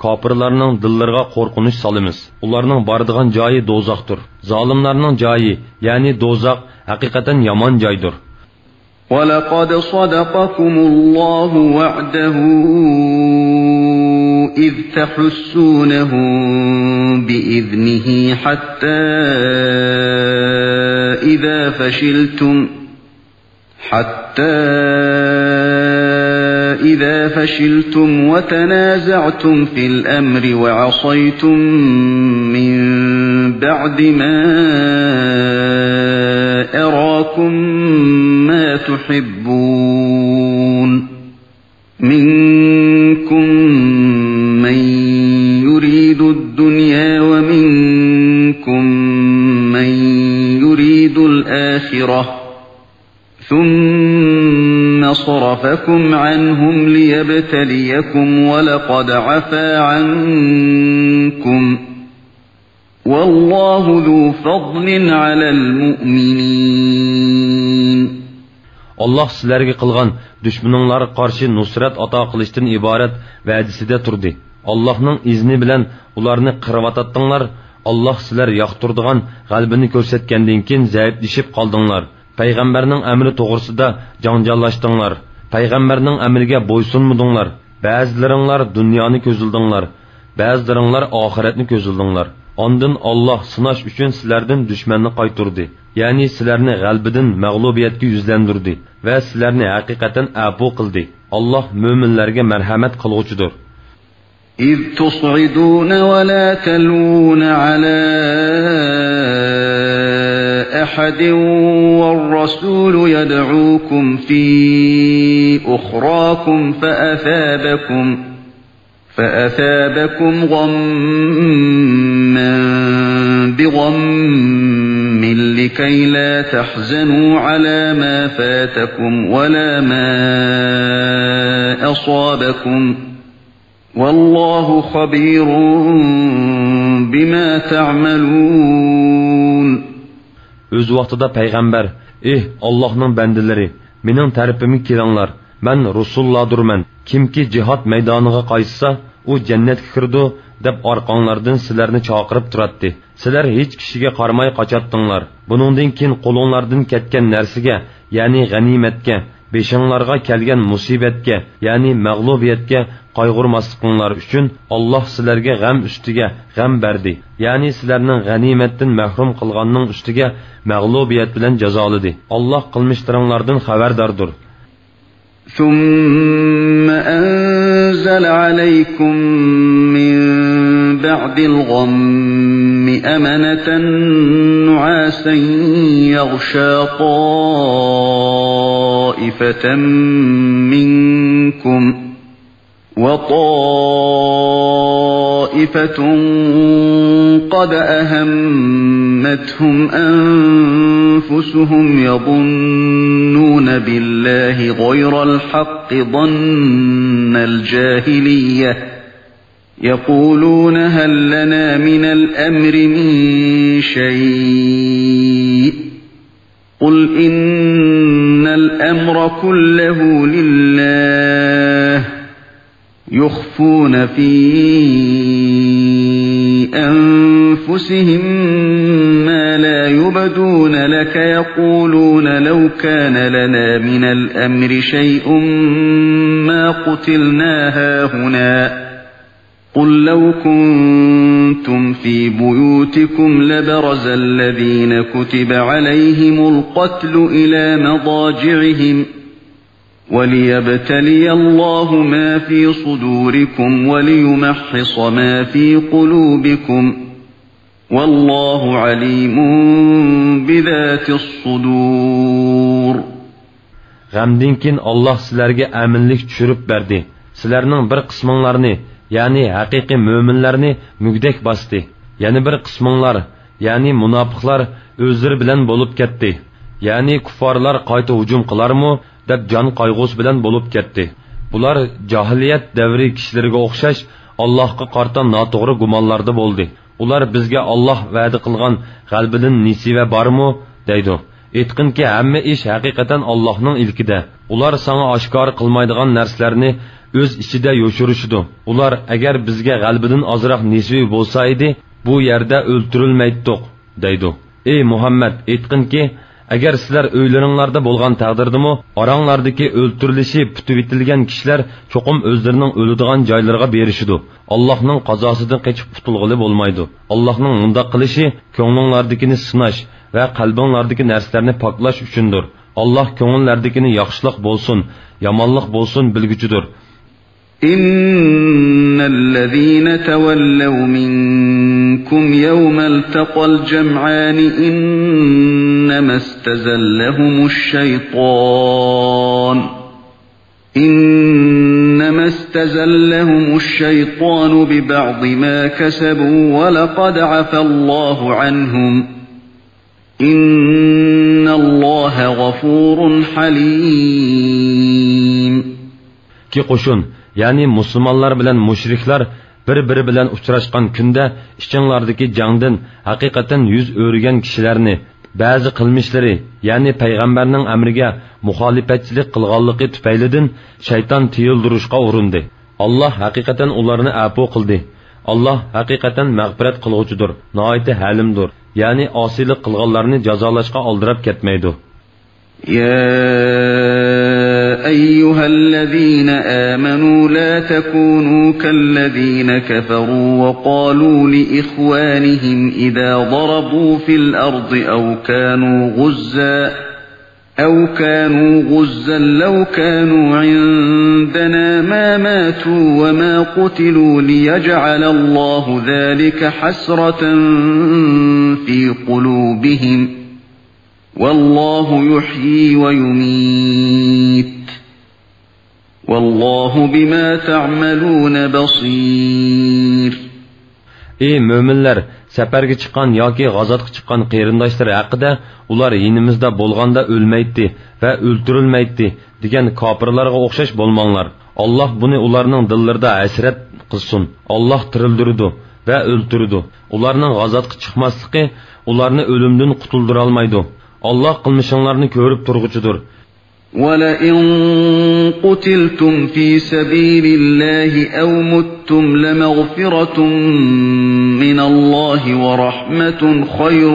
كاپىرلارنىڭ دىللىرىغا قورقۇنچ سالىمىز. ئۇلارنىڭ بارىدىغان جايى دوزاختۇر. زالىملارنىڭ جايى، يەنى دوزاخ، ھەقىقەتەن يامان جايدۇر. ولقد صدقكم الله وعده إذ تحسونهم بإذنه حتى إذا فشلتم حتى إذا فشلتم وتنازعتم في الأمر وعصيتم من بعد ما أراكم ما تحبون منكم من يريد الدنيا ومنكم من يريد الآخرة ثم صرفكم عنهم ليبتليكم ولقد عفا عنكم والله ذو فضل على المؤمنين. ئاللاھ سىلەرگە قىلغان دۈشمىنىڭلارغا قارشى نۇسرەت ئاتا قىلىشتىن ئىبارەت ۋەدىسىدە تۇردى. ئاللاھنىڭ ئىزنى بىلەن ئۇلارنى قىرىۋاتاتتىڭلار. ئاللاھ سىلەر ياقتۇرىدىغان غەلىبىنى كۆرسەتكەندىن كېيىن زەئىپلىشىپ قالدىڭلار. پەيغەمبەرنىڭ ئەمرى توغرىسىدا جاڭجاللاشتىڭلار. پەيغەمبەرنىڭ ئەمرىگە بويسۇنمىدىڭلار. بەزىلىرىڭلار دۇنيانى كۆزلىدىڭلار. بەزىلىرىڭلار ئاخىرەتنى كۆزلىدىڭلار. ئاندىن ئاللاھ سىناش ئۈچۈن سىلەردىن دۈشمەننى قايتۇردى. يەنى سىلەرنى غەلىبىدىن مەغلۇبىيەتكە يۈزلەندۈردى ۋە سىلەرنى ھەقىقەتەن ئەپۇ قىلدى. ئاللاھ مۆمىنلەرگە مەرھەمەت قىلغۇچىدۇر. إذ تصعدون ولا تلوون على أحد والرسول يدعوكم في أخراكم فأثابكم، فأثابكم غما بغم لكي لا تحزنوا على ما فاتكم ولا ما أصابكم، والله خبير بما تعملون. ئۆز ۋاقتىدا پەيغەمبەر، ئېھ، ئاللاھنىڭ بەندىلىرى، مېنىڭ تەرىپىمگە كېلىڭلار، مەن رۇسۇللاردۇرمەن. كىمكى جىھاد مەيدانىغا قايتسا، ئۇ جەننەتكە كىرىدۇ، دەپ ئارقاڭلاردىن سىلەرنى چاقىرىپ تۇراتتى. سىلەر ھېچ كىشىگە قارىماي قاچاتتىڭلار. بۇنىڭدىن كېيىن قولۇڭلاردىن كەتكەن نەرسىگە، يەنى غەنىيمەتكە، بېشىڭلارغا كەلگەن مۇسىبەتكە، يەنى مەغلۇبىيەتكە قايغۇرماسلىقىڭلار ئۈچۈن، ئاللاھ سىلەرگە غەم ئۈستىگە غەم بەردى. يەنى سىلەرنىڭ غەنىيمەتتىن مەھرۇم قىلغاننىڭ ئۈستىگە مەغلۇبىيەت بىلەن جازالىدى. ئاللاھ قىلمىشلىرىڭلاردىن خەۋەرداردۇر. ثم أنزل عليكم من بعد الغم أمنة نعاسا يغشى طائفة منكم وطائفة قد أهمتهم أنفسهم يظنون بالله غير الحق ظن الجاهلية يقولون هل لنا من الأمر من شيء قل إن الأمر كله لله يخفون في أنفسهم ما لا يبدون لك يقولون لو كان لنا من الأمر شيء ما قتلنا هاهنا قل لو كنتم في بيوتكم لبرز الذين كتب عليهم القتل إلى مضاجعهم وليبتلي الله ما في صدوركم وليمحص ما في قلوبكم والله عليم بذات الصدور. غەمدىن كېيىن ئاللاھ سىلەرگە ئەمىنلىك چۈشۈرۈپ بەردى. سىلەرنىڭ بىر قىسمىڭلارنى، يەنى ھەقىقىي مۆمىنلەرنى مۈگدەك باستى. يەنە بىر قىسمىڭلار، يەنى مۇناپىقلار ئۆزلىرى بىلەن بولۇپ كەتتى. يەنى كۇففارلار قايتا ھۇجۇم قىلارمۇ دەپ جان قايغۇسى بىلەن بولۇپ كەتتى. بۇلار جاھىلىيەت دەۋرى كىشىلىرىگە ئوخشاش ئاللاھقا قارىتا ناتوغرا گۇمانلاردا بولدى. ئۇلار بىزگە ئاللاھ ۋەدە قىلغان غەلىبىدىن نېسىۋە بارمۇ؟ دەيدۇ. ئېيتقىنكى، ھەممە ئىش ھەقىقەتەن ئاللاھنىڭ ئىلكىدە. ئۇلار ساڭا ئاشكارا قىلمايدىغان نەرسىلەرنى ئۆز ئىچىدە يوشۇرۇشىدۇ. ئۇلار، ئەگەر بىزگە غەلىبىدىن ئازراق نېسىۋى بولسا ئىدى، بۇ يەردە ئۆلتۈرۈلمەيتتۇق، دەيدۇ. ئەي مۇھەممەد، ئېيتقىنكى، ئەگەر سىلەر ئۆيلىرىڭلاردا بولغان تەقدىردىمۇ، ئاراڭلاردىكى ئۆلتۈرۈلۈشى پۈتۈۋېتىلگەن كىشىلەر چوقۇم ئۆزلىرىنىڭ ئۆلىدىغان جايلىرىغا بېرىشىدۇ. ئاللاھنىڭ قازاسىدىن قېچىپ قۇتۇلغىلى بولمايدۇ. ئاللاھنىڭ مۇنداق قىلىشى كۆڭلۈڭلاردىكىنى سىناش ۋە قەلبىڭلاردىكى نەرسىلەرنى پاكلاش ئۈچۈندۇر. ئاللاھ كۆڭۈللەردىكىنى ياخشىلىق بولسۇن، يامانلىق بولسۇن بىلگۈچىدۇر. إن الذين تولوا منكم يوم التقى الجمعان إنما استزلهم الشيطان إنما استزلهم الشيطان ببعض ما كسبوا ولقد عفا الله عنهم إن الله غفور حليم. ئىككى قوشۇن، يەنى مۇسۇلمانلار بىلەن مۇشرىكلار بىر-بىرى بىلەن ئۇچراشقان كۈندە ئىچىڭلاردىكى جەڭدىن ھەقىقەتەن يۈز ئۆرۈگەن كىشىلەرنى، بەزى قىلمىشلىرى، يەنى پەيغەمبەرنىڭ ئەمرىگە مۇخالىپەتچىلىك قىلغانلىقى تۈپەيلىدىن شەيتان تىيىلدۈرۈشقا ئۇرۇندى. ئاللاھ ھەقىقەتەن ئۇلارنى ئەپۇ قىلدى. ئاللاھ ھەقىقەتەن مەغپىرەت قىلغۇچىدۇر، ناھايىتى ھەلىمدۇر. يەنى ئاسىيلىق قىلغانلارنى جازالاشقا ئالدىراپ كەتمەيدۇ. يا أيها الذين آمنوا لا تكونوا كالذين كفروا وقالوا لإخوانهم إذا ضربوا في الأرض أو كانوا غزا أو كانوا غزا لو كانوا عندنا ما ماتوا وما قتلوا ليجعل الله ذلك حسرة في قلوبهم والله يحيي ويميت والله بما تعملون بصير. ئى مۆمىنلەر، سەپەرگە چىققان ياكى غازاتقا چىققان قېرىنداشلىرى ھەققىدە، ئۇلار يېنىمىزدا بولغاندا ئۆلمەيتتى ۋە ئۆلتۈرۈلمەيتتى دېگەن كاپىرلارغا ئوخشاش بولماڭلار. ئاللاھ بۇنى ئۇلارنىڭ دىللىرىدا ھەسرەت قىلسۇن. ئاللاھ تىرىلدۈرىدۇ ۋە ئۆلتۈرىدۇ. ئۇلارنىڭ غازاتقا چىقماسلىقى ئۇلارنى ئۆلۈمدىن قۇتۇلدۇرالمايدۇ. ئاللاھ قىلمىشىڭلارنى كۆرۈپ تۇرغۇچىدۇر. ولئن قتلتم في سبيل الله أو متم لمغفرة من الله ورحمة خير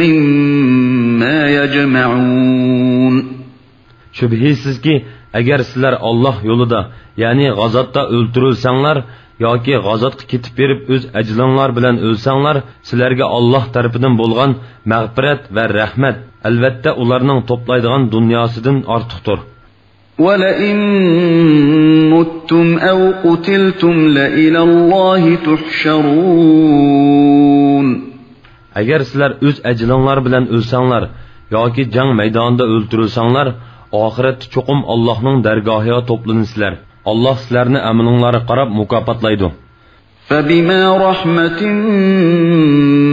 مما يجمعون. شۈبھىسىزكى، ئەگەر سىلەر ئاللاھ يولىدا، يەنى غازاتتا ئۆلتۈرۈلسەڭلار، ياكى غازاتقا كېتىپ بېرىپ ئۆز ئەجىلىڭلار بىلەن ئۆلسەڭلار، سىلەرگە ئاللاھ تەرىپىدىن بولغان مەغپىرەت ۋە رەھمەت، ئەلۋەتتە، ئۇلارنىڭ توپلايدىغان دۇنياسىدىن ئارتۇقتۇر. ولئن متم أو قتلتم لإلى الله تحشرون. ئەگەر سىلەر ئۆز ئەجىلىڭلار بىلەن ئۆلسەڭلار ياكى جەڭ مەيدانىدا ئۆلتۈرۈلسەڭلار، ئاخىرەتتە چوقۇم ئاللاھنىڭ دەرگاھىغا توپلىنىسىلەر. ئاللاھ سىلەرنى ئەمىلىڭلارغا قاراپ مۇكاپاتلايدۇ. فبما رحمة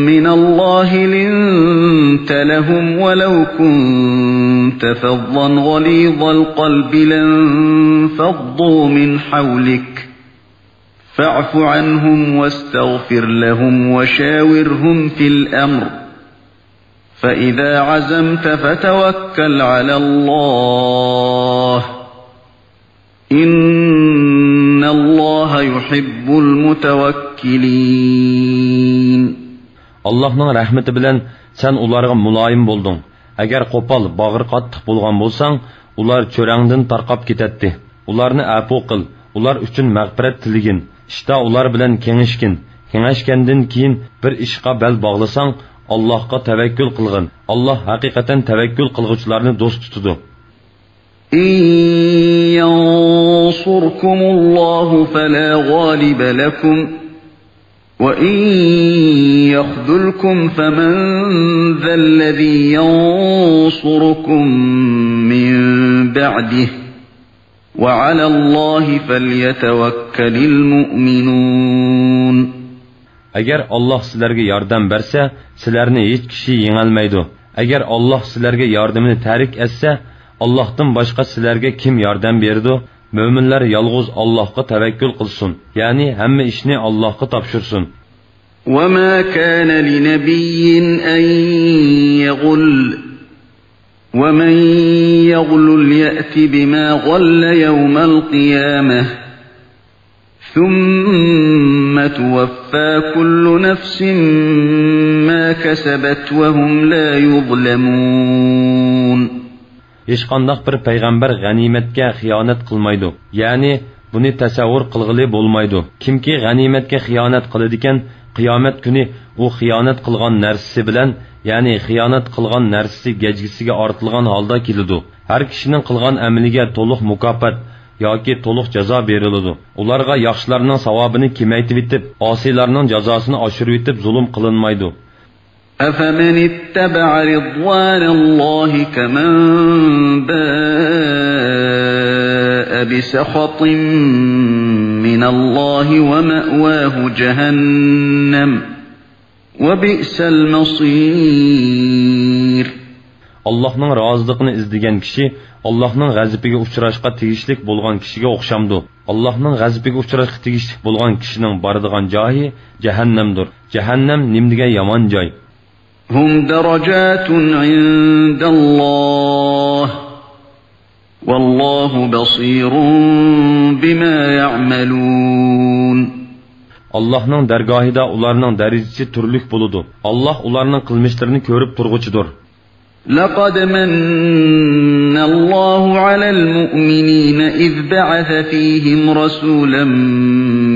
من الله لنت لهم ولو كنت فظا غليظ القلب لانفضوا من حولك فاعف عنهم واستغفر لهم وشاورهم في الأمر فإذا عزمت فتوكل على الله إن الله يحب المتوكلين. ئاللاھنىڭ رەھمىتى بىلەن سەن ئۇلارغا مۇلايىم بولدۇڭ. ئەگەر قوپال، باغرى قاتتىق بولغان بولساڭ، ئۇلار چۆرەڭدىن تارقاپ كېتەتتى. ئۇلارنى ئەپۇ قىل. ئۇلار ئۈچۈن مەغپىرەت تىلىگىن. ئىشتا ئۇلار بىلەن كېڭەشكىن. كېڭەشكەندىن كېيىن بىر ئىشقا بەل باغلىساڭ، ئاللاھقا تەۋەككۈل قىلغىن. ئاللاھ ھەقىقەتەن تەۋەككۈل قىلغۇچىلارنى دوست تۇتىدۇ. إن ينصركم الله فلا غالب لكم وَإِن يَخْذُلْكُمْ فَمَن ذَا الَّذِي يَنصُرُكُم مِّن بَعْدِهِ، وَعَلَى اللَّهِ فَلْيَتَوَكَّلِ الْمُؤْمِنُونَ. ئەگەر ئاللاھ سىلەرگە ياردەم بەرسە، سىلەرنى ھېچ كىشى يېڭەلمەيدۇ. ئەگەر ئاللاھ سىلەرگە ياردىمىنى تەرك ئەتسە، ئاللاھتىن باشقا سىلەرگە كىم ياردەم بېرىدۇ؟ مۆمىنلەر يالغۇز ئاللاھقا تەۋەككۈل قىلسۇن، يەنى ھەممە ئىشنى ئاللاھقا تاپشۇرسۇن. وَمَا كَانَ لِنَبِيٍّ أَن يَغُلَّ، وَمَن يَغْلُلْ يَأْتِ بِمَا غَلَّ يَوْمَ الْقِيَامَةِ، ثُمَّ تُوَفَّى كُلُّ نَفْسٍ مَّا كَسَبَتْ وَهُمْ لَا يُظْلَمُونَ. ھېچقانداق بىر پەيغەمبەر غەنىيمەتكە خىيانەت قىلمايدۇ، يەنى بۇنى تەسەۋۋۇر قىلغىلى بولمايدۇ. كىمكى غەنىيمەتكە خىيانەت قىلىدىكەن، قىيامەت كۈنى ئۇ خىيانەت قىلغان نەرسىسى بىلەن، يەنى خىيانەت قىلغان نەرسىسى گەجگىسىگە ئارتىلغان ھالدا كېلىدۇ. ھەر كىشىنىڭ قىلغان ئەمىلىگە تولۇق مۇكاپات ياكى تولۇق جازا بېرىلىدۇ. ئۇلارغا ياخشىلارنىڭ ساۋابىنى كېمەيتىۋېتىپ، ئاسىيلارنىڭ جازاسىنى ئاشۇرۇۋېتىپ زۇلۇم قىلىنمايدۇ. أَفَمَنِ اتَّبَعَ رِضْوَانَ اللَّهِ كَمَن بَاءَ بِسَخَطٍ مِّنَ اللَّهِ وَمَأْوَاهُ جَهَنَّمُ، وَبِئْسَ الْمَصِيرُ. ئاللاھنىڭ رازىلىقىنى ئىزدىگەن كىشى ئاللاھنىڭ غەزىپىگە ئۇچراشقا تېگىشلىك بولغان كىشىگە ئوخشامدۇ؟ ئاللاھنىڭ غەزىپىگە ئۇچراشقا تېگىشلىك بولغان كىشىنىڭ بارىدىغان جايى جەھەننەمدۇر. جەھەننەم نېمىدېگەن يامان جاي! هُمْ دَرَجَاتٌ عِندَ اللَّهِ، وَاللَّهُ بَصِيرٌ بِمَا يَعْمَلُونَ. ئاللاھنىڭ دەرگاھىدا ئۇلارنىڭ دەرىجىسى تۈرلۈك بولىدۇ. ئاللاھ ئۇلارنىڭ قىلمىشلىرىنى كۆرۈپ تۇرغۇچىدۇر. لَقَدْ مَنَّ اللَّهُ عَلَى الْمُؤْمِنِينَ إِذْ بَعَثَ فِيهِمْ رَسُولًا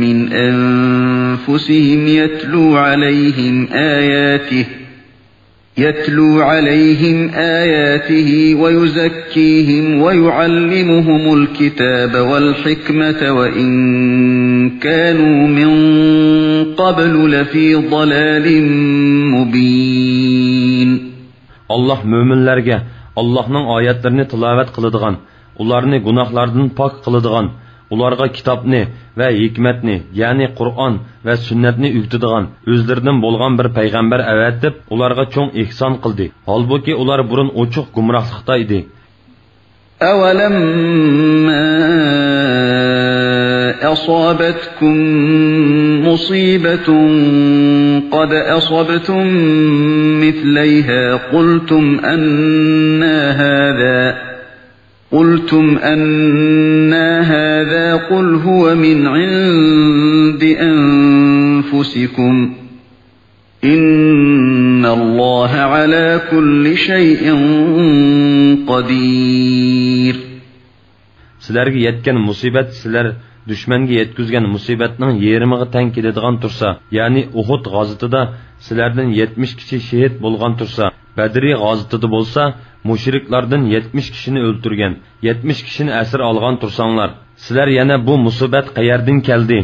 مِّنْ أَنفُسِهِمْ يَتْلُو عَلَيْهِمْ آيَاتِهِ، يَتْلُو عَلَيْهِمْ آيَاتِهِ وَيُزَكِّيهِمْ وَيُعَلِّمُهُمُ الْكِتَابَ وَالْحِكْمَةَ وَإِن كَانُوا مِن قَبْلُ لَفِي ضَلَالٍ مُّبِينٍ. ئاللاھ مۆمىنلەرگە ئاللاھنىڭ ئايەتلىرىنى تىلاۋەت قىلىدىغان، ئۇلارنى گۇناھلاردىن پاك قىلىدىغان، ئۇلارغا كىتابنى ۋە ھېكمەتنى، يەنى قۇرئان ۋە سۈننەتنى ئۆگىتىدىغان ئۆزلىرىدىن بولغان بىر پەيغەمبەر ئەۋەتىپ، ئۇلارغا چوڭ ئېھسان قىلدى. ھالبۇكى، ئۇلار بۇرۇن ئوچۇق گۇمراھلىقتا ئىدى. أَوَلَمَّا أَصَابَتْكُم مُّصِيبَةٌ قَدْ أَصَبْتُم مِّثْلَيْهَا قُلْتُمْ أَنَّىٰ هَٰذَا، قُلْتُمْ أَنَّىٰ هَٰذَا، قُلْ هُوَ مِنْ عِندِ أَنفُسِكُمْ، إِنَّ اللَّهَ عَلَىٰ كُلِّ شَيْءٍ قَدِيرٌ. سىلەرگە يەتكەن مۇسىبەت سىلەر دۈشمەنگە يەتكۈزگەن مۇسىبەتنىڭ يېرىمىغا تەڭ كېلىدىغان تۇرسا، يەنى ئۇھۇد غازىتىدا سىلەردىن يەتمىش كىشى شېھىت بولغان تۇرسا، بەدرى غازىتىدا بولسا مۇشرىكلاردىن يەتمىش كىشىنى ئۆلتۈرگەن، يەتمىش كىشىنى ئەسىر ئالغان تۇرساڭلار، سىلەر يەنە بۇ مۇسىبەت قەيەردىن كەلدى؟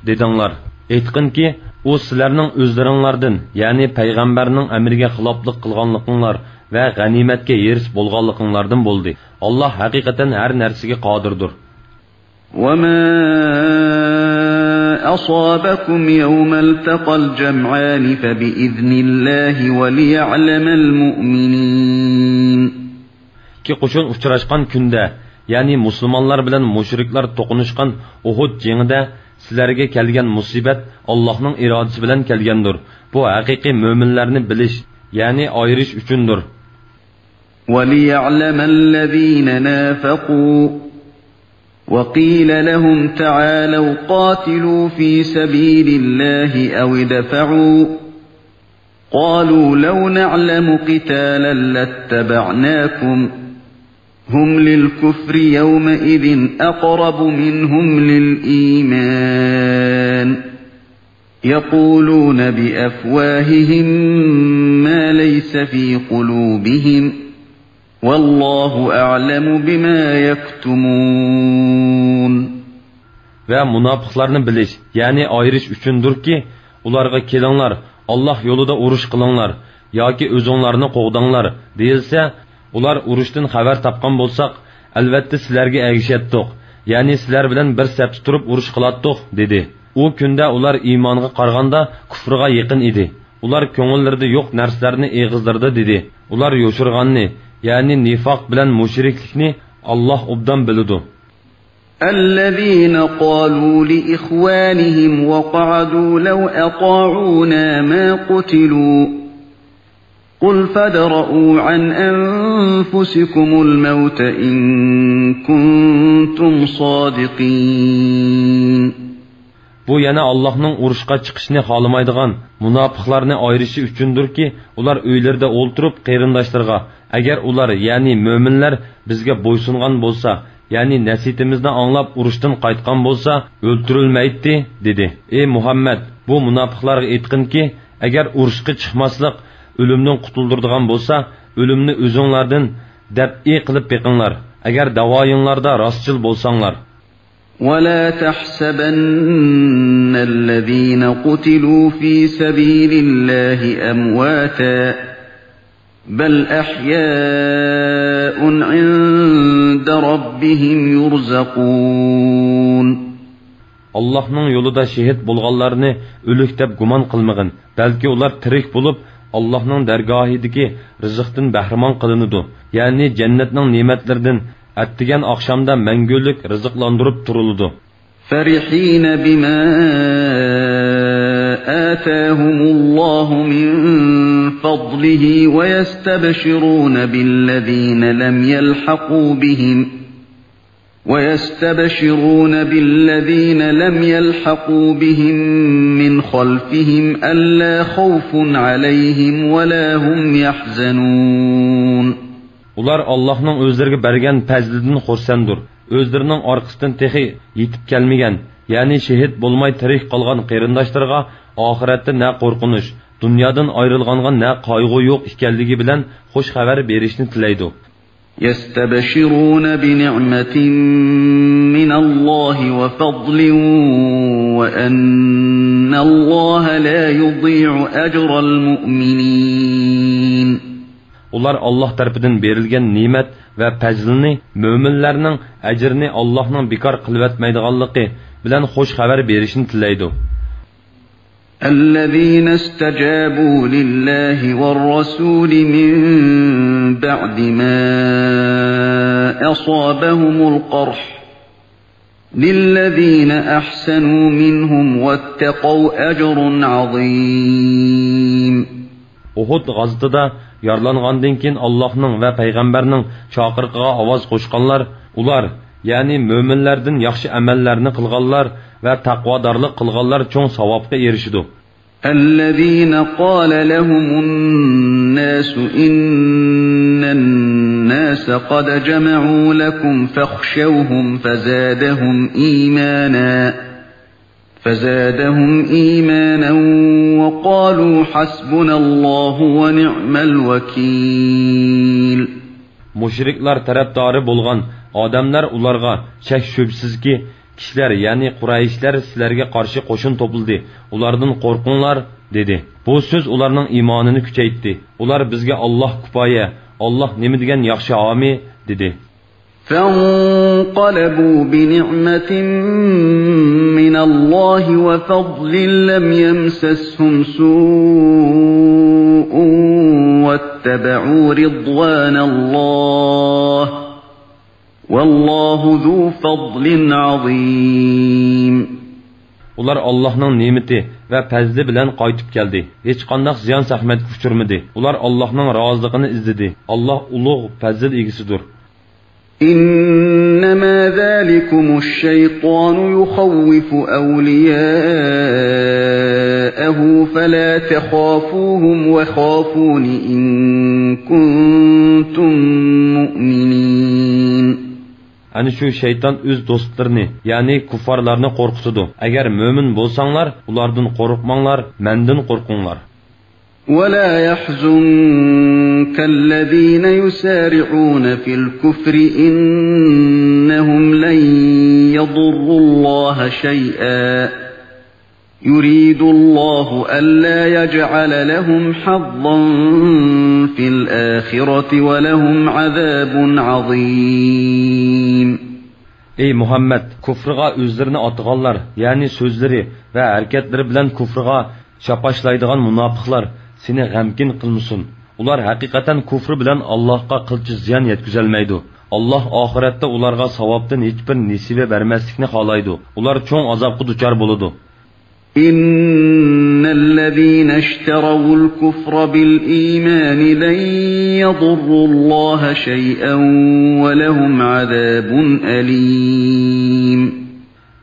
دېدىڭلار. ئېيتقىنكى، ئۇ سىلەرنىڭ ئۆزلىرىڭلاردىن، يەنى پەيغەمبەرنىڭ ئەمرىگە خىلاپلىق قىلغانلىقىڭلار ۋە غەنىيمەتكە ھېرىس بولغانلىقىڭلاردىن بولدى. ئاللاھ ھەقىقەتەن ھەر نەرسىگە قادىردۇر. وَمَا أَصَابَكُمْ يَوْمَ الْتَقَى الْجَمْعَانِ فَبِإِذْنِ اللَّهِ وَلِيَعْلَمَ الْمُؤْمِنِينَ. ئىككى قوشۇن ئۇچراشقان كۈندە، يەنى مۇسۇلمانلار بىلەن مۇشرىكلار توقۇنۇشقان ئۇھۇد جېڭىدە سىلەرگە كەلگەن مۇسىبەت ئاللاھنىڭ ئىرادىسى بىلەن كەلگەندۇر. بۇ ھەقىقىي مۆمىنلەرنى بىلىش، يەنى ئايرىش ئۈچۈندۇر. وَلِيَعْلَمَ الَّذِينَ نَافَقُوا، وَقِيلَ لَهُمْ تَعَالَوْا قَاتِلُوا فِي سَبِيلِ اللَّهِ أَوِ ادْفَعُوا، قَالُوا لَوْ نَعْلَمُ قِتَالًا لَّاتَّبَعْنَاكُمْ، هُمْ لِلْكُفْرِ يَوْمَئِذٍ أَقْرَبُ مِنْهُمْ لِلْإِيمَانِ، يَقُولُونَ بِأَفْوَاهِهِم مَّا لَيْسَ فِي قُلُوبِهِمْ، وَاللَّهُ أَعْلَمُ بِمَا يَكْتُمُونَ. ۋە مۇناپىقلارنى بىلىش، يەنى ئايرىش ئۈچۈندۇركى، ئۇلارغا، «كېلىڭلار، ئاللاھ يولىدا ئۇرۇش قىلىڭلار ياكى ئۆزۈڭلارنى قوغداڭلار» دېيىلسە، ئۇلار، «ئۇرۇشتىن خەۋەر تاپقان بولساق، ئەلۋەتتە سىلەرگە ئەگىشەتتۇق، يەنى سىلەر بىلەن بىر سەپتە تۇرۇپ ئۇرۇش قىلاتتۇق» دېدى. ئۇ كۈندە ئۇلار ئىمانغا قارىغاندا كۇفرىغا يېقىن ئىدى. ئۇلار كۆڭۈللىرىدە يوق نەرسىلەرنى ئېغىزلىرىدا دېدى. ئۇلار يوشۇرغاننى، يەنى نىفاق بىلەن مۇشرىكلىكنى ئاللاھ ئوبدان بىلىدۇ. الذين قالوا لإخوانهم وقعدوا لو أطاعونا ما قتلوا قل فادرءوا عن أنفسكم الموت إن كنتم صادقين. بۇ يەنە ئاللاھنىڭ ئۇرۇشقا چىقىشنى خالىمايدىغان مۇناپىقلارنى ئايرىشى ئۈچۈندۇركى، ئۇلار ئۆيلىرىدە ئولتۇرۇپ قېرىنداشلىرىغا، «ئەگەر ئۇلار، يەنى مۆمىنلەر بىزگە بويسۇنغان بولسا، يەنى نەسىھىتىمىزنى ئاڭلاپ ئۇرۇشتىن قايتقان بولسا، ئۆلتۈرۈلمەيتتى» دېدى. ئى مۇھەممەد، بۇ مۇناپىقلارغا ئېيتقىنكى، ئەگەر ئۇرۇشقا چىقماسلىق ئۆلۈمدىن قۇتۇلدۇرىدىغان بولسا، ئۆلۈمنى ئۆزۈڭلاردىن دەپئى قىلىپ بېقىڭلار، ئەگەر داۋايىڭلاردا راستچىل بولساڭلار. ولا تحسبن الذين قتلوا في سبيل الله أمواتا بل أحياء عند ربهم يرزقون. ئاللاھنىڭ يولىدا شېھىت بولغانلارنى ئۆلۈك دەپ گۇمان قىلمىغىن، بەلكى ئۇلار تىرىك بولۇپ، ئاللاھنىڭ دەرگاھىدىكى رىزىقتىن بەھرىمەن قىلىنىدۇ، يەنى جەننەتنىڭ نېمەتلىرىدىن ئەتىگەن ئاخشامدا مەڭگۈلۈك رىزىقلاندۇرۇپ تۇرۇلىدۇ. فرحين بما آتاهم الله من فضله ويستبشرون بالذين لم يلحقوا بهم ويستبشرون بالذين لم يلحقوا بهم من خلفهم ألا خوف عليهم ولا هم يحزنون. ئۇلار ئاللاھنىڭ ئۆزلىرىگە بەرگەن پەزلىدىن خۇرسەندۇر. ئۆزلىرىنىڭ ئارقىسىدىن تېخى يېتىپ كەلمىگەن، يەنى شېھىت بولماي تىرىك قالغان قېرىنداشلىرىغا ئاخىرەتتە نە قورقۇنچ، دۇنيادىن ئايرىلغانغا نە قايغۇ يوق ئىكەنلىكى بىلەن خۇش خەۋەر بېرىشنى تىلەيدۇ. يستبشرون بنعمة من الله وفضل وأن الله لا يضيع أجر المؤمنين. ئۇلار ئاللاھ تەرىپىدىن بېرىلگەن نېمەت ۋە پەزىلنى، مۆمىنلەرنىڭ ئەجرىنى ئاللاھنىڭ بىكار قىلىۋەتمەيدىغانلىقى بىلەن خۇش خەۋەر بېرىشنى تىلەيدۇ. الذين استجابوا لله والرسول من بعد ما أصابهم القرح للذين أحسنوا منهم واتقوا أجر عظيم. ئۇھۇد غازىتىدا يارىلانغاندىن كېيىن ئاللاھنىڭ ۋە پەيغەمبەرنىڭ چاقىرىقىغا ئاۋاز قوشقانلار، ئۇلار، يەنى مۆمىنلەردىن ياخشى ئەمەللەرنى قىلغانلار ۋە تەقۋادارلىق قىلغانلار چوڭ ساۋابقا ئېرىشىدۇ. الذين قال لهم الناس إن الناس قد جمعوا لكم فاخشوهم فزادهم إيمانا فزادهم إيمانا وقالوا حسبنا الله ونعم الوكيل. مۇشرىكلار تەرەپدارى بولغان ئادەملەر ئۇلارغا، شەك-شۈبھىسىزكى، كىشىلەر، يەنى قۇرەيشلەر سىلەرگە قارشى قوشۇن توپلىدى، ئۇلاردىن قورقۇڭلار، دېدى. بۇ سۆز ئۇلارنىڭ ئىمانىنى كۈچەيتتى. ئۇلار، بىزگە ئاللاھ كۇپايە، ئاللاھ نېمە دېگەن ياخشى ھامى، دېدى. فانقلبوا بنعمة من الله وفضل لم يمسسهم سوء واتبعوا رضوان الله والله ذو فضل عظيم. ئۇلار ئاللاھنىڭ نېمىتى ۋە پەزلى بىلەن قايتىپ كەلدى. ھېچقانداق زىيان-زەخمەتكە ئۇچرىمىدى. ئۇلار ئاللاھنىڭ رازىلىقىنى ئىزدىدى. ئاللاھ ئۇلۇغ پەزىل ئىگىسىدۇر. إنما ذلكم الشيطان يخوف أولياءه فلا تخافوهم وخافون إن كنتم مؤمنين. ئەنە شۇ شەيتان ئۆز دوستلىرىنى، يەنى كۇففارلارنى قورقۇتىدۇ. ئەگەر مۆمىن بولساڭلار، ئۇلاردىن قورقماڭلار، مەندىن قورقۇڭلار. ولا يحزنك الذين يسارعون في الكفر إنهم لن يضروا الله شيئا يريد الله ألا يجعل لهم حظا في الآخرة ولهم عذاب عظيم. ئەي مۇھەممەد، كۇفرىغا ئۆزلىرىنى ئاتىغانلار، يەنى سۆزلىرى ۋە ھەرىكەتلىرى بىلەن كۇفرىغا شاپاشلايدىغان مۇناپىقلار سېنى غەمكىن قىلمىسۇن. ئۇلار ھەقىقەتەن كۇفرى بىلەن ئاللاھقا قىلچە زىيان يەتكۈزەلمەيدۇ. ئاللاھ ئاخىرەتتە ئۇلارغا ساۋابتىن ھېچبىر نېسىۋە بەرمەسلىكنى خالايدۇ. ئۇلار چوڭ ئازابقا دۇچار بولىدۇ. إن الذين اشتروا الكفر بالإيمان لن يضروا الله شيئا ولهم عذاب أليم.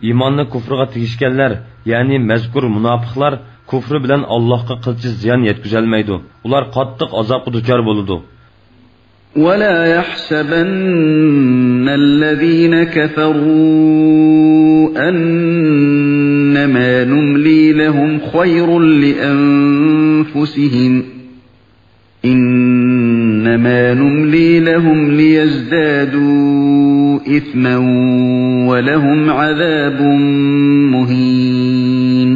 ئىماننى كۇفرىغا تېگىشكەنلەر، يەنى مەزكۇر مۇناپىقلار كۇفرى بىلەن ئاللاھقا قىلچە زىيان يەتكۈزەلمەيدۇ. ئۇلار قاتتىق ئازابقا دۇچار بولىدۇ. ولا يحسبن الذين كفروا أنما نملي لهم خير لأنفسهم إنما نملي لهم ليزدادوا إثما ولهم عذاب مهين.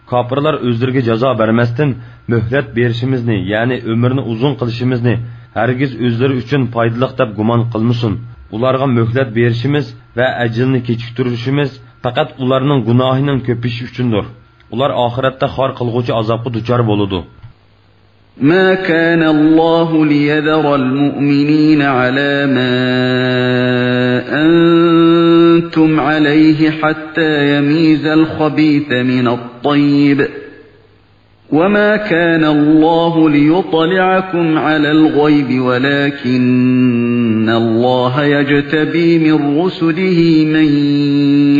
كاپىرلار ئۆزلىرىگە جازا بەرمەستىن، مۆھلەت بېرىشىمىزنى، يەنى ئۆمۈرنى ئۇزۇن قىلىشىمىزنى ھەرگىز ئۆزلىرى ئۈچۈن پايدىلىق دەپ گۇمان قىلمىسۇن. ئۇلارغا مۆھلەت بېرىشىمىز ۋە ئەجىلنى كېچىكتۈرۈشىمىز پەقەت ئۇلارنىڭ گۇناھىنىڭ كۆپىيىشى ئۈچۈندۇر. ئۇلار ئاخىرەتتە خار قىلغۇچى ئازابقا دۇچار بولىدۇ. ما كان الله ليذر المؤمنين على ما أنتم عليه حتى يميز الخبيث من الطيب، وما كان الله ليطلعكم على الغيب ولكن الله يجتبي من رسله من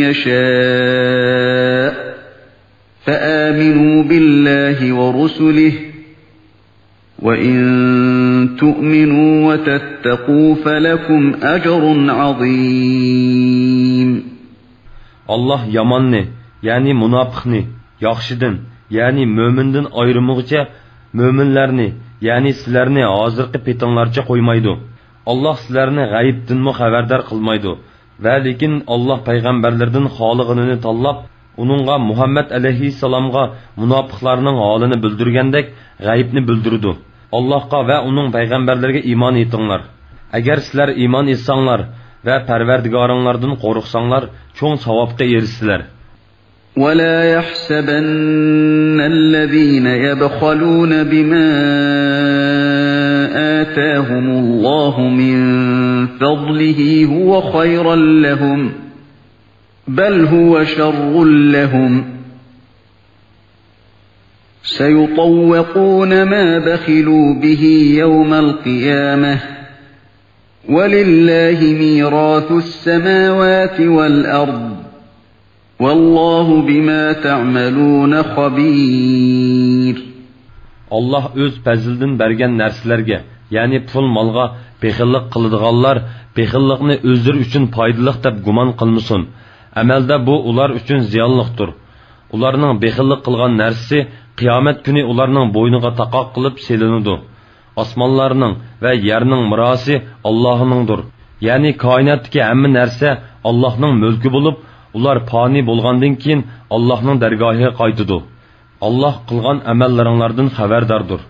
يشاء، فآمنوا بالله ورسله، وإن تؤمنوا وتتقوا فلكم أجر عظيم. ئاللاھ ياماننى، يەنى مۇناپىقنى، ياخشىدىن، يەنى مۆمىندىن ئايرىمىغۇچە، مۆمىنلەرنى، يەنى سىلەرنى ھازىرقى پېتىڭلارچە قويمايدۇ. ئاللاھ سىلەرنى غەيىبتىنمۇ خەۋەردار قىلمايدۇ. ۋە لېكىن ئاللاھ پەيغەمبەرلىرىدىن خالىغىنىنى تاللاپ، ئۇنىڭغا مۇھەممەد ئەلەيھىسسالامغا مۇناپىقلارنىڭ ھالىنى بىلدۈرگەندەك غەيىبنى بىلدۈرىدۇ. ئاللاھقا ۋە ئۇنىڭ پەيغەمبەرلىرىگە ئىمان ئېيتىڭلار. ئەگەر سىلەر ئىمان ئېيتساڭلار ۋە پەرۋەردىگارىڭلاردىن قورقساڭلار، چوڭ ساۋابقا ئېرىشىسىلەر. ولا يحسبن الذين يبخلون بما آتاهم الله من فضله هو خيرا لهم، بل هو شر لهم، سيطوقون ما بخلوا به يوم القيامة، ولله ميراث السماوات والأرض، والله بما تعملون خبير. ئاللاھ ئۆز پەزلىدىن بەرگەن نەرسىلەرگە، يەنى پۇل-مالغا بېخىللىق قىلىدىغانلار بېخىللىقنى ئۆزلىرى ئۈچۈن پايدىلىق دەپ گۇمان قىلمىسۇن. ئەمەلدە بۇ ئۇلار ئۈچۈن زىيانلىقتۇر. ئۇلارنىڭ بېخىللىق قىلغان نەرسىسى قىيامەت كۈنى ئۇلارنىڭ بوينىغا تاقاق قىلىپ سېلىنىدۇ. ئاسمانلارنىڭ ۋە يەرنىڭ مىراسى ئاللاھنىڭدۇر. يەنى كائىناتتىكى ھەممە نەرسە ئاللاھنىڭ مۈلكى بولۇپ، ئۇلار پانىي بولغاندىن كېيىن ئاللاھنىڭ دەرگاھىغا قايتىدۇ. ئاللاھ قىلغان ئەمەللىرىڭلاردىن خەۋەرداردۇر.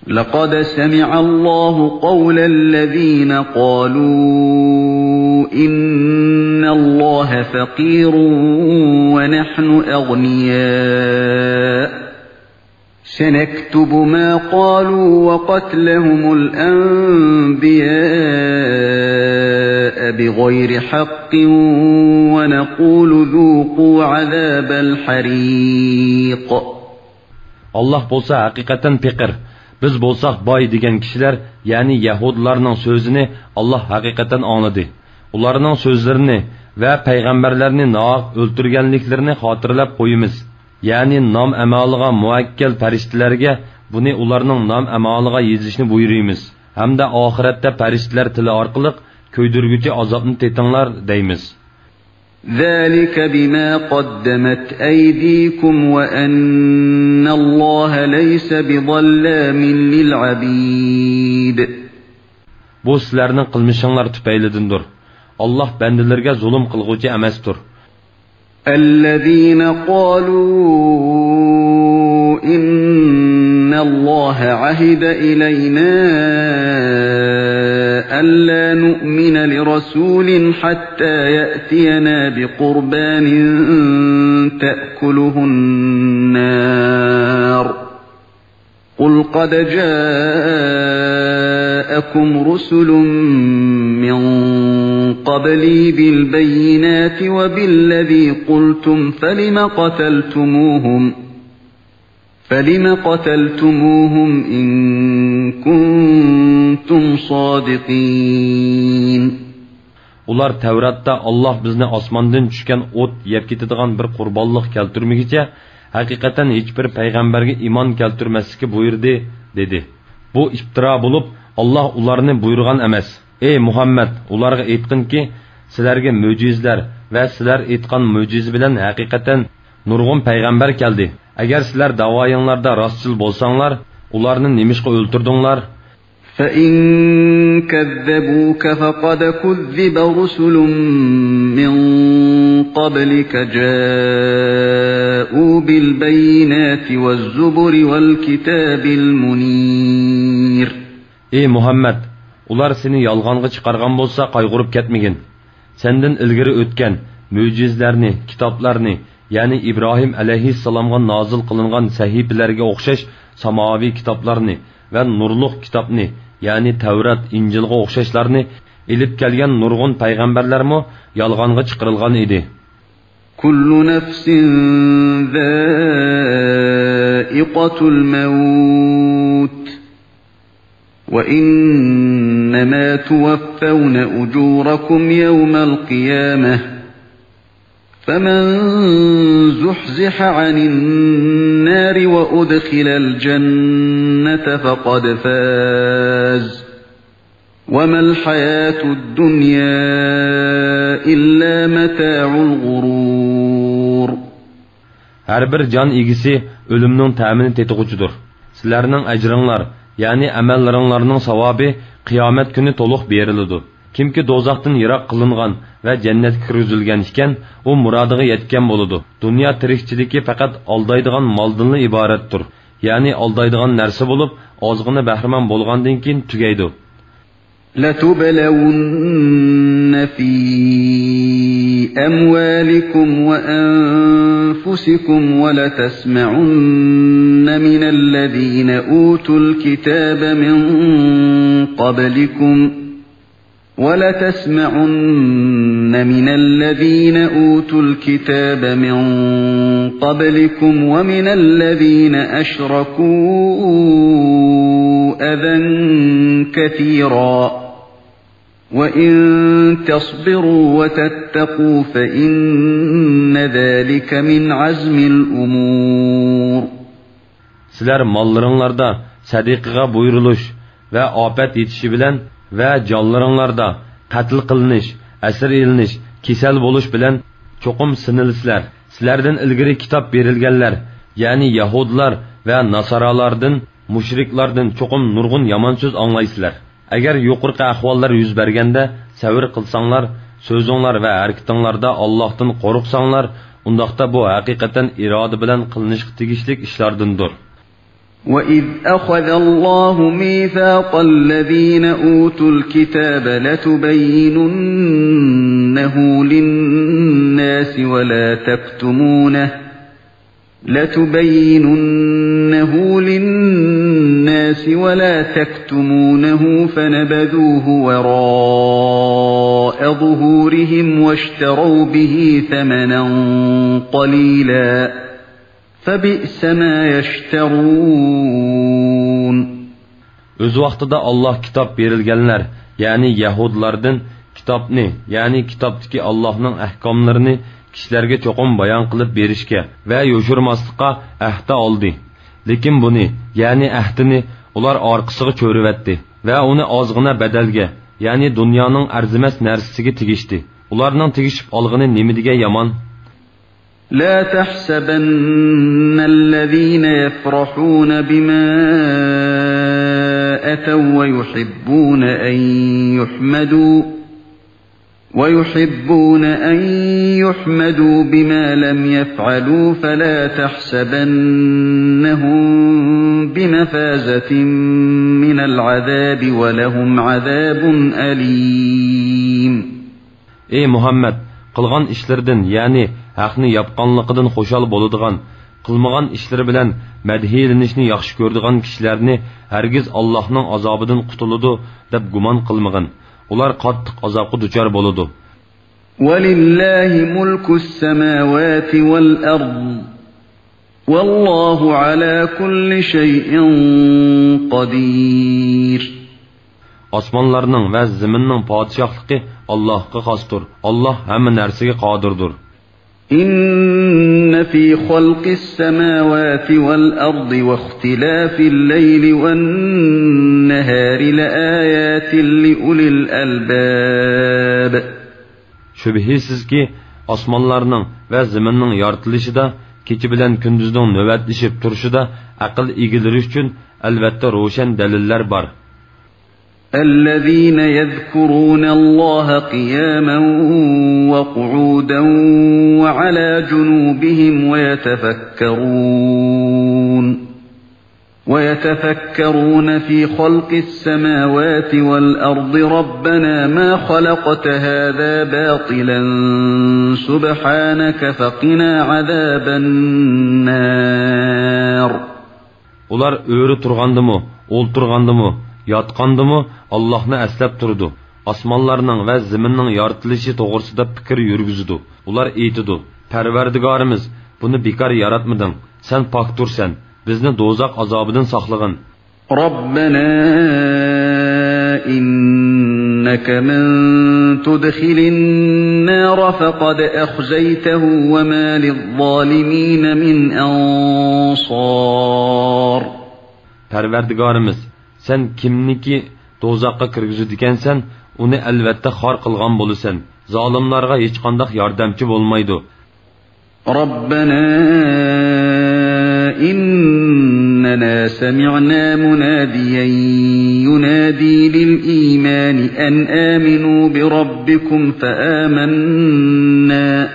لقد سمع الله قول الذين قالوا إن الله فقير ونحن أغنياء، سنكتب ما قالوا وقتلهم الأنبياء بغير حق ونقول ذوقوا عذاب الحريق. ئاللاھ بولسا ھەقىقەتەن پېقىر، بىز بولساق باي دېگەن كىشىلەر، يەنى يەھۇدىيلارنىڭ سۆزىنى ئاللاھ ھەقىقەتەن ئاڭلىدى. ئۇلارنىڭ سۆزلىرىنى ۋە پەيغەمبەرلەرنى ناھەق ئۆلتۈرگەنلىكلىرىنى خاتىرىلەپ قويىمىز. يەنى نام-ئەمالىغا مۇۋەككەل پەرىشتىلەرگە بۇنى ئۇلارنىڭ نام-ئەمالىغا يېزىشنى بۇيرۇيمىز ھەمدە ئاخىرەتتە پەرىشتىلەر تىلى ئارقىلىق كۆيدۈرگۈچى ئازابنى تېتىڭلار دەيمىز. ذلك بما قدمت أيديكم وأن الله ليس بظلام للعبيد. بۇ سىلەرنىڭ قىلمىشىڭلار تۈپەيلىدىندۇر. ئاللاھ بەندىلىرىگە زۇلۇم قىلغۇچى ئەمەستۇر. الذين قالوا إن الله عهد إلينا ألا نؤمن لرسول حتى يأتينا بقربان تأكله النار قل قد جاءكم رسل من قبلي بالبينات وبالذي قلتم فلم قتلتموهم، فلم قتلتموهم إن كنتم صادقين. ئۇلار تەۋراتتا ئاللاھ بىزنى ئاسماندىن چۈشكەن ئوت يەپ كېتىدىغان بىر قۇربانلىق كەلتۈرمىگۈچە، ھەقىقەتەن ھېچبىر پەيغەمبەرگە ئىمان كەلتۈرمەسلىككە بۇيرۇدى، دېدى. بۇ ئىپتىرا بولۇپ، ئاللاھ ئۇلارنى بۇيرۇغان ئەمەس. ئەي مۇھەممەد، ئۇلارغا ئېيتقىنكى، سىلەرگە مۆجىزىلەر ۋە سىلەر ئېيتقان مۆجىزە بىلەن ھەقىقەتەن نۇرغۇن پەيغەمبەر كەلدى. ئەگەر سىلەر داۋايىڭلاردا راستچىل بولساڭلار، ئۇلارنى نېمىشقا ئۆلتۈردۈڭلار؟ فإن كذبوك فقد كذب رسل من قبلك جاءوا بالبينات والزبر والكتاب المنير. ئەي مۇھەممەد، ئۇلار سېنى يالغانغا چىقارغان بولسا قايغۇرۇپ كەتمىگىن. سەندىن ئىلگىرى ئۆتكەن مۆجىزىلەرنى، كىتابلارنى، يەنى ئىبراھىم ئەلەيھىسسالامغا نازىل قىلىنغان سەھىپىلەرگە ئوخشاش ساماۋىي كىتابلارنى ۋە نۇرلۇق كىتابنى، يەنى تەۋرات، ئىنجىلغا ئوخشاشلارنى ئېلىپ كەلگەن نۇرغۇن پەيغەمبەرلەرمۇ يالغانغا چىقىرىلغان ئىدى. كل نفس ذائقة الموت وإنما توفون أجوركم يوم القيامة فمن زحزح عن النار وأدخل الجنة فقد فاز وما الحياة الدنيا إلا متاع الغرور. ھەر بىر جان ئىگىسى ئۆلۈمنىڭ تەمىنى تېتىغۇچىدۇر. سىلەرنىڭ ئەجرىڭلار، يەنى ئەمەللىرىڭلارنىڭ ساۋابى قىيامەت كۈنى تولۇق بېرىلىدۇ. كىمكى دوزاختىن يىراق قىلىنغان ۋە جەننەتكە كىرگۈزۈلگەن ئىكەن، ئۇ مۇرادىغا يەتكەن بولىدۇ. دۇنيا تىرىكچىلىكى پەقەت ئالدايدىغان مالدىنلا ئىبارەتتۇر. يەنى ئالدايدىغان نەرسە بولۇپ، ئازغىنا بەھرىمەن بولغاندىن كېيىن تۈگەيدۇ. لتبلون في أموالكم وأنفسكم ولتسمعن من الذين أوتوا الكتاب من قبلكم ولتسمعن من الذين أوتوا الكتاب من قبلكم ومن الذين أشركوا أذى كثيرا وإن تصبروا وتتقوا فإن ذلك من عزم الأمور. سىلەر ماللىرىڭلاردا سەدىقىگە بۇيرۇلۇش ۋە ئاپەت يېتىشى بىلەن ۋە جانلىرىڭلاردا قەتل قىلىنىش، ئەسىر ئېلىنىش، كېسەل بولۇش بىلەن چوقۇم سىنىلىسىلەر. سىلەردىن ئىلگىرى كىتاب بېرىلگەنلەر، يەنى يەھۇدىيلار ۋە ناسارالاردىن، مۇشرىكلاردىن چوقۇم نۇرغۇن يامان سۆز ئاڭلايسىلەر. ئەگەر يۇقىرىقى ئەھۋاللار يۈز بەرگەندە سەۋر قىلساڭلار، سۆزۈڭلار ۋە ھەرىكىتىڭلاردا ئاللاھتىن قورقساڭلار، ئۇنداقتا بۇ ھەقىقەتەن ئىرادە بىلەن قىلىنىشقا تېگىشلىك ئىشلاردىندۇر. وإذ أخذ الله ميثاق الذين أوتوا الكتاب لتبيننه للناس ولا تكتمونه لتبيننه للناس ولا تكتمونه فنبذوه وراء ظهورهم واشتروا به ثمنا قليلا فبئس ما يشترون. ئۆز ۋاقتىدا ئاللاھ كىتاب بېرىلگەنلەر، يەنى يەھۇدىيلاردىن كىتابنى، يەنى كىتابتىكى ئاللاھنىڭ ئەھكاملىرىنى كىشىلەرگە چوقۇم بايان قىلىپ بېرىشكە ۋە يوشۇرماسلىققا ئەھدە ئالدى. لېكىن بۇنى، يەنى ئەھدىنى ئۇلار ئارقىسىغا چۆرۈۋەتتى ۋە ئۇنى ئازغىنە بەدەلگە، يەنى دۇنيانىڭ ئەرزىمەس نەرسىسىگە تېگىشتى. ئۇلارنىڭ تېگىشىپ ئالغىنى نېمە دېگەن يامان! لا تحسبن الذين يفرحون بما أتوا ويحبون أن يحمدوا ويحبون أن يحمدوا بما لم يفعلوا فلا تحسبنهم بمفازة من العذاب ولهم عذاب أليم. ئەي مۇھەممەد، قىلغان ئىشلىرىدىن، يەنى ھەقنى ياپقانلىقىدىن خۇشال بولىدىغان، قىلمىغان ئىشلىرى بىلەن مەدھىيلىنىشنى ياخشى كۆرىدىغان كىشىلەرنى ھەرگىز ئاللاھنىڭ ئازابىدىن قۇتۇلىدۇ دەپ گۇمان قىلمىغىن. ئۇلار قاتتىق ئازابقا دۇچار بولىدۇ. ولله ملك السماوات والأرض والله على كل شيء قدير. ئاسمانلارنىڭ ۋە زېمىننىڭ پادىشاھلىقى ئاللاھقا خاستۇر. ئاللاھ ھەممە نەرسىگە قادىردۇر. إن في خلق السماوات والأرض واختلاف الليل والنهار لآيات لأولي الألباب. شۈبھىسىزكى، ئاسمانلارنىڭ ۋە زېمىننىڭ يارىتىلىشىدا، كېچە بىلەن كۈندۈزنىڭ نۆۋەتلىشىپ تۇرۇشىدا ئەقىل ئىگىلىرى ئۈچۈن ئەلۋەتتە روشەن دەلىللەر بار. الذين يذكرون الله قياما وقعودا وعلى جنوبهم ويتفكرون ويتفكرون في خلق السماوات والأرض ربنا ما خلقت هذا باطلا سبحانك فقنا عذاب النار. ئۇلار ئۆرە تۇرغاندىمۇ، ئولتۇرغاندىمۇ، ياتقاندىمۇ ئاللاھنى ئەسلەپ تۇرىدۇ. ئاسمانلارنىڭ ۋە زېمىننىڭ يارىتىلىشى توغرىسىدا پىكىر يۈرگۈزىدۇ. ئۇلار ئېيتىدۇ، پەرۋەردىگارىمىز، بۇنى بىكار ياراتمىدىڭ. سەن پاكتۇرسەن. بىزنى دوزاخ ئازابىدىن ساقلىغىن. ربنا إنك من تدخل النار فقد أخزيته وما للظالمين من أنصار. پەرۋەردىگارىمىز، سەن كىمنىكى دوزاخقا كىرگۈزىدىكەنسەن، ئۇنى ئەلۋەتتە خار قىلغان بولىسەن. زالىملارغا ھېچقانداق ياردەمچى بولمايدۇ. ربنا إننا سمعنا مناديا ينادي للإيمان أن آمنوا بربكم فآمنا.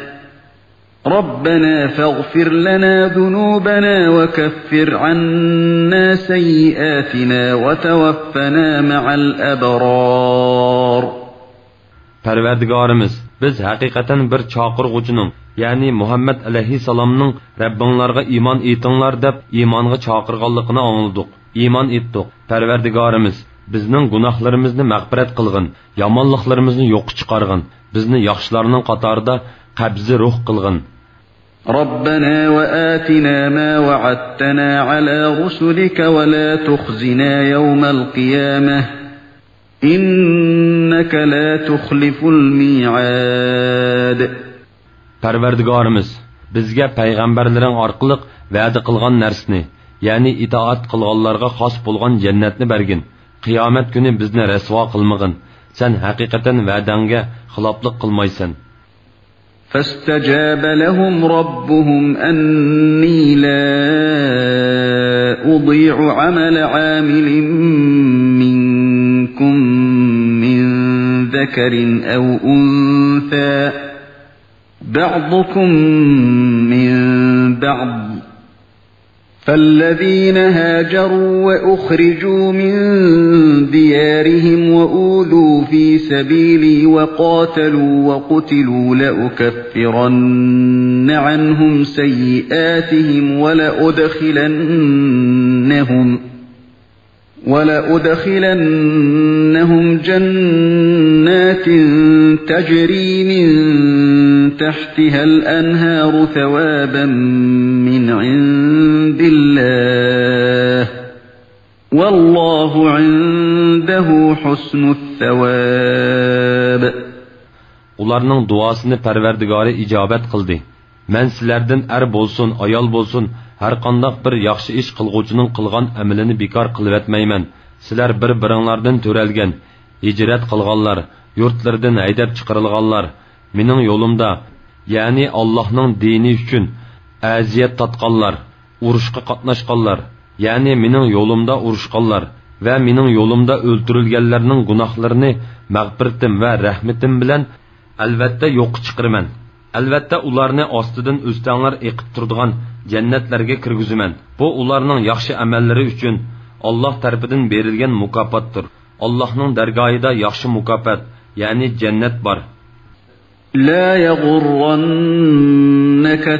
ربنا فاغفر لنا ذنوبنا وكفر عنا سيئاتنا وتوفنا مع الأبرار. پەرۋەردىگارىمىز، بىز ھەقىقەتەن بىر چاقىرغۇچىنىڭ، يەنى مۇھەممەد ئەلەيھىسسالامنىڭ رەببىڭلارغا ئىمان ئېيتىڭلار دەپ ئىمانغا چاقىرغانلىقىنى ئاڭلىدۇق. ئىمان ئېيتتۇق. پەرۋەردىگارىمىز، بىزنىڭ گۇناھلىرىمىزنى مەغپىرەت قىلغىن، يامانلىقلىرىمىزنى يوققا چىقارغىن، بىزنى ياخشىلارنىڭ قاتارىدا قەبزى روھ قىلغىن. ربنا وآتنا ما وعدتنا على رسلك ولا تخزنا يوم القيامة إنك لا تخلف الميعاد. پەرۋەردىگارىمىز، بىزگە پەيغەمبەرلىرىڭ ئارقىلىق ۋەدە قىلغان نەرسىنى، يەنى ئىتائەت قىلغانلارغا خاس بولغان جەننەتنى بەرگىن. قىيامەت كۈنى بىزنى رەسۋا قىلمىغىن. سەن ھەقىقەتەن ۋەدەڭگە خىلاپلىق قىلمايسەن. فاستجاب لهم ربهم أني لا أضيع عمل عامل منكم من ذكر أو أنثى بعضكم من بعض فالذين هاجروا وأخرجوا من ديارهم وأوذوا في سبيلي وقاتلوا وقتلوا لأكفرن عنهم سيئاتهم ولأدخلنهم ولأدخلنهم جنات تجري من تحتها الأنهار ثوابا من عند الله والله عنده حسن الثواب. ئۇلارنىڭ دۇئاسىنى پەرۋەردىگارى ئىجابەت قىلدى. مەن سىلەردىن ئەر بولسۇن، ئايال بولسۇن، ھەرقانداق بىر ياخشى ئىش قىلغۇچىنىڭ قىلغان ئەمىلىنى بىكار قىلىۋەتمەيمەن. سىلەر بىر-بىرىڭلاردىن تۆرەلگەن، ھىجرەت قىلغانلار، يۇرتلىرىدىن ھەيدەپ چىقىرىلغانلار، مېنىڭ يولۇمدا، يەنى ئاللاھنىڭ دىنى ئۈچۈن ئەزىيەت تارتقانلار، ئۇرۇشقا قاتناشقانلار، يەنى مېنىڭ يولۇمدا ئۇرۇشقانلار ۋە مېنىڭ يولۇمدا ئۆلتۈرۈلگەنلەرنىڭ گۇناھلىرىنى مەغپىرىتىم ۋە رەھمىتىم بىلەن ئەلۋەتتە يوققا چىقىرىمەن. ئەلۋەتتە ئۇلارنى ئاستىدىن ئۆستەڭلەر ئېقىپ تۇرىدىغان جەننەتلەرگە كىرگۈزىمەن. بۇ ئۇلارنىڭ ياخشى ئەمەللىرى ئۈچۈن ئاللاھ تەرىپىدىن بېرىلگەن مۇكاپاتتۇر. ئاللاھنىڭ دەرگاھىدا ياخشى مۇكاپات، يەنى جەننەت بار. لا يغرنك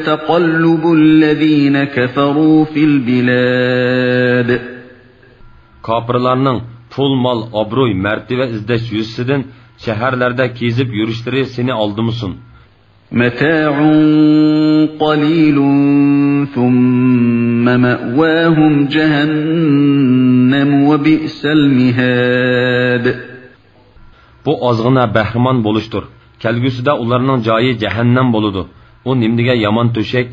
تقلب الذين كفروا في البلاد. كاپىرلارنىڭ پۇل، مال، ئابرۇي، مەرتىۋە ئىزدەش يۈزىسىدىن شەھەرلەردە كېزىپ يۈرۈشلىرى سېنى ئالدىمىسۇن. متاع قليل ثم مأواهم جهنم وبئس المهاد. بۇ ئازغىنە بەھرىمەن بولۇشتۇر. كەلگۈسىدە ئۇلارنىڭ جايى جەھەننەم بولىدۇ. ئۇ نېمىدېگەن يامان تۆشەك!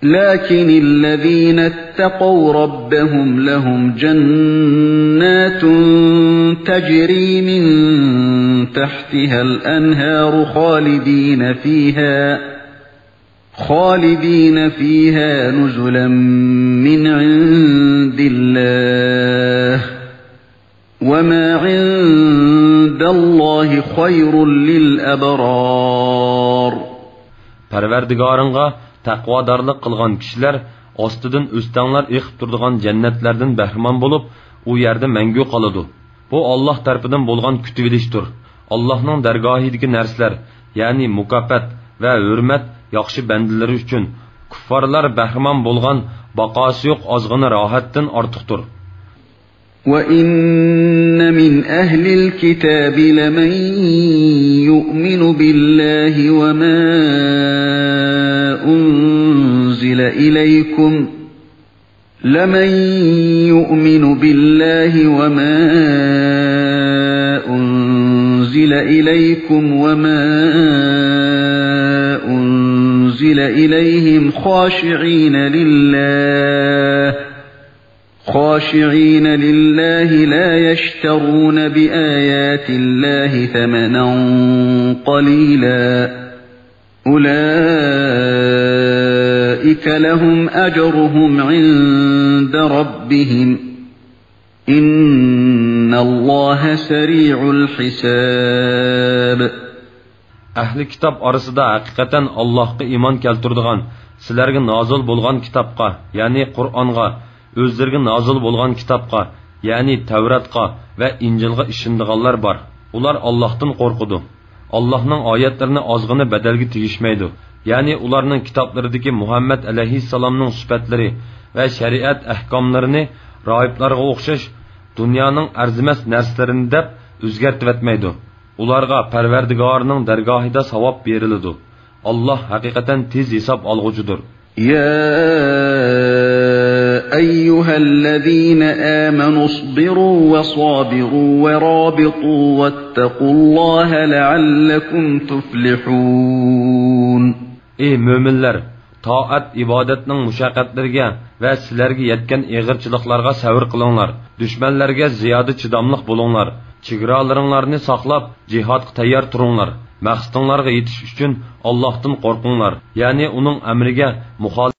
لكن الذين اتقوا ربهم لهم جنات تجري من تحتها الأنهار خالدين فيها، خالدين فيها نزلا من عند الله، وما عند الله خير للأبرار. پەرۋەردىگارىڭغا تەقۋادارلىق قىلغان كىشىلەر ئاستىدىن ئۆستەڭلەر ئېقىپ تۇرىدىغان جەننەتلەردىن بەھرىمەن بولۇپ، ئۇ يەردە مەڭگۈ قالىدۇ. بۇ ئاللاھ تەرىپىدىن بولغان كۈتۈۋېلىشتۇر. ئاللاھنىڭ دەرگاھىدىكى نەرسىلەر، يەنى مۇكاپات ۋە ھۆرمەت ياخشى بەندىلىرى ئۈچۈن، كۇففارلار بەھرىمەن بولغان باقاسى يوق ئازغىنە راھەتتىن ئارتۇقتۇر. وإن من أهل الكتاب لمن يؤمن بالله وما أنزل إليكم، لمن يؤمن بالله وما أنزل إليكم وما أنزل إليهم خاشعين لله، خاشعين لله لا يشترون بآيات الله ثمنا قليلا، أولئك لهم أجرهم عند ربهم، إن الله سريع الحساب. ئەھلى كىتاب ئارىسىدا ھەقىقەتەن ئاللاھقا ئىمان كەلتۈرىدىغان، سىلەرگە نازىل بولغان كىتابقا، يەنى قۇرئانغا، ئۆزلىرىگە نازىل بولغان كىتابقا، يەنى تەۋراتقا ۋە ئىنجىلغا ئىشىنىدىغانلار بار. ئۇلار ئاللاھتىن قورقىدۇ. ئاللاھنىڭ ئايەتلىرىنى ئازغىنە بەدەلگە تېگىشمەيدۇ. يەنى ئۇلارنىڭ كىتابلىرىدىكى مۇھەممەد ئەلەيھىسسالامنىڭ سۈپەتلىرى ۋە شەرىئەت ئەھكاملىرىنى راھىبلارغا ئوخشاش دۇنيانىڭ ئەرزىمەس نەرسىلىرىنى دەپ ئۆزگەرتىۋەتمەيدۇ. ئۇلارغا پەرۋەردىگارىنىڭ دەرگاھىدا ساۋاب بېرىلىدۇ. ئاللاھ ھەقىقەتەن تېز ھېساب ئالغۇچىدۇر. يا أيها الذين آمنوا اصبروا وصابروا ورابطوا واتقوا الله لعلكم تفلحون. ئى مۆمىنلەر، تائەت ئىبادەتنىڭ مۇشەققەتلىرىگە ۋە سىلەرگە يەتكەن ئېغىرچىلىقلارغا سەۋر قىلىڭلار. دۈشمەنلەرگە زىيادە چىداملىق بولۇڭلار. چېگرالىرىڭلارنى ساقلاپ، جىھادقا تەييار تۇرۇڭلار. مەقسىتىڭلارغا يېتىش ئۈچۈن ئاللاھتىن قورقۇڭلار. يەنى ئۇنىڭ ئەمرىگە مۇخالىپ